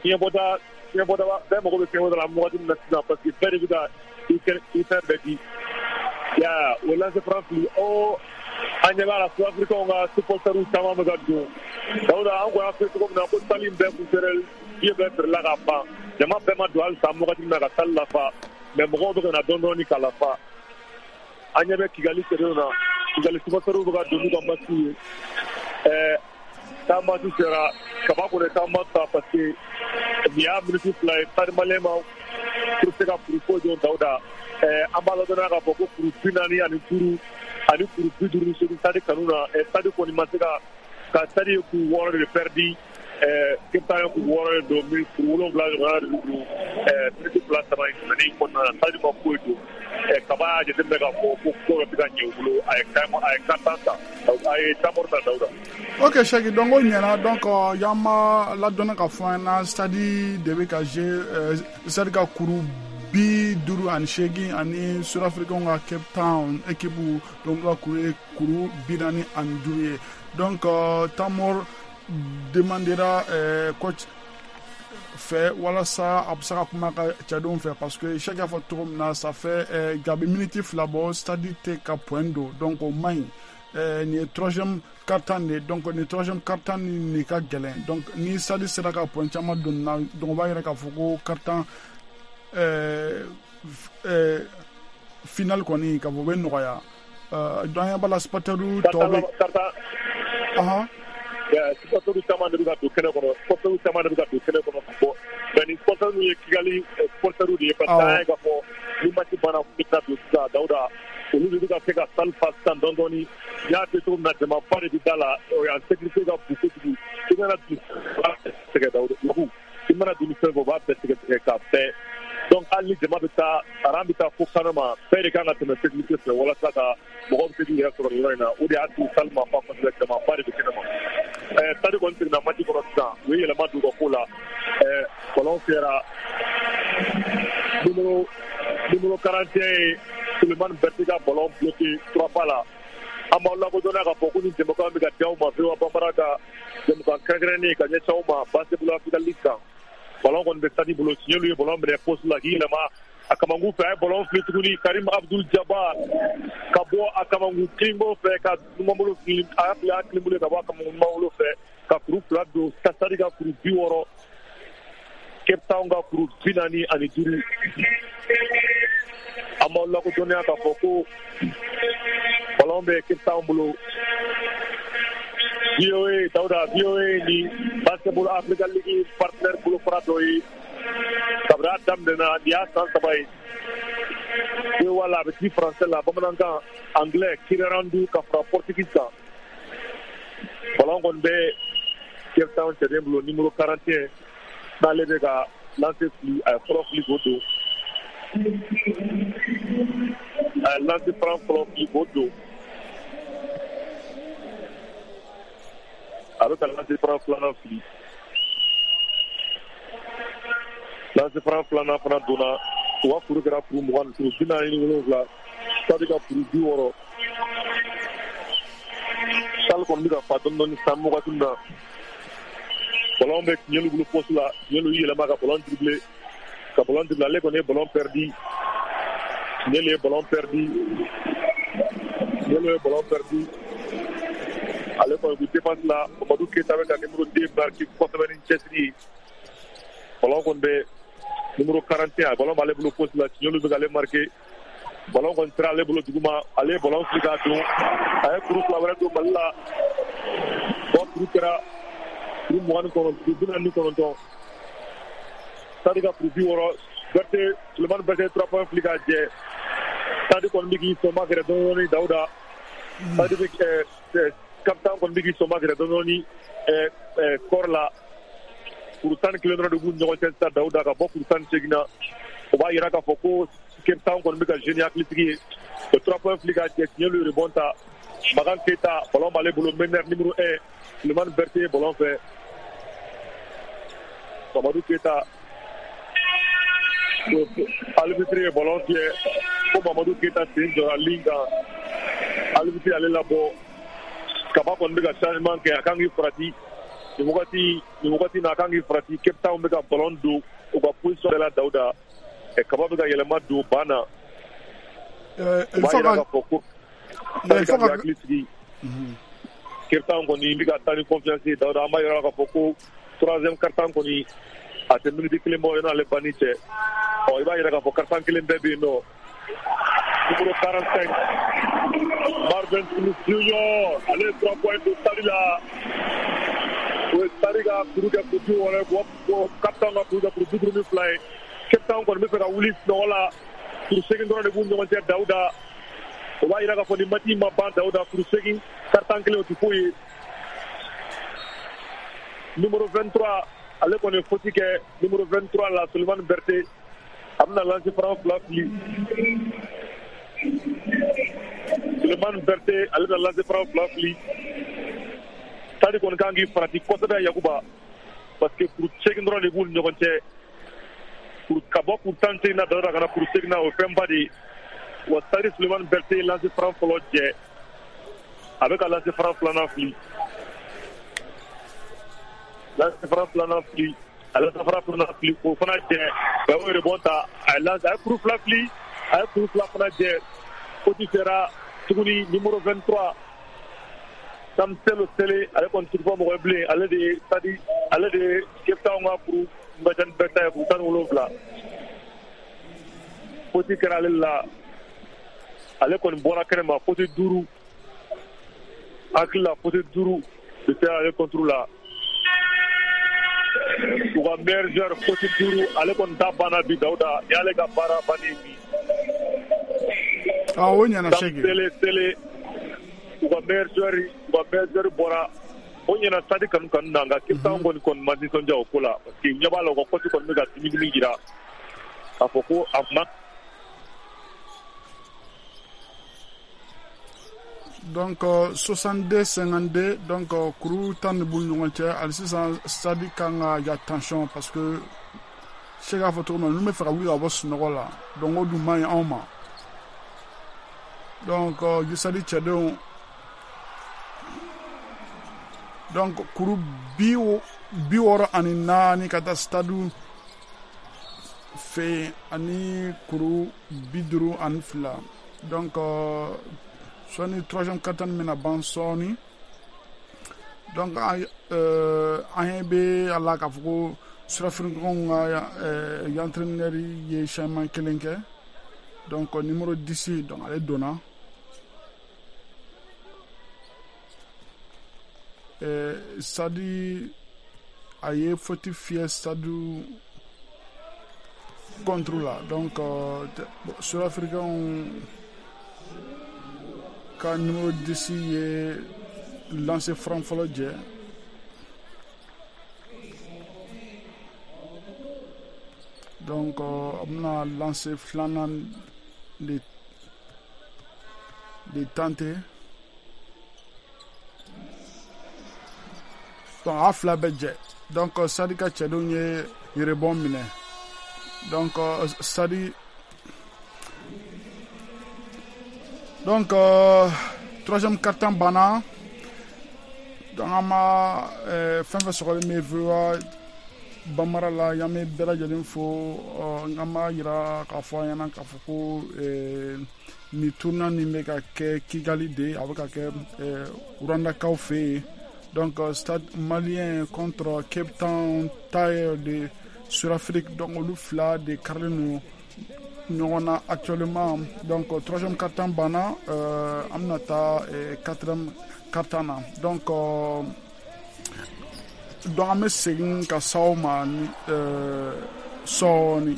fiɲɛbɔda fiɲɛbɔda bɛɛ mago bɛ fiɲɛbɔda la wagati min na sisan, parce que bɛɛ de bɛ ka i fɛn bɛɛ di. Ya o lancer franc fili, o an ɲɛ b'a la Sud-Africains ka supporters caman bɛ ka don. Dawuda, an kɔni y'a fɔ cogo min na ko salle in bɛɛ kun feere, billet bɛɛ feerela ka ban, jama bɛɛ ma don halisa wagati min na ka salle lafa, mais mɔgɔw bɛ ka na dɔɔni dɔɔni ka lafa. An ɲɛ bɛ Kigali cɛdenw na, Kigali supporters bɛ ka don n'u ka masques ye. Ɛɛ taa match sera kaba kɔni taa match ta, parce que nin y'a minute fila ye Stade Malien ma pour se ka kuru foyi don. Dawuda, ɛɛ an b'a ladɔnniya k'a fɔ ko kuru bi naani ani duuru ani kuru bi duuru ni seegin Stade kanu na. Stade kɔni ma se ka ka Stade ye kuru wɔɔrɔ de perdu, ɛɛ Cape Town ye kuru wɔɔrɔ de don, kuru wolonwula ɲɔgɔnna de don. Ɛɛ minute fila saba in tɛmɛnen kɔnɔna na, Stade ma foyi don. Ɛɛ kaba y'a jateminɛ k'a fɔ ko ko dɔ tɛ ka ɲɛ u bolo, a ye a ye carton ta, a ye temps mort ta, Dawuda. Ok Cheikh, donc o ɲɛna. Donc y'an ma ladɔnna ka fɔ an ɲɛna Stade de bɛ ka jouer, Stade ka kuru bi duuru ani seegin ani Sud-Africains ka Cape Town équipe donc ka kuru ye kuru bi naani ani duuru ye. Donc temps mort demandera coach fɛ walasa a bɛ se ka kuma ka cɛdenw fɛ, parce que Cheikh y'a fɔ cogo min na, ça fait gabi minute fila bɔ Stade tɛ ka point don, donc o man ɲi. Nin ye troisième quart-temps de, donc nin troisième quart-temps nin ka gɛlɛn. Donc ni Stade sera ka point caman don nin na, donc o b'a yira k'a fɔ ko quart-temps ɛɛ ɛɛ final kɔni k'a fɔ o bɛ nɔgɔya. Donc an ɲɛ b'a la supporters tɔw bɛ. Ɔhɔn. Supporters caman de bɛ ka don kɛnɛ kɔnɔ, supporters caman de bɛ ka don kɛnɛ kɔnɔ ka bɔ, mais ni supporters ye Kigali supporters de ye, parce que an y'a ye k'a fɔ ni match banna k'u bɛ taa don sisan. Dawuda, olu de bɛ ka se ka salle fa sisan dɔɔni dɔɔni. N y'a fɔ cogo min na, jamaba de bɛ da la, yan sécurité ka bon kojugu. I mana don tigɛ, Dawuda, i mana don ni fɛn fɛn o b'a bɛɛ tigɛ tigɛ k'a bɛɛ. Donc hali ni jama bɛ taa aran bɛ taa fo kɛnɛ ma, bɛɛ de kan ka tɛmɛ sécurité fɛ walasa ka mɔgɔw bɛ se k'u yɛrɛ sɔrɔ nin yɔrɔ in na. O de y'a to salle ma fa kosɛbɛ, jamaba de bɛ kɛnɛ ma. Ɛɛ Stade kɔni seginna match kɔnɔ sisan, u ye yɛlɛma don u ka ko la. Ɛɛ ballon fiyɛra, numéro numéro quarante et un ye Sulemani Berté ka ballon bloqué trois pas la. An b'aw lakodɔnna k'a fɔ ko ni jɛmukan bɛ ka di aw ma V O A Bambara ka jɛmukan kɛrɛnkɛrɛnnen ka ɲɛsin aw ma Basketball Africa League kan. Ballon kɔni bɛ Stade bolo, Tiɲɛlu ye ballon minɛ poste la k'i yɛlɛma a kamankun fɛ, a ye ballon fili tuguni Karim Abdul Jabbar ka bɔ a kamankun kininbolo fɛ ka numanbolo fili, a y'a fili a kininbolo ka bɔ a kamankun numanbolo fɛ ka kuru fila don. Stade ka kuru bi wɔɔrɔ, Cape Town ka kuru bi naani ani duuru. An b'aw lakodɔnniya k'a fɔ ko ballon bɛ Cape Town bolo. V O A, Dawuda, V O A ni Basketball Africa League partenaire bolofara dɔ ye kabini a daminɛna, nin y'a san saba ye. V O A la, a bɛ di français la, bamanankan, anglais, kinyarwanda ka fara portugais kan. Ballon kɔni bɛ Cape Town cɛden bolo, numéro quarante et un, n'ale bɛ ka lancer fili, a ye fɔlɔ fili k'o don, a ye lancer franc fɔlɔ fili k'o don, a bɛ ka lancer franc filanan fili, lancer franc filanan fana donna. U ka kuru kɛra kuru mugan ni kuru bi naani ni wolonwula, Stade ka kuru bi wɔɔrɔ. Salle kɔni bɛ ka fa dɔɔni dɔɔni sisan wagati min na. Ballon bɛ Tiɲɛlu bolo poste la, Tiɲɛlu y'i yɛlɛma ka ballon dribbler, ka ballon dribbler, ale kɔni ye ballon perdu. Tiɲɛlu ye ballon perdu. Tiɲɛlu ye ballon perdu. Ale kɔni bɛ défense la, Mamadu Keyita bɛ ka numéro deux marqué kosɛbɛ ni cɛsiri ye. Ballon kɔni bɛ numéro quarante et un, ballon b'ale bolo poste la, Tiɲɛlu bɛ k'ale marqué. Ballon kɔni sera ale bolo duguma, ale ye ballon fili k'a don. A ye kuru fila wɛrɛ don Mali la. Bon, kuru kɛra kuru mugan ni kɔnɔntɔn, bi naani ni kɔnɔntɔn. Stade ka kuru bi wɔɔrɔ, Berté, Sulemani Berté trois points fili k'a jɛ. Stade kɔni bɛ k'i sɔn magɛrɛ dɔɔni dɔɔni Dawuda. Stade bɛ ɛɛ Cape Town kɔni bɛ k'i sɔn magɛrɛ dɔɔni dɔɔni ɛɛ ɛɛ score la. Kuru tan ni kelen dɔrɔn de b'u ni ɲɔgɔn cɛ sisan Dawuda, ka bɔ kuru tan ni seegin na. O b'a yira k'a fɔ ko Cape Town kɔni bɛ ka jouer ni hakilitigi ye. O trois points fili k'a jɛ, Tiɲɛlu rebond ta. Makan Keyita, ballon b'ale bolo, meneur numéro un, Sulemani Berté ye ballon fɛ. Mamadu Keyita, arbitre ye ballon fiyɛ ko Mamadu Keyita sen jɔra ligne kan. Arbitre ale labɔ. Kaba kɔni bɛ ka changement kɛ, a kan k'i farati. Nin wagati nin wagati na a kan k'i farati. Cape Town bɛ ka ballon don u ka position bɛɛ la Dawuda. Kaba bɛ ka yɛlɛma don ban na. O b'a yira k'a fɔ ko Stade ka hakili sigi. Cape Town kɔni bɛ ka taa ni confiance ye Dawuda. An b'a yira k'a fɔ ko troisième quart-temps kɔni a tɛ minute kelen bɔ yan'ale banni cɛ. Ɔ i b'a yira k'a fɔ quart-temps kelen bɛɛ bɛ yen nɔ. Numéro quarante-cinq, Marvin Smith Junior, ale ye trois points don Stade la. O ye Stade ka kuru kɛ kuru bi wɔɔrɔ ye, ko Cape Town ka kuru kɛ kuru bi duuru ni fila ye. Cape Town kɔni bɛ fɛ ka wuli sunɔgɔ la. Kuru seegin dɔrɔn de b'u ni ɲɔgɔn cɛ Dawuda. O b'a yira k'a fɔ ni match ma ban Dawuda, kuru seegin quart-temps kelen o tɛ foyi ye. Numéro vingt-trois, ale kɔni ye faute kɛ numéro vingt-trois la, Sulemani Berté. A bɛna lancer franc fila fili. Sulemani Berté, ale bɛna lancer franc fila fili. Stade kɔni kan k'i farati kosɛbɛ Yakuba, parce que kuru seegin dɔrɔn de b'u ni ɲɔgɔn cɛ. Kuru ka bɔ kuru tan ni seegin na Dawuda ka na kuru seegin na, o ye fɛnba de ye. Wa Stade Sulemani Berté ye lancer franc fɔlɔ jɛ. A bɛ ka lancer franc filanan fili. Lancer franc filanan fili. A lancer franc filanan fili k'o fana jɛ. A y'o rebond ta, a ye lancer, a ye kuru fila fili, a ye kuru fila fana jɛ. Faute sera tuguni numéro vingt-trois, Samselo Sele, ale kɔni tɛ fɔ mɔgɔ ye bilen. Ale de ye Stade, ale de ye Cape Town ka kuru Mbajani Berté ye kuru tan ni wolonwula. Faute kɛra ale la. Ale kɔni bɔra kɛnɛ ma, faute duuru. Hakili la faute duuru de sera ale contre la. U ka meilleur joueur faute duuru, ale kɔni ta banna bi Dawuda. Ni y'ale ka baara bannen bi. Ah, o ɲɛna Segi. Sele Sele, u ka meilleur joueur, u ka meilleur joueur bɔra. O ɲɛna Stade kanu kanu na, nka Cape Town kɔni kɔni ma nisɔndiya o ko la, parce que ɲɛ b'a la u ka coach kɔni bɛ ka dimi dimi jira k'a fɔ ko a ma. Donc euh, soixante-deux cinquante-deux, donc euh, kuru tan de b'u ni ɲɔgɔn cɛ hali sisan. Stade kan ka ya tension, parce que se k'a fɔ cogo min na, ninnu bɛ fɛ ka wuli ka bɔ sunɔgɔ la, donc o dun man ɲi anw ma. Donc euh, Stade cɛdenw, donc kuru bi bi wɔɔrɔ ani naani ka taa Stade fɛ yen ani kuru bi duuru ani fila. Donc euh, sɔɔni troisième quart-temps bɛna ban sɔɔni. Donc an euh, an ɲɛ bɛ a la k'a fɔ ko Sud-Africains ka euh, entraîneur ye changement kelen kɛ. Donc numéro dix, donc ale donna. Euh, Stade a ye faute fiyɛ Stade contre la. Donc euh, Sud-Africains ka numéro dix ye lancer franc fɔlɔ jɛ. Donc a bɛna lancer filanan de de tenter. Donc a fila bɛɛ jɛ. Donc Stade ka cɛdenw ye rebond minɛ. Donc Stade Donc euh, troisième quart-temps banna. Donc an ma euh, fɛn fɛn sɔgɔlen bɛ V O A Bambara la, an bɛ bɛɛ lajɛlen fo. An b'a yira k'a fɔ an ɲɛna k'a fɔ ko nin tournoi nin bɛ ka kɛ Kigali de, a bɛ ka kɛ Rwandakaw fɛ yen. Donc Stade Malien contre Cape Town Tigers de Sud-Afrique, donc olu fila de karilen don ɲɔgɔn na actuellement. Donc troisième quart-temps banna, an bɛna taa quatrième quart-temps na. donc donc an bɛ segin ka s'aw ma ni sɔɔni.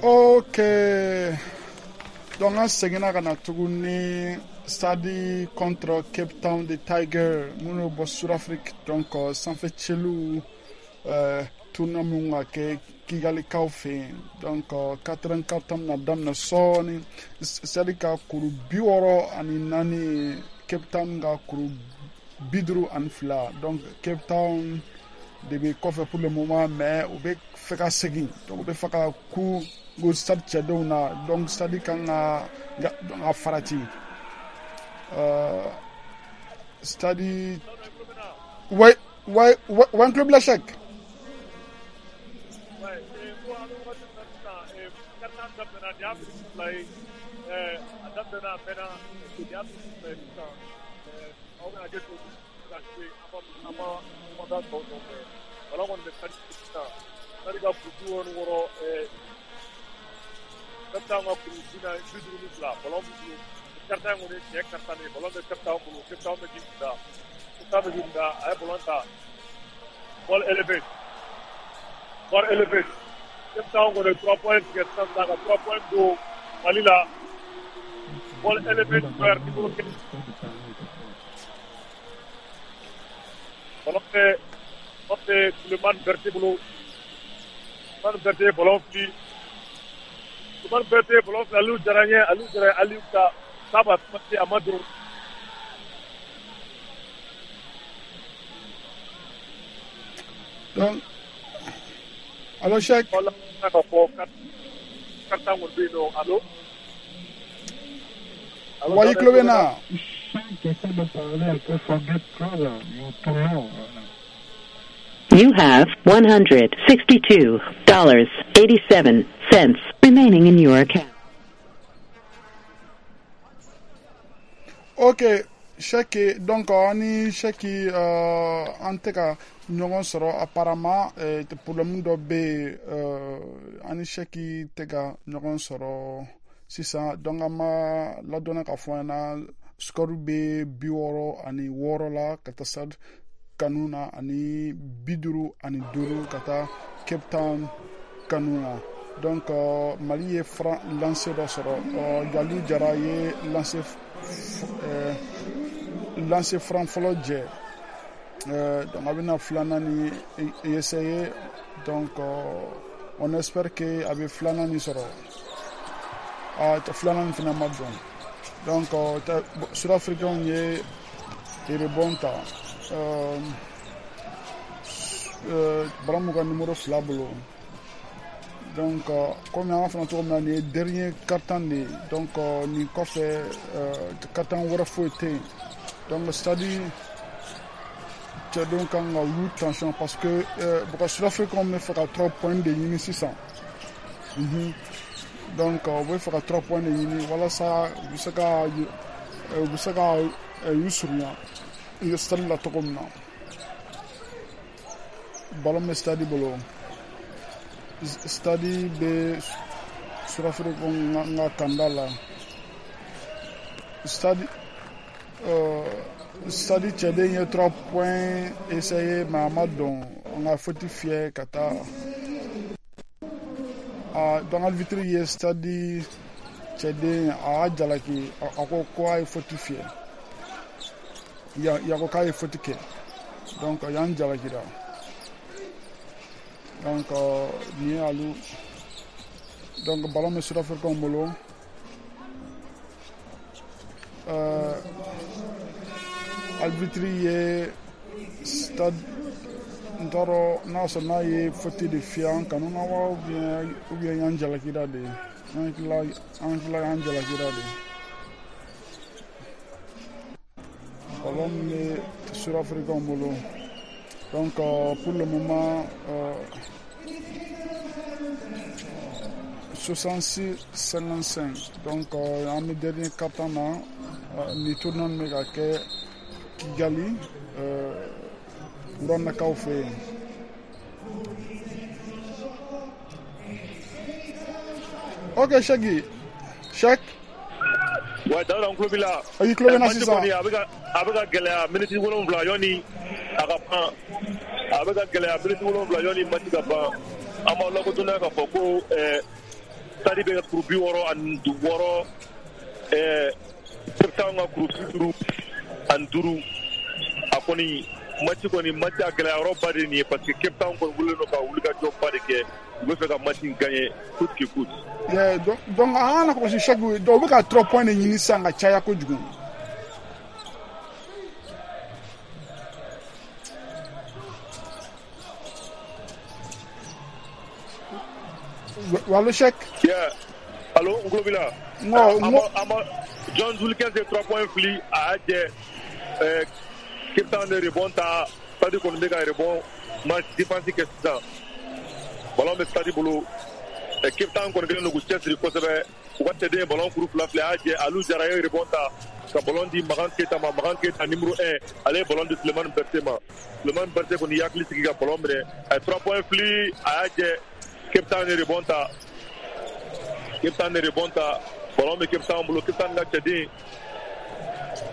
Ok, donc an seginna ka na tuguni, Stade contre Cape Town de Tiger minnu bɛ bɔ Sud-Afrique. Donc sanfɛ cɛliw tournoi min ka kɛ Kigalikaw fɛ yen. Donc quatrième quart-temps bɛna daminɛ sɔɔni. Stade ka kuru bi wɔɔrɔ ani naani, Cape Town ka kuru bi duuru ani fila. Donc Cape Town de bɛ kɔfɛ pour le moment, mais u bɛ fɛ ka segin. Donc u bɛ fɛ ka ku ko Stade cɛdenw na. Donc Stade kan ka ka farati. euh, Stade, ouais ouais ouais ouais, n tulo b'i la, Cheikh. Ouais, ko an bɛ wagati min na sisan, quart-temps daminɛna, nin y'a miniti fila ye. A daminɛna, a mɛnna, nin y'a miniti fila ye sisan. Aw bɛ hakɛ to ka se an ma an ma kumakan tɔw nɔfɛ. Ballon kɔni bɛ Stade sisan. Stade ka kuru bi wɔɔrɔ ni wɔɔrɔ, Cape Town ka kuru bi naani bi duuru ni fila. Ballon b'u bolo. Quart-temps in kɔni ye tiɲɛ quart-temps de ye. Ballon bɛ Cape Town bolo. Cape Town bɛ k'i kun da. Cape Town bɛ k'i kun da. A ye ballon ta. Ball élevé. Ball élevé. Cape Town kɔni ye trois points tigɛ sisan sisan ka trois points don Mali la. Ball élevé joueur numéro quinze. Ballon bɛ ballon bɛ Sulemani Berté bolo. Sulemani Berté ye ballon fili. Sulemani Berté ye ballon fili. Aliou Jara ɲɛ. Aliou Jara ye Aliou ta k'a b'a a ma don. Donc allo, Cheikh. Wala ka fɔ quart-temps kɔni bɛ yen nɔ. Allo. Wa, i tulo bɛ n na? Cheikh essaie de parler un peu forget closer. You too long. You have one hundred sixty-two dollars eighty-seven cents remaining in your account. Ok, Cheick, donc an ni Cheick euh, an tɛ ka ɲɔgɔn sɔrɔ apparemment, euh, problème dɔ bɛ yen, euh, an ni Cheick tɛ ka ɲɔgɔn sɔrɔ sisan. Donc an ma ladɔnna k'a fɔ an ɲɛna score bɛ bi wɔɔrɔ ani wɔɔrɔ la ka taa Stade Kanu na, ani bi duuru ani duuru ka taa Cape Town Kanu na. Donc euh, Mali ye franc lancer dɔ sɔrɔ, euh, Jaliu Jara ye lancer euh, lancer franc fɔlɔ jɛ, euh, donc a bɛna filanan ni essayer. Donc euh, on espère que a bɛ filanan ni sɔrɔ. Ah, filanan nin fana ma dɔn. Donc euh, Sud-Africains ye rebond ta, euh, euh, ballon b'u ka numéro fila bolo. Donc euh, komi an b'a fɔ cogo min na, nin ye dernier quart-temps de ye. Donc euh, nin kɔfɛ, euh, quart-temps wɛrɛ foyi tɛ yen. Donc Stade cɛdenw kan ka wuli tension parce que euh, bɔgɔ Sud-Africains bɛ fɛ ka trois points de ɲini sisan. mm -hmm. Donc u bɛ fɛ ka trois points de ɲini walasa u bɛ se ka u bɛ se ka u surunya Stade la cogo min na. Ballon bɛ Stade bolo, Stade bɛ Sud-Africains ka kanda la. Stade euh, Stade cɛden ye trois points essayé mais a ma dɔn, an ka faute fiyɛ ka taa. Ah, donc arbitre ye Stade cɛden a y'a jalaki, a ko ko a ye faute fiyɛ, ya ko k'a ye faute kɛ, donc y'an jalakira. Donc euh, nin ye alu. Donc ballon bɛ Sud-Africains bolo. Euh, arbitre ye Stade, n t'a dɔn n'a sɔrɔ n'a ye faute de fiyɛ an kanu na wa, ou bien ou bien y'an jalakira de, an hakili la an hakili la y'an jalakira de. Ballon bɛ Sud-Africains bolo. Donc euh, pour le moment euh, soixante-six cinquante-cinq. Donc euh, an bɛ dernier quart-temps na, euh, ni tournoi bɛ ka kɛ Kigali, euh, Rwandakaw fɛ yen. Ok Cheick, Cheick. Ouais, Daouda, n tulo b'i la. I tulo bɛ n na sisan. A bɛ ka a bɛ ka gɛlɛya miniti wolonwula yanni a ka ban. A bɛ ka gɛlɛya miniti wolonwula yanni match ka ban. An b'aw lakodɔnniya k'a fɔ ko ɛɛ Stade bɛ ka kuru bi wɔɔrɔ ani wɔɔrɔ, ɛɛ Cape Town ka kuru bi duuru ani duuru. A kɔni match kɔni match a gɛlɛya yɔrɔ ba de nin ye parce que Cape Town kɔni wulilen don ka wulikajɔ ba de kɛ. U bɛ fɛ ka match in gagner coûte que coûte. Yeah, donc, donc an kana kɔlɔsi Cheick, donc u bɛ ka trois points de ɲini sisan ka caya kojugu. Allo Cheick. Yeah. Allo, n tulo b'i la. N ko n ko A ma John Wilkins ye trois points fili, a y'a jɛ, ɛɛ Cape Town de rebond ta, Stade kɔni bɛ ka rebond match défense kɛ sisan. Ballon bɛ Stade bolo. Cape Town kɔni kɛlen don k'u cɛsiri kosɛbɛ. U ka cɛden ye ballon kuru fila fila, a y'a jɛ, Aliou Jara ye rebond ta ka ballon di Makan Keita ma. Makan Keita numéro un, ale ye ballon di Sulemani Berté ma. Sulemani Berté kɔni y'i hakili sigi ka ballon minɛ, a ye trois points fili, a y'a jɛ, Cape Town ye rebond ta. Cape Town ye rebond ta, ballon bɛ Cape Town bolo. Cape Town ka cɛden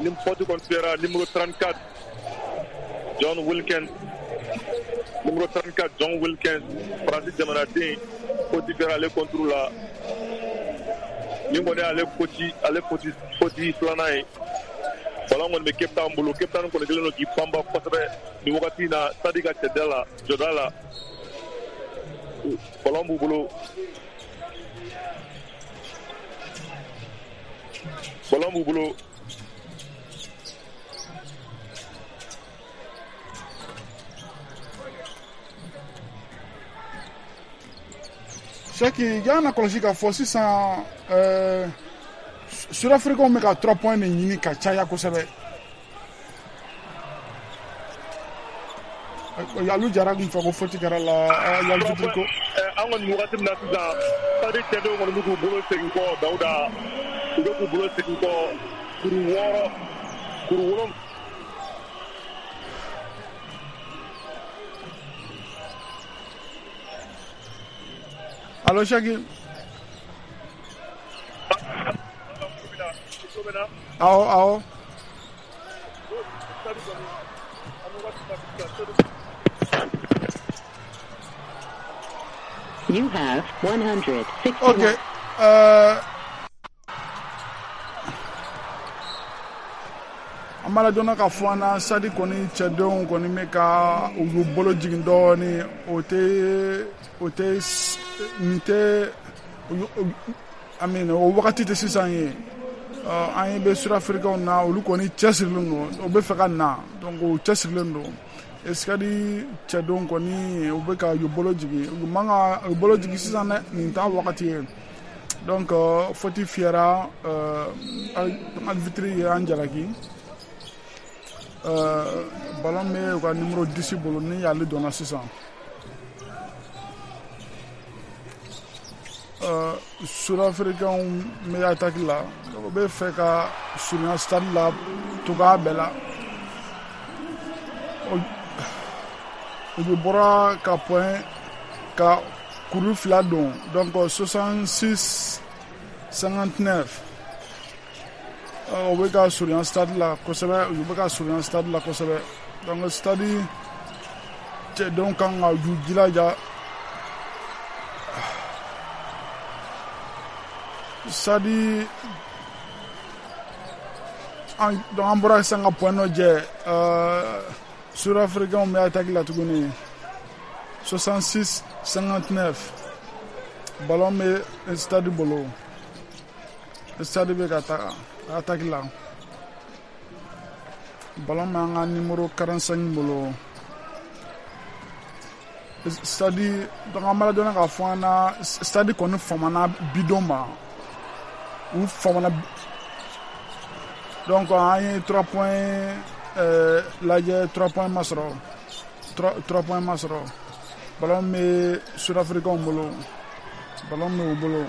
ni faute kɔni fiyɛra, numéro trente-quatre John Wilkins, numéro trente-quatre John Wilkins, Faransi jamanaden, faute fiyɛra ale contre la. Nin kɔni y'ale faute ale faute faute filanan ye. Ballon kɔni bɛ Cape Town bolo. Cape Town kɔni kɛlen don k'i panba kosɛbɛ nin wagati in na Stade ka cɛda la, jɔda la. Ballon b'u bolo. Ballon b'u bolo. Cheick, y'an na kɔlɔsi k'a fɔ sisan, ɛɛ Sud-Africains bɛ ka trois points de ɲini ka caya kosɛbɛ. Aliou Jara kun fɛ ko faute kɛra la, l'arbitre ko. An kɔni wagati min na sisan, Stade cɛdenw kɔni bɛ k'u bolo segin kɔ, Dawuda, u bɛ k'u bolo segin kɔ kuru wɔɔrɔ. Kuru wolonwula. Allo Chaki. Awɔ awɔ. You have one hundred sixty-one. Ok. Euh, an b'a lajɛ k'a fɔ an na Stade kɔni cɛdenw kɔni bɛ ka u y'u bolo jigin dɔɔni, o tɛ o tɛ nin tɛ I mean o wagati tɛ sisan ye. An ye bɛ Sud-Africains na, olu kɔni cɛsirilen don, o bɛ fɛ ka na, donc o cɛsirilen don. Stade cɛdenw kɔni u bɛ ka u bolo jigin, u man ka u bolo jigin sisan dɛ, nin t'a wagati ye. Donc faute fiyɛra, arbitre ye an jalaki. Ballon bɛ u ka numéro dix bolo ni ale donna sisan. Sud-Africains bɛ attaque la, u bɛ fɛ ka surunya Stade la cogoya bɛɛ la. U bɔra ka point ka kuru fila don, donc soixante-six cinquante-neuf. U bɛ ka surunya Stade la kosɛbɛ, u bɛ ka surunya Stade la kosɛbɛ. Donc Stade cɛdenw kan ka u jilaja. Stade an donc an bɔra sisan ka point dɔ jɛ, Sud-Africains bɛ attaque la tuguni. soixante-six cinquante-neuf. Ballon bɛ Stade bolo. Stade bɛ ka taa attaque la. Ballon bɛ an ka numéro quarante-cinq bolo. Stade donc an b'a lajɛ k'a fɔ an na Stade kɔni famana bidon ma. U famana, donc an ye trois points euh, lajɛ, trois points ma sɔrɔ, trois points ma sɔrɔ. Ballon bɛ Sud-Africains bolo, ballon bɛ u bolo.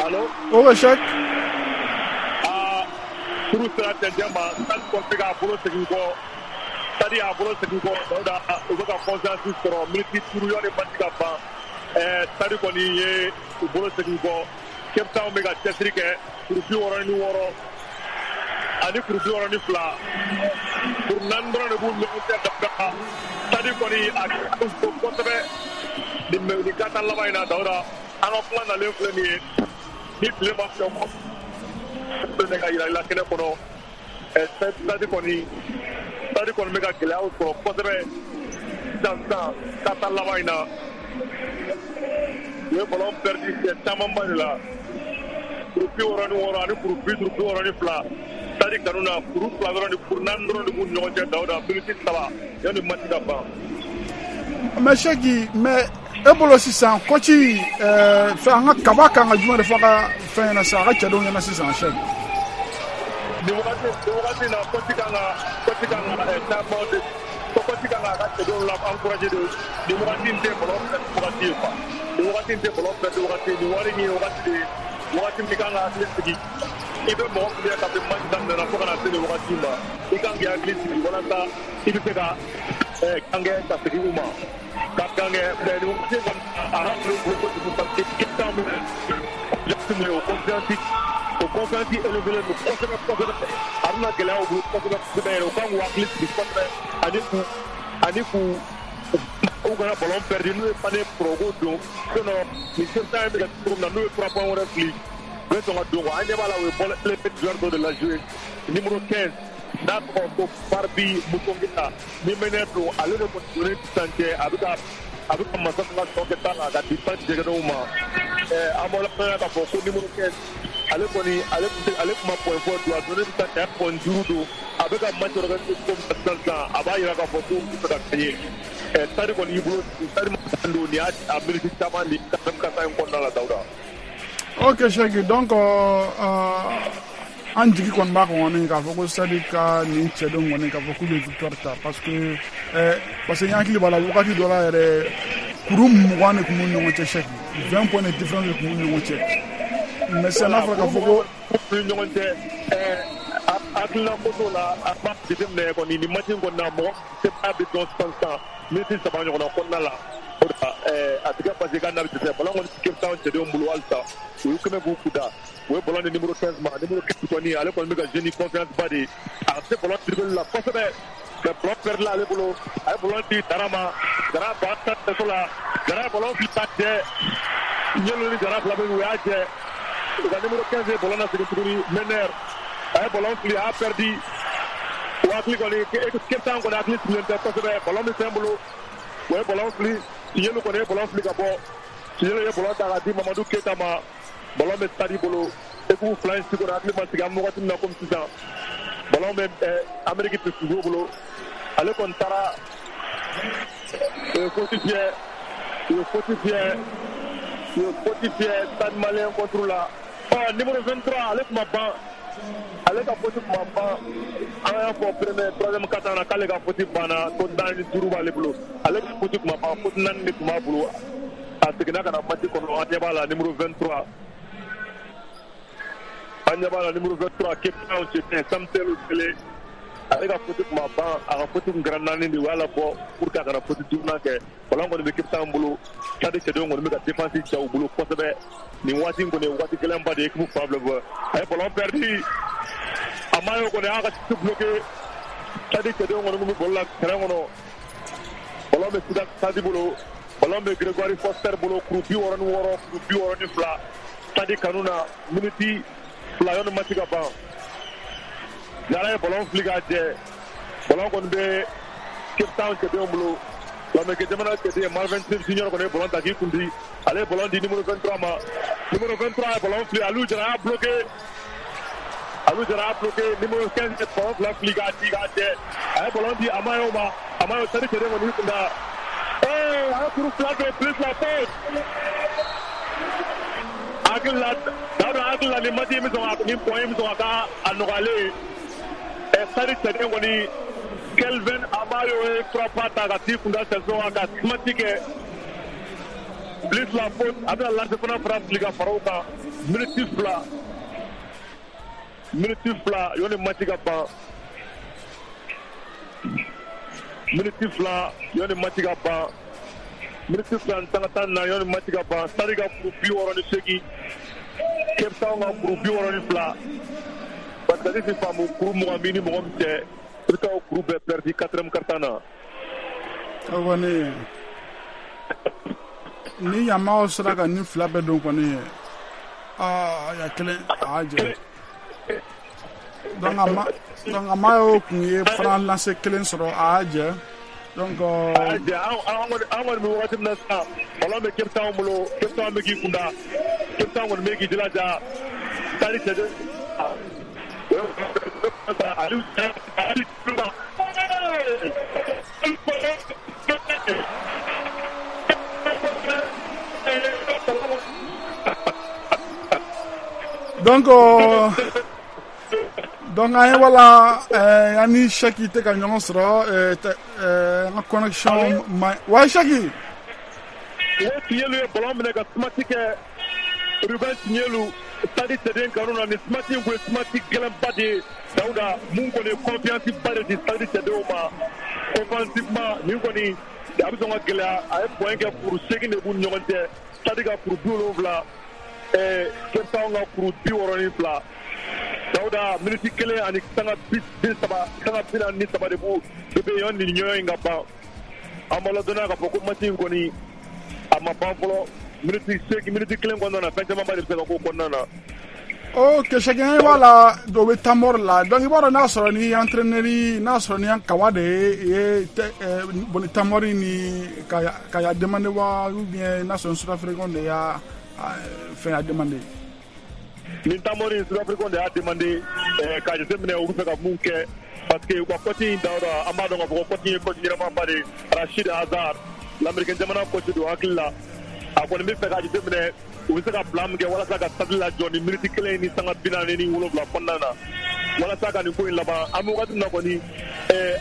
Allo. O Cheick. Aa, kuru sera cɛncɛn ma, Stade kɔni bɛ k'a bolo segin kɔ. Stade y'a bolo segin kɔ, Dawuda, u bɛ ka confiance sɔrɔ miniti duuru yanni match ka ban. Ɛɛ Stade kɔni ye u bolo segin kɔ. Cape Town bɛ ka cɛsiri kɛ, kuru bi wɔɔrɔ ni wɔɔrɔ ani kuru bi wɔɔrɔ ni fila, kuru naani dɔrɔn de b'u ni ɲɔgɔn cɛ. Dawuda, Stade kɔni a kɛra kosɛbɛ nin nin kata laban in na. Dawuda, an ka kuma nalen filɛ nin ye, ni tile ma fɛ kɔ ka yira i la kɛnɛ kɔnɔ. Ɛ Stade kɔni Stade kɔni bɛ ka gɛlɛyaw sɔrɔ kosɛbɛ sisan sisan kata laban in na. U ye ballon perdu siɲɛ camanba de la. Kuru bi wɔɔrɔ ni wɔɔrɔ ani kuru bi duuru bi wɔɔrɔ ni fila. Stade kanu na kuru fila dɔrɔn ni kuru naani dɔrɔn de b'u ni ɲɔgɔn cɛ. Dawuda, miniti saba yanni match ka ban. Mais Cheick, mais e bolo sisan coach ɛɛ fɛn an ka kaba kan ka jumɛn de fɔ a ka fɛn ɲɛna sisan, a ka cɛdenw ɲɛna sisan Cheick? Nin wagati nin wagati in na, coach kan ka coach kan ka caman de coach kan k'a ka cɛdenw la encourager de. Nin wagati in tɛ ballon perdu wagati ye quoi. Nin wagati in tɛ ballon perdu wagati ye. Nin wari in ye wagati de ye, wagati min kan ka hakili sigi. I bɛ mɔgɔ min ye kabini match daminɛna fo ka na se nin wagati ma, i kan k'i hakili sigi walasa i bɛ se ka kan kɛ ka segin u ma ka kan kɛ. Mais nin wagati in kɔni a ka gɛlɛn u bolo kojugu, parce que Cape Town bɛ min ye, o confiance o confiance élevé don kosɛbɛ kosɛbɛ. A bɛna gɛlɛya u bolo kosɛbɛ kosɛbɛ yɛrɛ. U kan k'u hakili sigi kosɛbɛ ani k'u ani k'u u kana ballon perdu. N'u ye panier sɔrɔ, u k'o don, sinon nin Cape Town bɛ ka cogo min na, n'u ye trois points wɛrɛ fili, u bɛ sɔn ka don quoi. An ɲɛ b'a la, u ye ball joueur dɔ de la jouer, numéro quinze n'a tɔgɔ ko Barbie Musongita ni meneur don. Ale de kɔni donnen sisan cɛ, a bɛ ka a bɛ ka masa ka tɔ kɛ tan ka di pan jɛgɛnɛw ma. Ɛɛ an bɔra fɛn k'a fɔ ko numéro quinze, ale kɔni ale ale tun ma point fɔ don, a donnen sisan cɛ, point duuru don. A bɛ ka match organiser cogo min na sisan sisan, a b'a yira k'a fɔ ko u bɛ fɛ ka gagner. Ɛɛ Stade kɔni y'i bolo, Stade ma don nin y'a a miniti caman de kasa in kɔnɔna la, Dawuda. Ok Cheick, donc euh, an jigi kɔni b'a kɔni k'a fɔ ko Stade ka nin cɛdenw kɔni k'a fɔ k'u bɛ victoire ta, parce que eh, parce que n hakili b'a la wagati dɔ la yɛrɛ, kuru mugan de tun b'u ni ɲɔgɔn cɛ Cheick, vingt points de différence de tun b'u ni ɲɔgɔn cɛ. Mais sisan n'a fɔra k'a fɔ ko ni ɲɔgɔn cɛ ɛɛ hakilina ko t'o la, a b'a jateminɛ kɔni nin match in kɔni na, mɔgɔ se b'a bɛ dɔn sisan sisan miniti saba ɲɔgɔnna kɔnɔna la. O de la ɛɛ a tɛ kɛ parce que k'a n'a bɛ dɛsɛ. Ballon kɔni Cape Town cɛdenw bolo halisa, u y'u kɛmɛ k'u kuda, u ye ballon di numéro quinze ma. Numéro quinze kɔni, ale kɔni bɛ ka jouer ni confiance ba de ye, a ka se ballon dribble la kosɛbɛ, mais ballon perdre ale bolo. A ye ballon di Dara ma, Dara ba ta tɛso la, Dara ye ballon fili ka jɛ. Ɲɛlu ni Dara fila bɛ, u y'a jɛ. U ka numéro quinze ye ballon lasegin tuguni. Mener a ye ballon fili, a y'a perdu. O hakili kɔni, Cape Town kɔni hakili sigilen tɛ kosɛbɛ. Ballon bɛ fɛn bolo, o ye ballon fili. Tiɲɛlu kɔni ye ballon fili ka bɔ. Tiɲɛlu ye ballon ta k'a di Mamadu Keyita ma. Ballon bɛ Stade bolo. Équipe fila in si kɔni hakili ma sigi. An bɛ wagati min na komi sisan, ballon bɛ Amérique Pisco bolo. Ale kɔni taara, u ye faute fiyɛ, u ye faute fiyɛ, u ye faute fiyɛ Stade Malien contre la. Ɔ numéro vingt-trois, ale tun ma ban, ale ka faute tun ma ban. An y'a fɔ premier, troisième quart-temps na k'ale ka faute banna ko tan ni duuru b'ale bolo. Ale ka faute tun ma ban, faute naani de tun b'a bolo. A seginna ka na match kɔnɔ. An ɲɛ b'a la, numéro vingt-trois, an ɲɛ b'a la, numéro vingt-trois, Cape Town cɛ Samsel Kele, ale ka faute tun ma ban. A ka faute tun kɛra naani de, u y'a labɔ pour que a kana faute duurunan kɛ. Ballon kɔni bɛ Cape Town bolo. Stade cɛdenw kɔni bɛ ka défense ja u bolo kosɛbɛ nin waati in kɔni ye waati gɛlɛnba de ye équipe fan fila fɛ. A ye ballon perdu, a ma y'o kɔni, a y'a ka chute bloqué. Stade cɛdenw kɔni tun bɛ ballon la terrain kɔnɔ. Ballon bɛ Stade bolo, ballon bɛ Gregory Foster bolo, kuru bi wɔɔrɔ ni wɔɔrɔ, kuru bi wɔɔrɔ ni fila. Stade kanu na, miniti fila yanni match ka ban. Jara ye ballon fili k'a jɛ. Ballon kɔni bɛ Cape Town cɛdenw bolo. Lamɛnkɛ jamana cɛden Marvin Smith Junior kɔni ye ballon ta k'i kun di. Ale ye ballon di numéro vingt-trois ma. Numéro vingt-trois ye ballon fili, Aliou Jara y'a bloqué, Aliou Jara y'a bloqué. Numéro quinze ye ballon fila fili k'a di k'a jɛ. A ye ballon di Amayo ma. Amayo, Stade cɛden kɔni y'i kun da. Ee, a ye kuru fila don, plus la faute. Hakili la, Dawuda, hakili la nin match in bɛ sɔn ka nin point in bɛ sɔn ka k'a a nɔgɔyalen ye. Ɛ Stade cɛden kɔni Kelvin Amayo ye frappe ta ka t'i kunda sɛso kan ka smash kɛ, plus la faute. A bɛna lancer fana fara fili ka fara o kan. Miniti fila, miniti fila yanni match ka ban, miniti fila yanni match ka ban, miniti fila ni sanga tan na yanni match ka ban. Stade ka kuru bi wɔɔrɔ ni seegin, Cape Town ka kuru bi wɔɔrɔ ni fila. Parce que ne ti faamu, kuru mugan b'i ni mɔgɔ min cɛ, i bɛ taa o kuru bɛɛ perdu quatrième quart-temps na. O kɔni, ni Yamaw sera ka nin fila bɛɛ don kɔni, aa, ya kelen a y'a jɛ. Donc a ma, donc a ma y'o kun ye franc lancer kelen sɔrɔ, a y'a jɛ. Donc a y'a jɛ. An kɔni, an kɔni bɛ wagati min na sisan, ballon bɛ Cape Town bolo. Cape Town bɛ k'i kunda, Cape Town kɔni bɛ k'i jilaja. Stade cɛden Aliou Aliou donc euh, donc an ye wala euh, an ni Sɛki tɛ ka ɲɔgɔn sɔrɔ, euh, euh, an ka connexion ma wa Sɛki. O Tiɲɛlu ye ballon minɛ ka smash kɛ. Ruben Tiɲɛlu, Stade cɛden kanu na, nin smash in kun ye smash gɛlɛnba de ye, Dawuda. Mun kɔni ye confiance ba de di Stade cɛdenw ma offensivement. Nin kɔni a bɛ sɔn ka gɛlɛya. A ye point kɛ, kuru seegin de b'u ni ɲɔgɔn cɛ. Stade ka kuru bi wolonwula, ɛɛ Cape Town ka kuru bi wɔɔrɔ ni fila. Dawuda, miniti kelen ani sanga bi saba, sanga bi naani ni saba de b'u de bɛ yen nin ɲɔgɔn in ka ban. An b'a ladɔnniya k'a fɔ ko match in kɔni a ma ban fɔlɔ. Miniti seegin, miniti kelen kɔnɔna na, fɛn camanba de bɛ se ka k'o kɔnɔna na. Ok, Sɛki, an b'a la, o bɛ temps mort la. Donc i b'a dɔn, n'a sɔrɔ ni entraîneur, n'a sɔrɔ ni Kawa de ye bon temps mort ni ka ka ya demandé wa, ou bien n'a sɔrɔ Sud-Africain de y'a fɛn ya demandé. Nin temps mort in, Sud-Africain de y'a demandé k'a jateminɛ u bɛ fɛ ka mun kɛ, parce que u ka coach in, Dawuda, an b'a dɔn k'a fɔ ko coach in ye coach ɲɛnamaba de ye. Rashid Azar, l'Américain jamana coach don. Hakili la, a kɔni bɛ fɛ k'a jateminɛ u bɛ se ka plan min kɛ walasa ka stade lajɔ ni miniti kelen ni sanga bi naani ni wolonwula kɔnɔna na, walasa ka nin ko in laban. An bɛ wagati min na kɔni,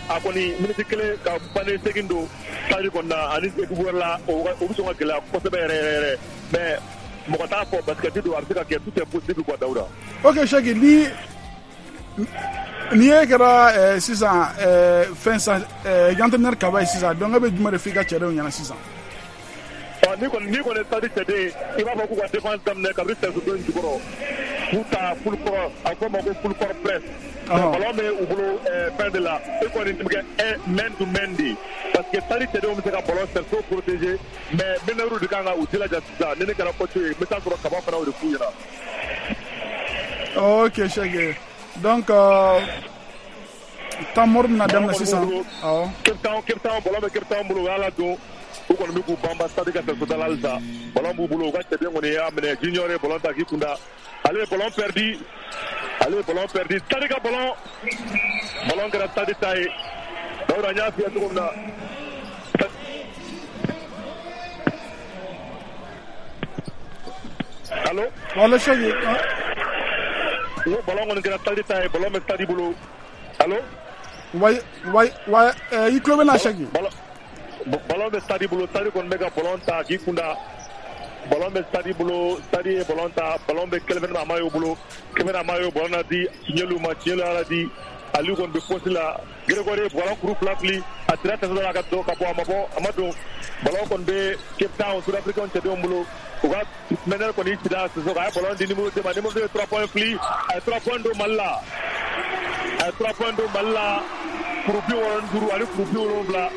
a kɔni miniti kelen ka pannen segin don stade kɔnɔna ani équipe wɛrɛ la, o bɛ sɔn ka gɛlɛya kosɛbɛ yɛrɛ yɛrɛ yɛrɛ. Mais mɔgɔ t'a fɔ basket don, a bɛ se ka kɛ, tout est possible quoi, Dawuda. Ok Cheick, ni ni ye kɛra sisan fɛn san entraîneur Kaba ye sisan, donc e bɛ jumɛn de f'i ka cɛdenw ɲɛna sisan? Ni kɔni ni kɔni stade cɛden, i b'a fɔ k'u ka défense daminɛ kabini sɛso in jukɔrɔ, k'u ta full court, a fɔ o ma ko full court press. Ballon bɛ u bolo fɛn de la, e kɔni bɛ kɛ man to man de, parce que stade cɛdenw bɛ se ka ballon sɛso protéger, mais meneur de kan ka u jilaja sisan. Ni ne kɛra coach ye, n bɛ taa sɔrɔ Kaba fana o de f'u ɲɛna. Ok Cheick, donc temps mort bɛna daminɛ sisan. Awɔ. Cape Town, Cape Town, ballon bɛ Cape Town bolo, u y'a ladon. U kɔni bɛ k'u banba stade ka sɛso da la halisa. Ballon b'u bolo, u ka cɛden kɔni y'a minɛ, Junior ye ballon ta k'i kunda, ale ye ballon perdu, ale ye ballon perdu, stade ka ballon, ballon kɛra stade ta ye. Dawuda, n y'a f'i ye cogo min na. Allo? Allo Cheick. N ko ballon kɔni kɛra stade ta ye, ballon bɛ stade bolo. Allo? Wayi wayi wayi, i tulo bɛ n na Cheick? Ballon bɛ stade bolo, stade kɔni bɛ ka ballon ta k'i kunda. Ballon bɛ stade bolo, stade ye ballon ta, ballon bɛ Kelvin Amayo bolo, Kelvin Amayo ballon na di Tiɲɛlu ma, Tiɲɛlu y'a di Aliou kɔni bɛ poste la, Grégory ye ballon kuru fila fili, a tira tɛsɛ la ka don ka bɔ, a ma bɔ, a ma don. Ballon kɔni bɛ Cape Town Sud Africain cɛdenw bolo, u ka meneur kɔni cira Sissoko, a ye ballon di numéro deux ma, numéro deux ye trois points fili, a ye trois points don Mali la, a ye trois points don Mali la, kuru bi wɔɔrɔ ni duuru ani kuru bi wolonwula.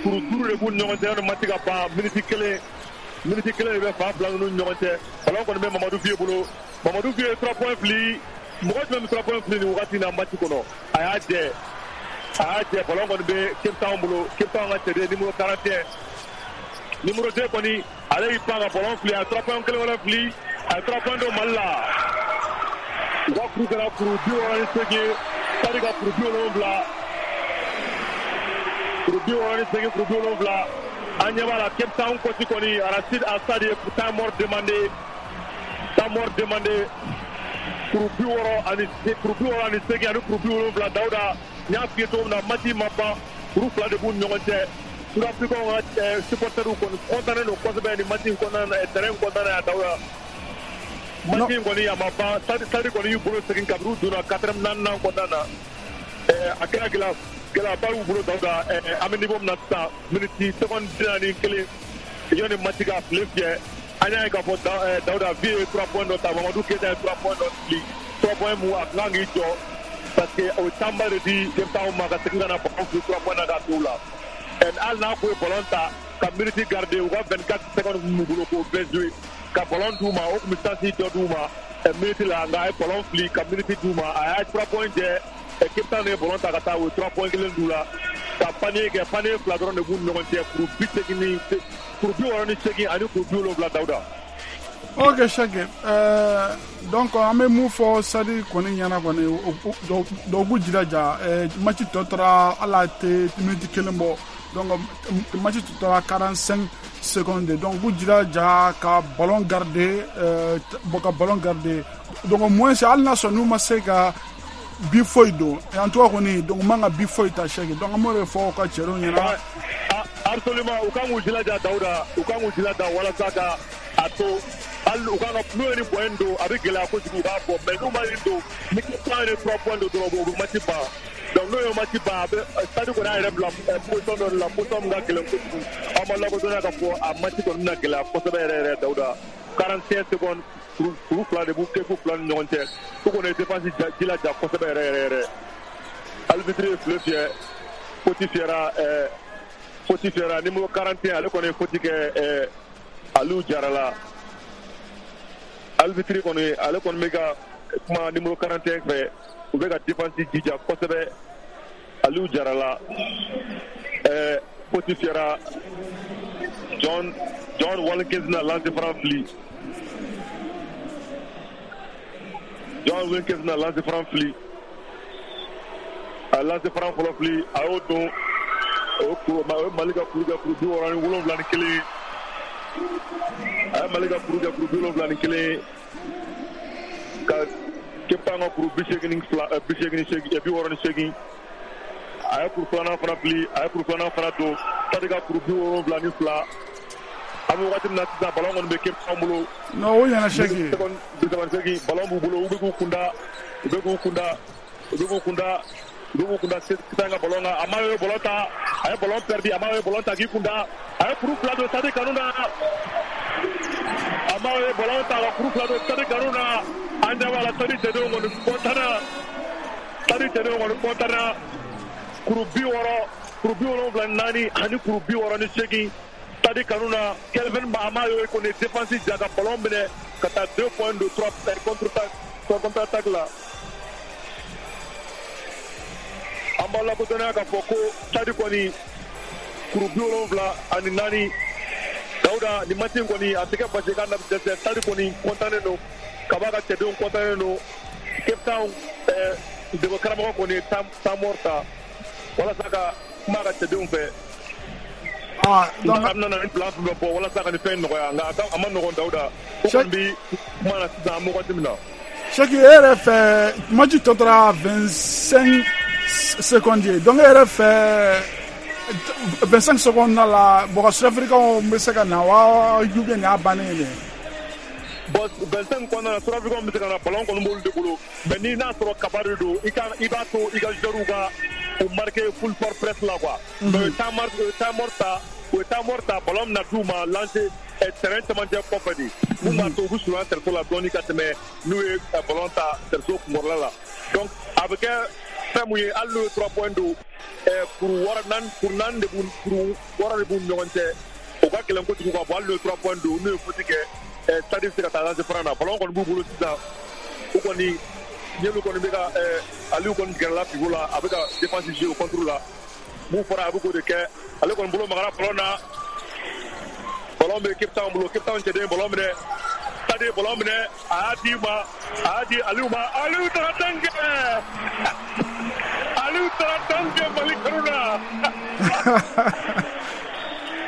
Kuru duuru de b'u ni ɲɔgɔn cɛ, yanni match ka ban, miniti kelen, miniti kelen de bɛ fan fila ninnu ni ɲɔgɔn cɛ. Ballon kɔni bɛ Mamadu Fiye bolo, Mamadu Fiye ye trois points fili, mɔgɔ jumɛn bɛ trois points fili nin wagati in na match kɔnɔ? A y'a jɛ, a y'a jɛ, ballon kɔni bɛ Cape Town bolo, Cape Town ka cɛden numéro quarante et un, numéro deux kɔni, ale y'i pan ka ballon fili, a ye trois points kelen wɛrɛ fili, a ye trois points don Mali la. U ka kuru kɛra kuru bi wɔɔrɔ ni seegin, Stade ka kuru bi wolonwula. Kuru bi wɔɔrɔ ni seegin, kuru bi wolonwula. An ɲɛ b'a la Cape Town coach kɔni Rachid Assad ye temps mort demandé, temps mort demandé. Kuru bi wɔɔrɔ ani kuru bi wɔɔrɔ ani seegin ani kuru bi wolonwula. Dawuda, n y'a f'i ye cogo min na, match ma ban, kuru fila de b'u ni ɲɔgɔn cɛ. Sud Africains ka supporters kɔni content don kosɛbɛ nin match in kɔnɔna na, terrain in kɔnɔna na yan Dawuda. Match in kɔni a ma ban, Stade Stade kɔni y'u bolo segin kabini u donna quatrième naaninan kɔnɔna na. A kɛra gɛlɛya gɛlɛyaba y'u bolo Dawuda. An bɛ niveau min na sisan, miniti seconde bi naani ni kelen yanni match ka file fiyɛ, an y'a ye k'a fɔ Dawuda Vie ye trois points dɔ ta, Mamadu Keyita ye trois points dɔ fili, trois points mun a tun kan k'i jɔ parce que o ye temps ba de di Cape Town ma ka segin ka na ballon fili trois points na k'a to u la. Hali n'a kun ye ballon ta ka minute garder, u ka vingt-quatre secondes mun b'u bolo k'o bɛɛ jouer ka ballon d'u ma, o tun bɛ chance dɔ d'u ma minute la, nka a ye ballon fili ka minute d'u ma, a y'a trois points jɛ. Cape Town ye ballon ta ka taa, u ye trois points kelen d'u la ka panier kɛ, panier fila dɔrɔn de b'u ni ɲɔgɔn cɛ, kuru bi seegin ni kuru bi wɔɔrɔ ni seegin ani kuru bi wolonwula Dawuda. Ok Cheick, euh, donc an bɛ mun fɔ Stade kɔni ɲɛna kɔni, dɔw k'u jilaja, match tɔ tora hali a tɛ minute kelen bɔ, donc match tɔ tora quarante-cinq secondes, donc k'u jilaja ka ballon garder, euh, ka ballon garder, donc au moins hali n'a sɔrɔ n'u ma se ka bi foyi don, en tout cas kɔni, donc u man ka bi foyi ta Cheick, donc an b'o de fɔ u ka cɛdenw ɲɛna. Absolument, u kan k'u jilaja Dawuda, u kan k'u jilaja walasa ka a to hali u kan ka n'u ye nin point don, a bɛ gɛlɛya kojugu, u b'a bɔ, mais n'u ma nin don, ni Cape Town ye trois points don dɔrɔn, u bɛ match ban. Donc n'u ye match ban, a bɛ Stade kɔni y'a yɛrɛ bila position dɔ de la, position min ka gɛlɛn kojugu. Aw ma lakodɔnniya k'a fɔ a match kɔni bɛna gɛlɛya kosɛbɛ yɛrɛ yɛrɛ Dawuda. quarante et un secondes, kuru fila de b'u kɛ fila ni ɲɔgɔn cɛ, u kɔni ye défense jilaja kosɛbɛ yɛrɛ yɛrɛ yɛrɛ. Arbitre ye file fiyɛ, faute fiyɛra, ɛɛ faute fiyɛra numéro quarante et un, ale kɔni ye faute kɛ ɛɛ Aliou Jara la. Arbitre kɔni, ale kɔni bɛ ka kuma numéro quarante et un fɛ, u bɛ ka défense jija kosɛbɛ. Aliou Jara la, ɛɛ faute fiyɛra, John John Watkins na lancer franc fili, John Wilkins na lancer franc fili, a lancer franc fɔlɔ fili, a y'o don, o ye Mali ka kuru kɛ kuru bi wɔɔrɔ ni wolonwula ni kelen, a ye Mali ka kuru kɛ kuru bi wolonwula ni kelen ka Cape Town ka kuru bi seegin ni fila, bi seegin ni seegin, bi wɔɔrɔ ni seegin. A ye kuru filanan fana fili, a ye kuru filanan fana don, Stade ka kuru bi wolonwula ni fila, An bɛ wagati min na sisan, ballon kɔni bɛ Cape Town bolo. Non, o ɲɛna, Sɛki. Seconde bi saba ni seegin, ballon b'u bolo, u bɛ k'u kunda, u bɛ k'u kunda, u bɛ k'u kunda, u bɛ k'u kunda sisan ka ballon kan. A ma ye ballon ta, a ye ballon perdu, a ma ye ballon ta k'i kunda, a ye kuru fila don Stade kanu na. A ma ye ballon ta ka kuru fila don Stade kanu na. An ɲɛ b'a la, Stade cɛdenw kɔni kɔntanna, Stade cɛdenw kɔni kɔntanna. Kuru bi wɔɔrɔ, kuru bi wolonwula ni naani ani kuru bi wɔɔrɔ ni seegin Stade kanu na. Kelvin Amayo kɔni défense ja ka ballon minɛ ka taa deux points de trois contre trois contre attaque la. An b'a lakodɔnniya k'a fɔ ko Stade kɔni kuru bi wolonwula ani naani. Dawuda, nin match in kɔni, a tɛ kɛ basi k'a na dɛsɛ. Stade kɔni kɔntannen don, kaba ka cɛdenw kɔntannen don. Cape Town ɛɛ dɛmɛ karamɔgɔ kɔni ye temps mort ta walasa ka kuma a ka cɛdenw fɛ. Ah, donc a bɛna na ni plan fɛn fɛn bɔ walasa ka nin fɛn in nɔgɔya, nka a ka a ma nɔgɔn, Dawuda. O kɔni bi kuma na sisan, an bɛ wagati min na. Sɛki, e yɛrɛ fɛ, match tɔ tora vingt-cinq secondes ye, donc e yɛrɛ fɛ, vingt-cinq secondes na la, mɔgɔ Sud-Africains bɛ se ka na wa, ou bien nin y'a bannen ye dɛ? Bon, vingt-cinq kɔnɔna na, Sud-Africains bɛ se ka na, ballon kɔni b'olu de bolo, mais ni n'a sɔrɔ kaba de don, i ka i b'a to i ka joueurs ka u marquer full court press la quoi. Mais o ye temps mort, o ye temps mort ta, o ye temps mort ta, ballon bɛna d'u ma lancer terrain cɛmancɛ kɔfɛ de, mun b'a to u bɛ surunya cerceau la dɔɔni ka tɛmɛ n'u ye ballon ta cerceau kunkɔrɔla la. Donc a bɛ kɛ fɛn mun ye, hali n'u ye trois points don, kuru wɔɔrɔ naani, kuru naani de b'u, kuru wɔɔrɔ de b'u ni ɲɔgɔn cɛ, o ka gɛlɛn kojugu ka bɔ. Hali n'u ye trois points don, n'u ye faute kɛ, Stade bɛ se ka taa lancer franc na. Ballon kɔni b'u bolo sisan, u kɔni ɲɛlu kɔni bɛ ka Aliou kɔni gɛrɛla pivot la, a bɛ ka défense jouer o contre la. Mun fɔra, a bɛ k'o de kɛ. Ale kɔni bolo magara ballon na, ballon bɛ Cape Town bolo. Cape Town cɛden ballon minɛ, Stade ye ballon minɛ, a y'a di ma, a y'a di Aliou ma. Aliou taara tan kɛ, Aliou taara tan kɛ Mali kanu na.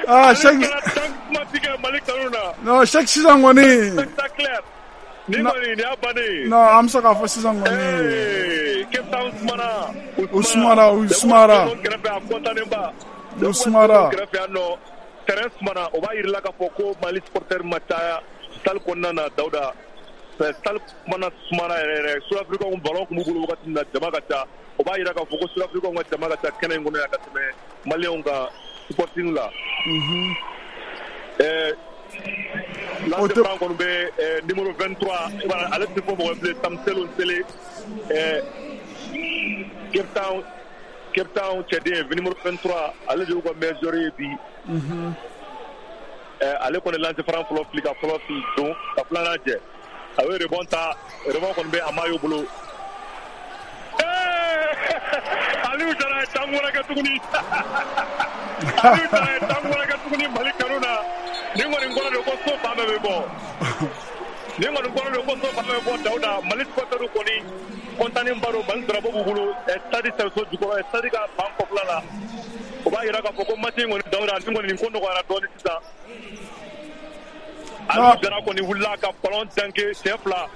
Ah, Cheikh, Aliou taara tan kuma tigɛ Mali kanu na. Non, Cheikh, sisan kɔni. Spectaculaire. Nin kɔni, nin y'a bannen ye. Non, an bɛ se k'a fɔ sisan kɔni. Ee, Cape Town sumana. U sumara, u sumara. Kɛrɛfɛ, a kɔntannen ba. U sumara. Kɛrɛfɛ yan nɔ, terrain sumana, o b'a yir'i la k'a fɔ ko Mali supporter ma caya salle kɔnɔna na, Dawuda. Salle kumana sumana yɛrɛ yɛrɛ. Sud-Africains ballon tun b'u bolo wagati min na, jama ka ca. O b'a yira k'a fɔ ko Sud-Africains ka jama ka ca kɛnɛ in kɔnɔ yan ka tɛmɛ Maliens ka supporting la. Ɛɛ lancer franc kɔni bɛ numéro vingt-trois, ale tɛ fɔ mɔgɔ ye bilen, Tamselo Nsele, ɛɛ Cape Town, Cape Town cɛden numéro vingt-trois, ale de y'u ka meilleur joueur ye bi. Ɛɛ ale kɔni lancer franc fɔlɔ fili, ka fɔlɔ fili don ka filanan jɛ. A ye rebond ta, rebond kɔni bɛ Amayo bolo. Aliou Jara ye tan wɛrɛ kɛ tuguni. Aliou Jara ye tan wɛrɛ kɛ tuguni Mali kanu na. Nin kɔni kɔrɔ de ko so fan bɛɛ bɛ bɔ. Nin kɔni kɔrɔ de ko so fan bɛɛ bɛ bɔ, Dawuda. Mali supporters kɔni kɔntannen ba don, Mali drapeau b'u bolo stade cerceau jukɔrɔ, stade ka ban kɔfɛla la. O b'a yira k'a fɔ ko match in kɔni, Dawuda, nin kɔni nin ko nɔgɔyara dɔɔni sisan. Aliou Jara kɔni wulila ka ballon danke siɲɛ fila.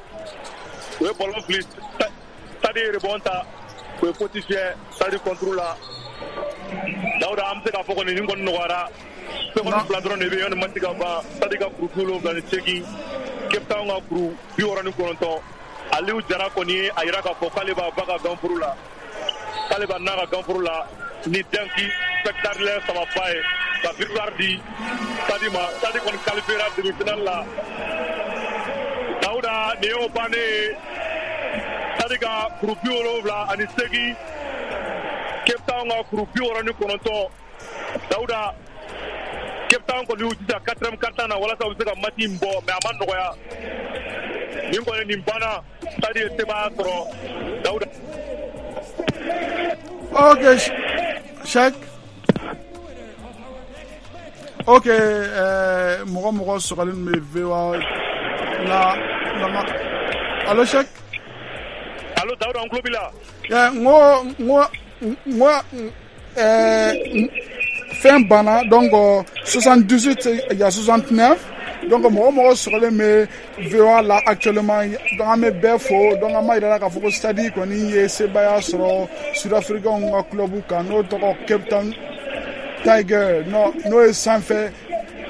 O ye ballon fili, stade ye rebond ta, o ye faute fiyɛ stade contre la. Dawuda, an bɛ se k'a fɔ kɔni nin kɔni nɔgɔyara. Seconde fila dɔrɔn de bɛ yen yanni match ka ban. Stade ka kuru bi wolonwula ni seegin, Cape Town ka kuru bi wɔɔrɔ ni kɔnɔntɔn. Aliou Jara kɔni ye a yira k'a fɔ k'ale b'a ba ka ganforo la, k'ale b'a n'a ka ganforo la ni dunk spectaculaire sababa ye ka victoire di Stade ma. Stade kɔni qualifiera demi-finale la. Dawuda, nin y'o bannen ye. Stade ka kuru bi wolonwula ani seegin, Cape Town ka kuru bi wɔɔrɔ ni kɔnɔntɔn. Dawuda, Cape Town kɔni y'u jija quatrième quart-temps na walasa u bɛ se ka match in bɔ, mais a ma nɔgɔya. Nin kɔni nin banna, Stade ye sebaaya sɔrɔ, Dawuda. Ok, Cheikh. Ok, euh, mɔgɔ mɔgɔ sɔgɔlen bɛ V O A la la. Allo, Cheikh. Allo, Dawuda, an tulo b'i la. N ko n ko n ko ɛɛ fɛn banna, donc soixante-dix-huit il y a soixante-neuf, donc mɔgɔ mɔgɔ sɔgɔlen bɛ V O A la actuellement, donc an bɛ bɛɛ fo. Donc an b'a yira k'a fɔ ko Stade kɔni ye sebaaya sɔrɔ Sud-Africains ka club kan, n'o tɔgɔ Cape Town Tiger, n'o ye sanfɛ.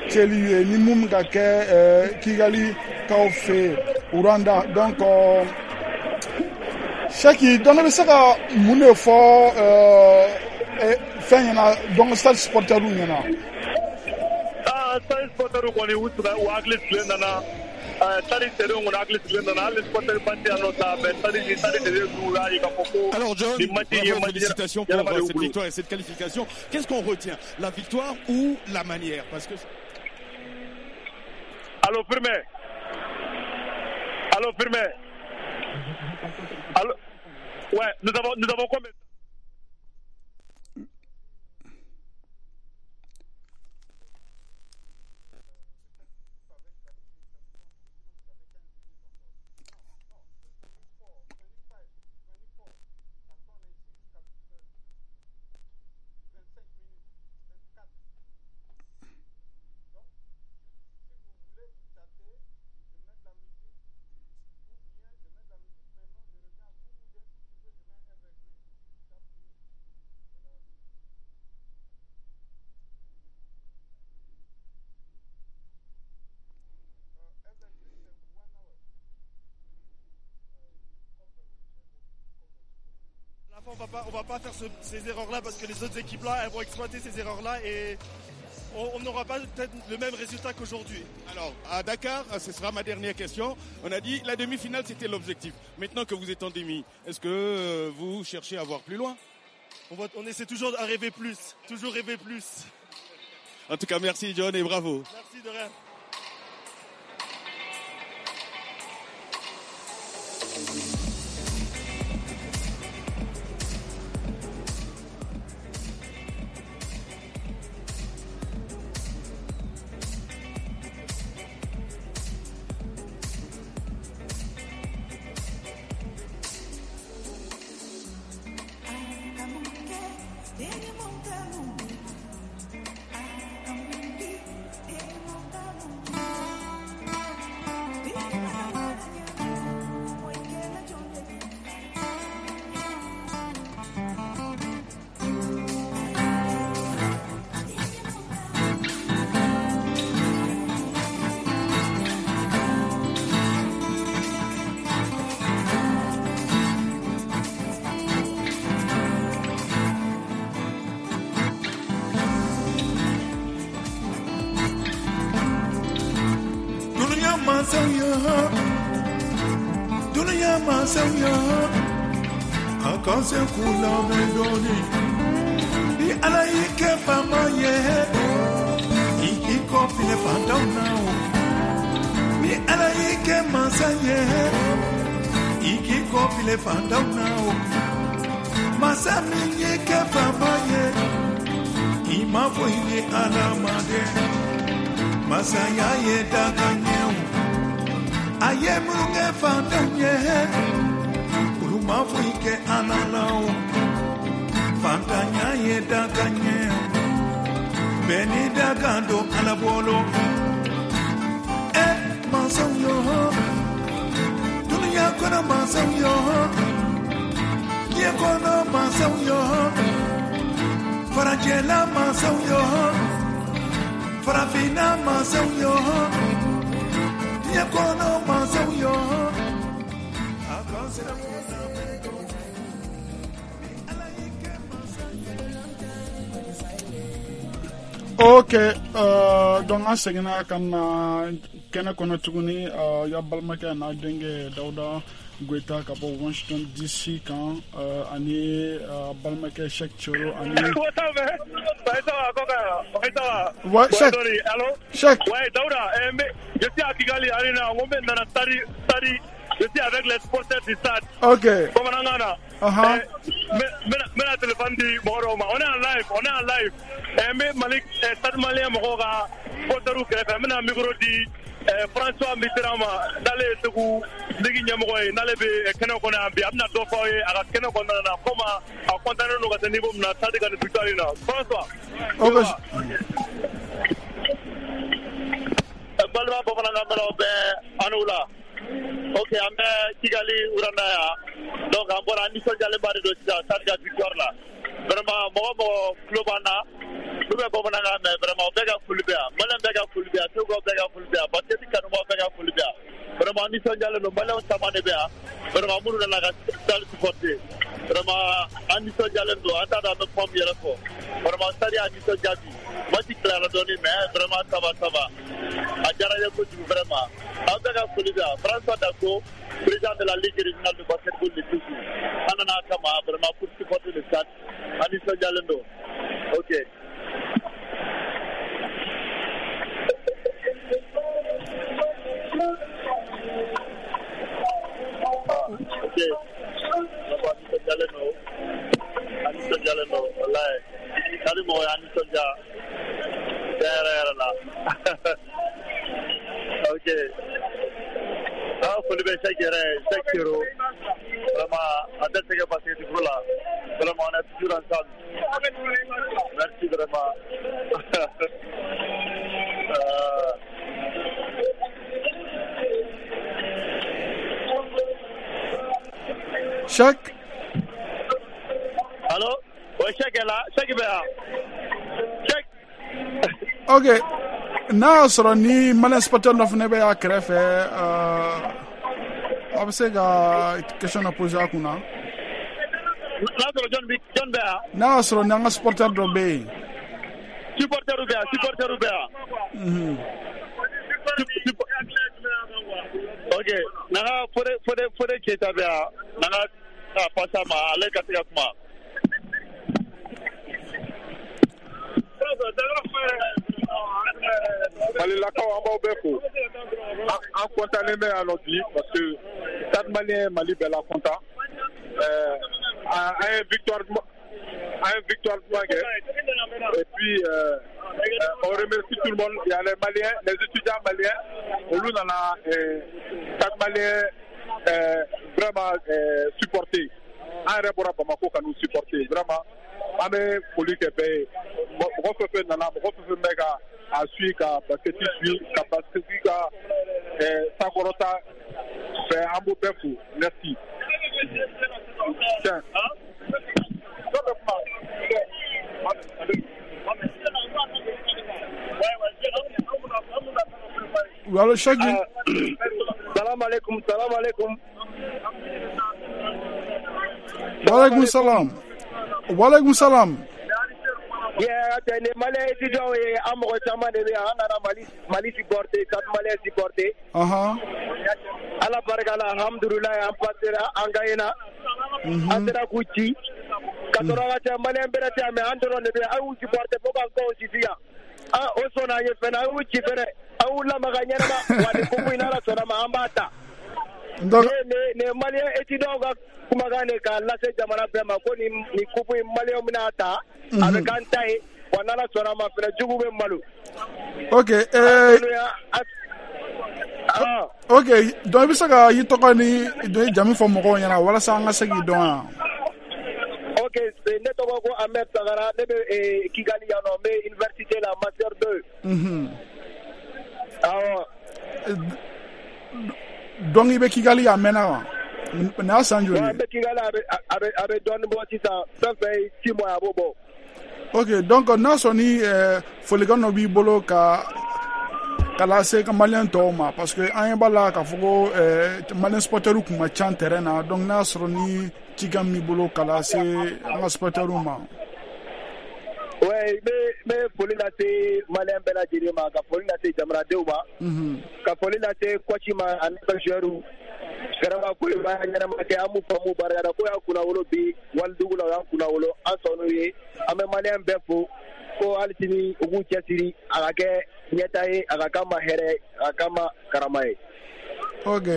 cɛli ye ni mun bɛ ka kɛ euh, Kigali kaw fɛ yen Rwanda. Donc euh, Cheick, donc ne bɛ se ka mun de fɔ euh, eh, fɛn ɲɛna, donc Stade supporter ɲɛna? Ah, Stade supporter kɔni, u sigi, u hakili sigilen nana. Stade terrain kɔni, hakili sigilen nana, hali supporter ba tɛ yan nɔ sa, mais Stade ni Stade de u y'a ye k'a fɔ ko Alors John, nin match in ye bravo, match félicitations pour ɲɛnama de euh, y'u cette bolo. victoire et cette qualification. Qu'est-ce qu'on retient? La victoire ou la manière? Parce que Allo Firmin, allo Firmin, allo. Ouais, nous avons nous avons combien? À la fin, on va pas, on va pas faire ce- ces erreurs-là parce que les autres équipes-là, elles vont exploiter ces erreurs-là et on on n'aura pas peut-être le même résultat qu'aujourd'hui. Alors, à Dakar, ce sera ma dernière question. On a dit la demi-finale, c'était l'objectif. Maintenant que vous êtes en demi, est-ce que euh, vous cherchez à voir plus loin? On, va, on essaie toujours à rêver plus, toujours rêver plus. En tout cas, merci John et bravo. Merci de rien. Dunuya mansaw ye, dunuya mansaw ye, a ka se k'u lamɛn dɔɔni. Ni Ala y'i kɛ faama ye, i k'i kɔfilɛ fantanw na o. Ni Ala y'i kɛ mansa ye, i k'i kɔfilɛ fantanw na o. Masa min y'i kɛ faama ye, i ma foyi ni Ala ma dɛ. Masaya ye dakan ye o. A ye minnu kɛ fantanw ye, olu ma foyi kɛ Ala la o. Fantanya ye dakan ye o. Bɛɛ ni dakan don Ala bolo. Ɛ mansaw yo, dunuya kɔnɔ mansaw yo, diɲɛ kɔnɔ mansaw yo, farajɛla mansaw yo, farafinna mansaw yo, diɲɛ kɔnɔ mansaw yo, a ka sira k'u lamɛn dɔɔni. Ni Ala y'i kɛ mansa ye. Ok, euh, donc an seginna ka na kɛnɛ kɔnɔ tuguni, euh, ya balimakɛ n'a denkɛ Dawuda Goyita ka bɔ Washington D C kan, euh, ani euh, balimakɛ Cheikh Thioro ani Ouais, ça va, ouais, ça va, Koka. Ouais, ça va. Ouais, Cheikh. Sorry, allô? Cheikh. Ouais, Daouda, eh, mais je suis à Kigali Arena, on met dans la stade, stade, je suis avec les supporters du stade. Ok. Bamanankan na. Uh-huh. Eh, n bɛna n bɛna téléphone di mɔgɔ dɔw ma. On est en live, on est en live. Eh, n bɛ Mali, eh, Stade Malien mɔgɔw ka supporters kɛrɛfɛ. N bɛna micro di eh, François Mitterrand ma, n'ale ye Segu ligue ɲɛmɔgɔ ye, n'ale bɛ eh, kɛnɛ kɔnɔ yan bi. A bɛna dɔ fɔ aw ye a ka kɛnɛ kɔnɔna na, comment a content don ka se niveau min na Stade ka nin victoire in na. François. Ok. Balima bamanankan mɛnnaw bɛɛ, an la. Ok, an bɛ Kigali Rwanda yan. Donc an bɔra, an nisɔndiyalenba de don sisan Stade ka victoire la. Vraiment, mɔgɔ mɔgɔ tulo b'an na, N'u bɛ bamanankan mɛn vraiment bɛɛ ka foli bɛ yan. Maliyɛn bɛɛ ka foli bɛ yan. Segu bɛɛ ka foli bɛ yan. Basket kanubaw bɛɛ ka foli bɛ yan. Vraiment nisɔndiyalen don. Maliyɛnw caman de bɛ yan. Vraiment minnu nana ka stade supporter. Vraiment an nisɔndiyalen don. An t'a dɔn an bɛ kuma min yɛrɛ fɔ. Vraiment stade y'a nisɔndiya bi. Match tilara dɔɔnin mais vraiment ça va ça va. A diyara n ye kojugu vraiment. Aw bɛɛ ka foli bɛ yan. François Dako, président de la Ligue régionale de basketball de Ségou. An nana a kama vraiment pour supporter le stade. An nisɔndiyalen don. Ok. Ok. An nisɔndiyalen don. An nisɔndiyalen don. Walayi. Stade mɔgɔw y'an nisɔndiya. Tiɲɛ yɛrɛ yɛrɛ la. Ok. An foli bɛ Cheikh yɛrɛ ye, Cheikh Kero. Vraiment, a tɛ sɛgɛn basket ko la. Vraiment, on est toujours ensemble. Merci vraiment. euh... Cheikh. Allô? Oui, Cheikh est là. Cheikh bɛ yan. Cheikh. Ok. N'a y'a sɔrɔ ni maliyɛn supporter dɔ fana bɛ a kɛrɛfɛ, a bɛ se ka question dɔ poser a kunna. N'a sɔrɔ jɔn bɛ jɔn bɛ yan? N'a y'a sɔrɔ n'an ka supporter dɔ bɛ yen. Supporter bɛ yan, supporter bɛ yan. Ok, n'an ka Fode Fode Fode Keyita bɛ yan, n'an ka a pase a ma, ale ka se ka kuma. Malilakaw an b'aw bɛɛ fo. An kɔntannen bɛ yan nɔ bi parce que Stade Malien Mali bɛɛ la kɔntan. An ye victoire an ye victoire duman kɛ. Et puis euh, on remercie tout le monde. Il y a les Maliens, les étudiants maliens. Olu nana Stade Malien euh, vraiment euh, supporter. An yɛrɛ bɔra Bamako ka n'u supporter vraiment. An bɛ foli kɛ bɛɛ ye. Mɔgɔ fɛn fɛn nana, mɔgɔ fɛn fɛn bɛ ka a suit ka basket suit ka basket ka sankɔrɔta fɛ, an b'o bɛɛ fo. Merci. Tiens. Allo Cheikh. Salam alaikum, salam alaikum. Walaikum salam. Walaikum salam. Yeah, ni Malien étudiant ye, an mɔgɔ caman de bɛ yan, an nana Mali Mali supporter, Stade Malien supporter. Ahan. Ala barika la, alhamdulilayi, an passera, an gagnera. An sera k'u ci. Ka sɔrɔ ka cɛ Malien bɛrɛ tɛ yan, mais an dɔrɔn de bɛ yan, an y'u supporter fo k'an kɔw sisi yan. An o sɔnna an ye fɛnɛ, an y'u ci fɛnɛ, an y'u lamaga ɲɛnama, wa nin coupe in n'Ala sɔnna ma, an b'a ta. Donc ne ne Malien étudiant ka kumakan de k'a lase jamana bɛɛ ma ko nin nin coupe in Malien bɛna ta, a bɛ k'an ta ye, wa n'Ala sɔnna ma fɛnɛ jugu bɛ malo. Ok, eh, ok, donc i bɛ se ka i tɔgɔ ni i jamu fɔ mɔgɔw ɲɛna walasa an ka se k'i dɔn yan. Ok, ne tɔgɔ ko Ahmed Sagara, ne bɛ Kigali yan nɔ, n bɛ université la master deux. Mhm. Awɔ. Donc i bɛ Kigali a mɛnna wa? Nin y'a san joli ye? N bɛ Kigali, a bɛ a bɛ a bɛ dɔɔnin bɔ sisan, fɛn fɛn ye six mois a b'o bɔ. Ok, donc n'a sɔrɔ ni folikan dɔ b'i bolo ka ka lase ka Malien tɔw ma, parce que an ɲɛ b'a la k'a fɔ ko Malien supporters kun ka ca terrain na, donc n'a sɔrɔ ni cikan b'i bolo ka lase an ka supporters ma. Ouais, n bɛ n bɛ foli lase Malien bɛɛ lajɛlen ma, ka foli lase jamanadenw ma, ka foli lase coach ma ani ka joueurs. Vraiment ko in baara ɲɛnama kɛ, an b'u fɔ, an b'u barikada, ko y'an kunnawolo bi walidugu la, o y'an kunnawolo, an sɔnn'u ye. An bɛ Malien bɛɛ fo ko hali sini u k'u cɛsiri, a ka kɛ ɲɛta ye, a ka k'an ma hɛrɛ ye, a ka k'an ma karama ye. Ok,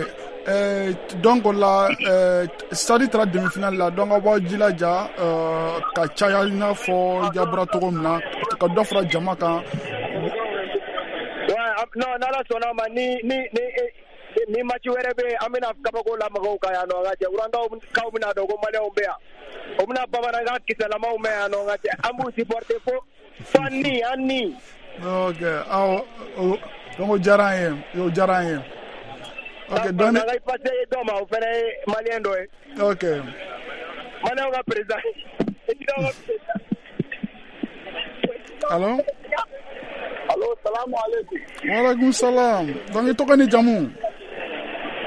euh, donc o la euh, stade taara demi-finale la, donc aw b'aw jilaja euh, ka caya i n'a fɔ i bɔra cogo min na, ka dɔ fara jama kan. Ouais, non, n'Ala sɔnna ma, ni ni ni ni match wɛrɛ bɛ yen, an bɛna kabako lamagaw kan yan nɔ, ka cɛ Rwanda kaw bɛna dɔn ko Maliyɛnw bɛ yan, o bɛna bamanankan kisɛlamaw mɛn yan nɔ, ka cɛ an b'u supporter fo fo an ni an ni. Ok, awɔ, donc o diyara an ye, o diyara an ye. Ok, donc n'an ka passer dɔ ma, o fana ye Maliyɛn dɔ ye. Ok. Maliyɛnw ka président. Allo? Allo, salamu alaikum. Wa alaikum salam. Donc i tɔgɔ ni jamu?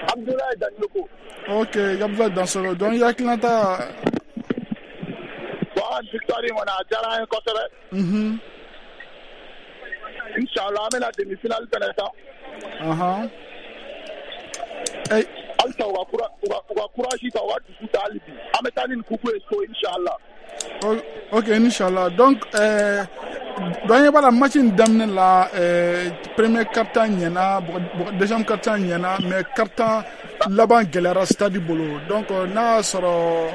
Abdoulaye Dansoko. Ok, Abdoulaye Dansoko. Donc i hakilinata? Bon, victoire in kɔni a diyara an ye kosɛbɛ. Mhm. Inshallah an bɛna demi-finale fɛnɛ tan. Ahan. Hey. Halisa u ka u ka u ka courage ta, u ka dusu ta hali bi. An bɛ taa ni nin coupe ye so inshallah. Ok, inshallah. Donc euh, donc an ɲɛ b'a la match in daminɛ la, euh, premier quart-temps ɲɛna, deuxième quart-temps ɲɛna, mais quart-temps laban gɛlɛyara stade bolo. Donc n'a y'a sɔrɔ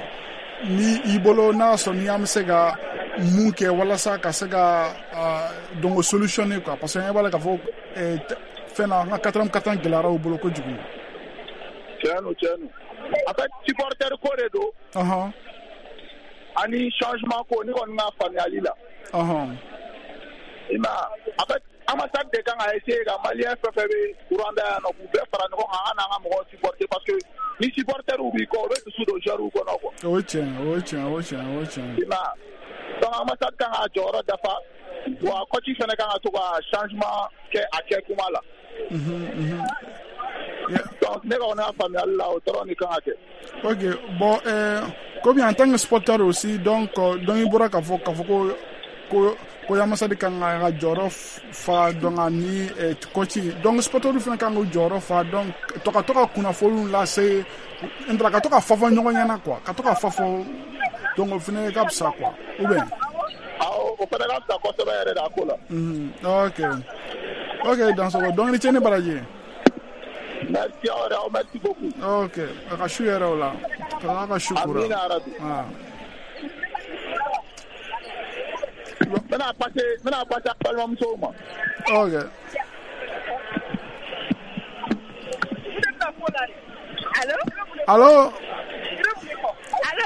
ni i bolo, n'a y'a sɔrɔ ni an bɛ se ka mun kɛ walasa ka se ka donc solutionner quoi, parce que an ɲɛ b'a la k'a fɔ fɛn na an ka quatrième quart-temps gɛlɛyara u bolo kojugu. Tiɲɛ don, tiɲɛ don. En fait, supporter ko de don. Ɔhɔn. Ani changement ko, ne kɔni ka faamuyali la. Ɔhɔn. I ma ye, en fait, ambassade de kan ka essayer ka malien fɛn fɛn bɛ Rwanda yan nɔ k'u bɛɛ fara ɲɔgɔn kan, an n'an ka mɔgɔw supporter, parce que ni supporter b'i kɔ, o bɛ dusu don joueur kɔnɔ quoi. O ye tiɲɛ, o ye tiɲɛ, o ye tiɲɛ, o ye tiɲɛ. I ma ye, donc ambassade kan k'a jɔyɔrɔ dafa, wa coach fɛnɛ kan ka to ka changement kɛ a kɛ kuma la. Mhm, mhm. Donc ne kɔni ka faamuyali la, o dɔrɔn de kan ka kɛ. Ok, bon, euh, comme en tant que supporter aussi, donc donc i bɔra k'a fɔ k'a fɔ ko ko ko ambassade kan ka ka jɔyɔrɔ fa, donc ani coach, donc supporter fana kan k'u jɔyɔrɔ fa, donc to ka to ka kunnafoniw lase, n ka to ka fɔ fɔ ɲɔgɔn ɲɛna quoi, ka to ka fɔ fɔ, donc o fana ka fisa quoi, ou bien? Awɔ, o fana ka fisa kosɛbɛ yɛrɛ de a ko la. Mhm, ok. Ok, Dansoko, donc ni ce ni baraji. Merci aw yɛrɛ, merci beaucoup. Ok, a ka su yɛrɛ o la. Ka ka su kura. Amina yarabi. Ah. N bɛna passer, n bɛna passer a balimamusow ma. Ok. Allô? Allô? Allô?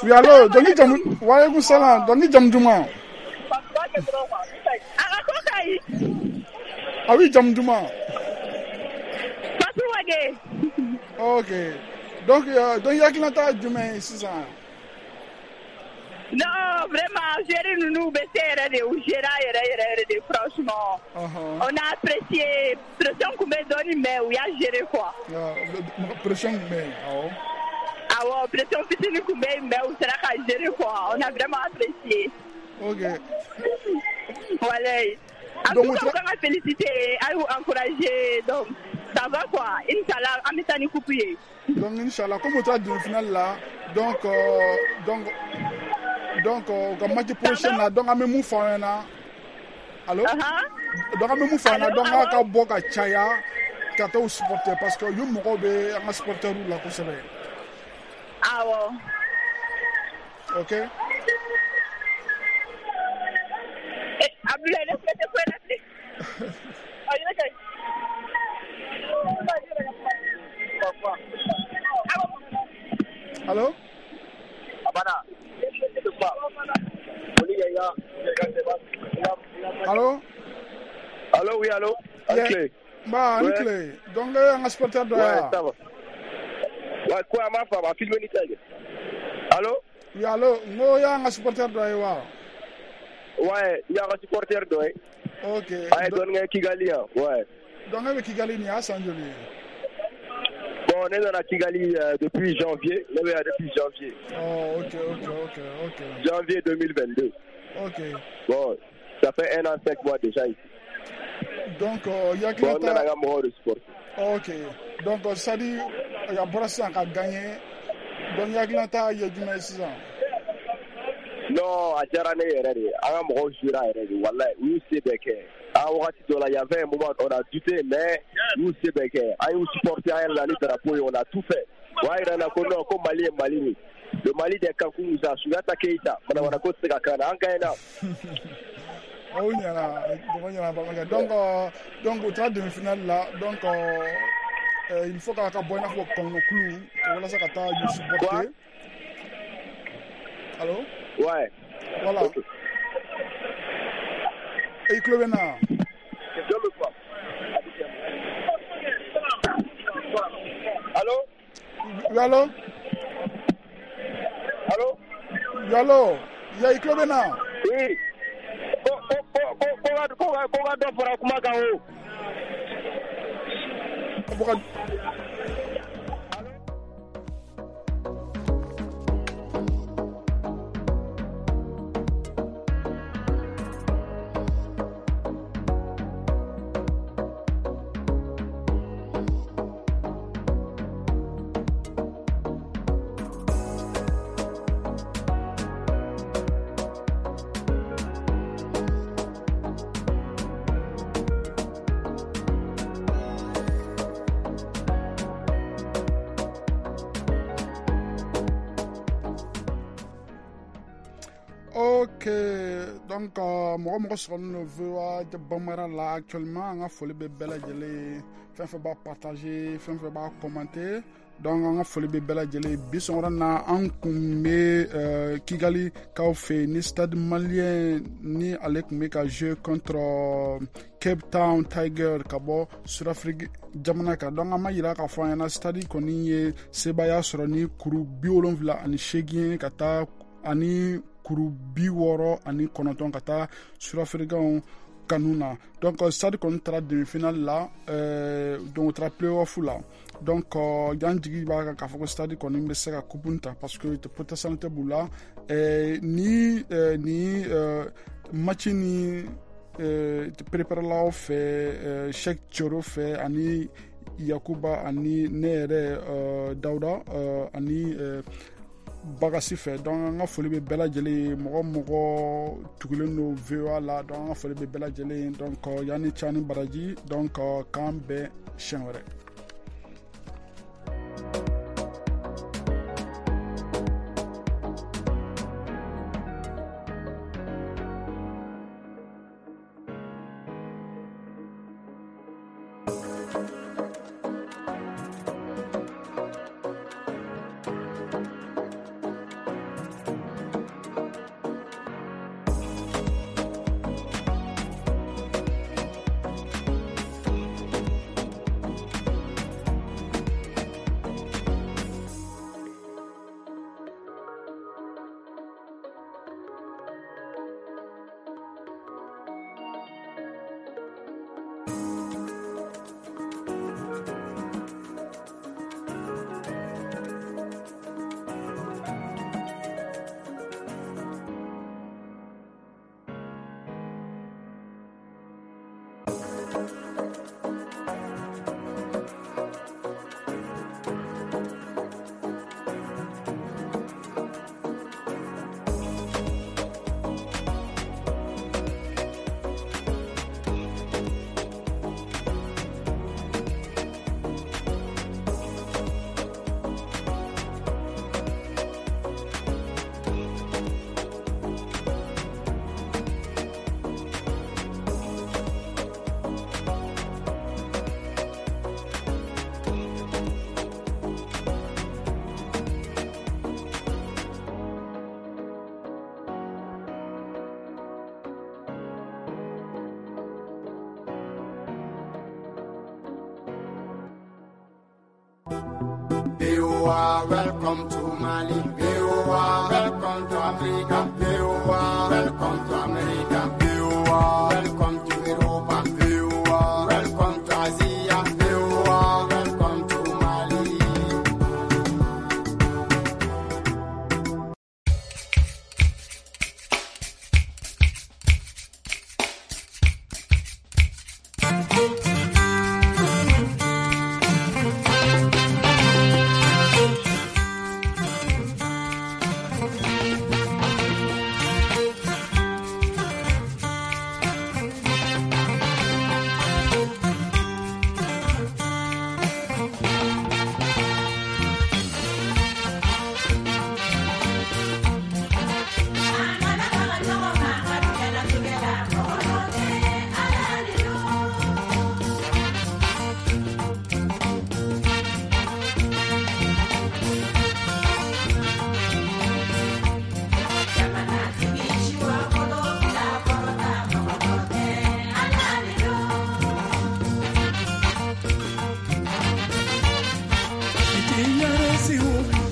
Oui, allô, donc i jamu, wa alaikum salam, donc i jamu duman? A ka ko ka ɲi. Ah oui, jamu duman? Fatou Wage. Ok. Donc, euh, donc i hakilinata jumɛn ye sisan? Non, vraiment, gérer ninnu bɛ se yɛrɛ de, u gérer yɛrɛ yɛrɛ yɛrɛ de, franchement. Uh-huh. On a apprécié, pression kun bɛ dɔɔni, mais u y'a gérer quoi. Uh, pression kun bɛ yen, awɔ. Awɔ, pression fitinin kun bɛ yen, mais u sera ka gérer quoi. On a vraiment apprécié. Ok. Voilà. En tout cas, u kan ka féliciter, a y'u encourager, donc ça va quoi. Inch'Allah, an bɛ taa ni coupe ye. Donc Inch'Allah, comme u taara demi-finale la, donc euh, donc donc u ka match prochain la, donc an bɛ mun fɔ aw ɲɛna? Allo? Donc an bɛ mun fɔ aw ɲɛna? Donc aw ka bɔ ka caya ka taa u supporter, parce que yu mɔgɔw bɛ an ka supporters la kosɛbɛ. Awɔ. Ok. Abdoulaye, ne filɛ tɛ foyi la bilen. Allo? Allo? Allo, oui, allo. Yeah. Ba, ni tile. Donc an ka supporter dɔ ya. Ouais, ça va. Ouais, quoi, ma femme a filmé ni tɛ. Allo? Oui, allo. N ko y'an ka supporter dɔ ye wa? Ouais, i y'an ka supporter dɔ ye. Ok. A ye dɔɔnin kɛ Kigali yan, ouais. Donc e bɛ Kigali nin y'a san joli ye? Bon, ne nana Kigali euh, depuis janvier. Ne bɛ yan depuis janvier. Oh, ok, ok, ok, ok. Janvier deux mille vingt-deux. Ok. Bon, ça fait un an, cinq mois déjà ici. Donc, euh, y a bon, n nana ka mɔgɔw de supporter. Ok. Donc, c'est-à-dire, a bɔra sisan ka gagner. Donc, i hakilinata ye jumɛn ye sisan? Non, a diyara ne yɛrɛ de ye. An ka mɔgɔw jouera yɛrɛ de, walayi, u y'u se bɛɛ kɛ. A wagati dɔ la, il y avait un moment, on a douté, mais u y'u se bɛɛ kɛ. An y'u supporter, an yɛrɛ la ni drapeau ye, on a tout fait. O y'a yira n na ko non, ko Mali ye Mali de. Le Mali des Kankou Moussa, Sunjata Keita, manamana ko tɛ se ka k'an na, an gagné na. Aw ɲɛna, dɔgɔ ɲɛna balimakɛ. Donc, euh, donc u taara demi-finale la, donc euh, il faut k'a ka bɔ i n'a fɔ kɔnɔkulu walasa ka taa u supporter. Allo? Ouais. Voilà. Okay. I tulo bɛ n na? Allo? Oui, allo? Allo? Oui, allo? Ya, i tulo bɛ n na? Oui. Ko ko ko ko ka dɔ fara kuma kan o. Ok, donc mɔgɔ mɔgɔ sɔgɔlen don V O A Bambara la actuellement, an ka foli bɛ bɛɛ lajɛlen, fɛn fɛn b'a partager, fɛn fɛn b'a commenter, donc an ka foli bɛ bɛɛ lajɛlen. Bi sɔgɔmada na an kun bɛ Kigali kaw fɛ ni Stade Malien ni ale kun bɛ ka jouer contre Cape Town Tiger ka bɔ Sud-Afrique jamana kan. Donc an ma yira k'a fɔ an ɲɛna Stade kɔni ye sebaaya sɔrɔ ni kuru bi wolonwula ani seegin ka taa ani kuru bi wɔɔrɔ ani kɔnɔntɔn ka taa Sud-Africains kanu na. Donc Stade kɔni taara demi-finale la, euh, donc o taara play-off la. Donc yan jigi b'a kan k'a fɔ ko Stade kɔni bɛ se ka coupe ta parce que potentialité b'u la. Euh, ni euh, ni euh, match ni euh, préparelaw fɛ, euh, Cheikh Thioro fɛ ani Yakuba ani ne yɛrɛ euh, Dawuda euh, ani euh, Bagasi fɛ. Donc an ka foli bɛ bɛɛ lajɛlen, mɔgɔ mɔgɔ tugulen don V O A la, donc an ka foli bɛ bɛɛ lajɛlen. Donc yanni ca ni baraji, donc k'an bɛn siɲɛ wɛrɛ. V O A, welcome to Mali. V O A, welcome to Africa. V O A, welcome to America. V O A, welcome to Europa. V O A, welcome to Asia. V O A, welcome to Mali.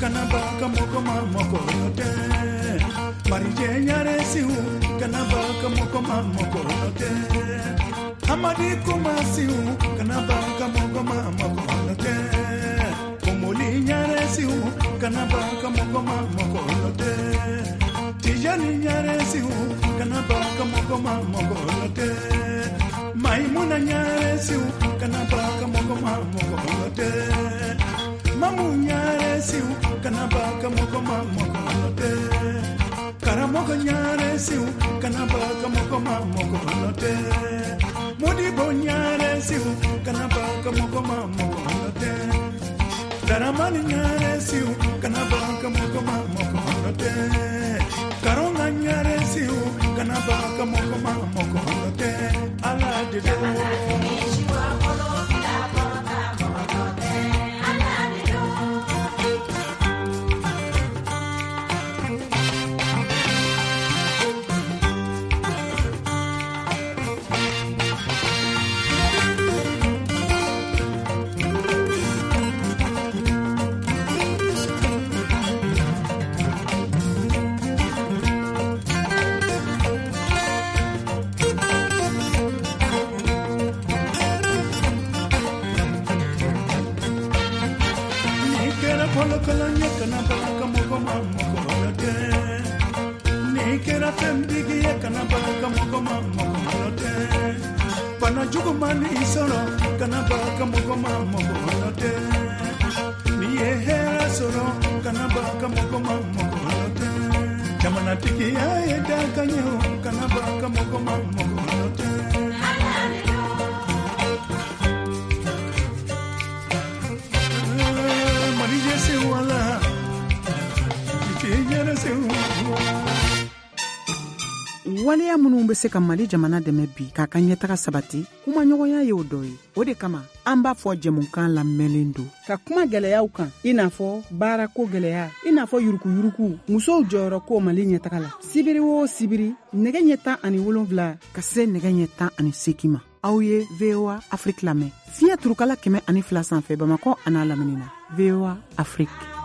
Kana ba ka mɔgɔ ma mɔgɔ nɔ tɛ. Marijɛ ɲare siw kana ba ka mɔgɔ ma mɔgɔ nɔ tɛ. Amadi kuma siw kana ba ka mɔgɔ ma mɔgɔ nɔ tɛ. Komoli ɲare siw kana ba ka mɔgɔ ma mɔgɔ nɔ tɛ. Tijani ɲare siw kana ba ka mɔgɔ ma mɔgɔ nɔ tɛ. Maimuna ɲare siw kana ba ka mɔgɔ ma mɔgɔ nɔ tɛ. Mamu ɲare siw kana ba ka mɔgɔ ma mɔgɔ nɔ tɛ. Karamɔgɔ ɲare siw kana ba ka mɔgɔ ma mɔgɔ nɔ tɛ. Modibo ɲare siw kana ba ka mɔgɔ ma mɔgɔ nɔ tɛ. Daramani ɲare siw kana ba ka mɔgɔ ma mɔgɔ nɔ tɛ. Karonga ɲare siw kana ba ka mɔgɔ ma mɔgɔ nɔ tɛ. Ala de do. Waleya minnu bɛ se ka Mali jamana dɛmɛ bi k'a ka ɲɛtaga sabati, kumaɲɔgɔnya y'o dɔ ye. O de kama an b'a fɔ jɛmukan lamɛnlen don ka kuma gɛlɛyaw kan, i n'a fɔ baarako gɛlɛya, i n'a fɔ yurukuyuruku, musow jɔyɔrɔ ko Mali ɲɛtaga la. Sibiri o sibiri, nɛgɛ ɲɛ tan ani wolonfila ka se nɛgɛ ɲɛ tan ani seegin ma. Aw ye V O A Afrique lamɛn. Fiɲɛ turukala kɛmɛ ani fila sanfɛ Bamakɔ an'a lamini na. V O A Afrique.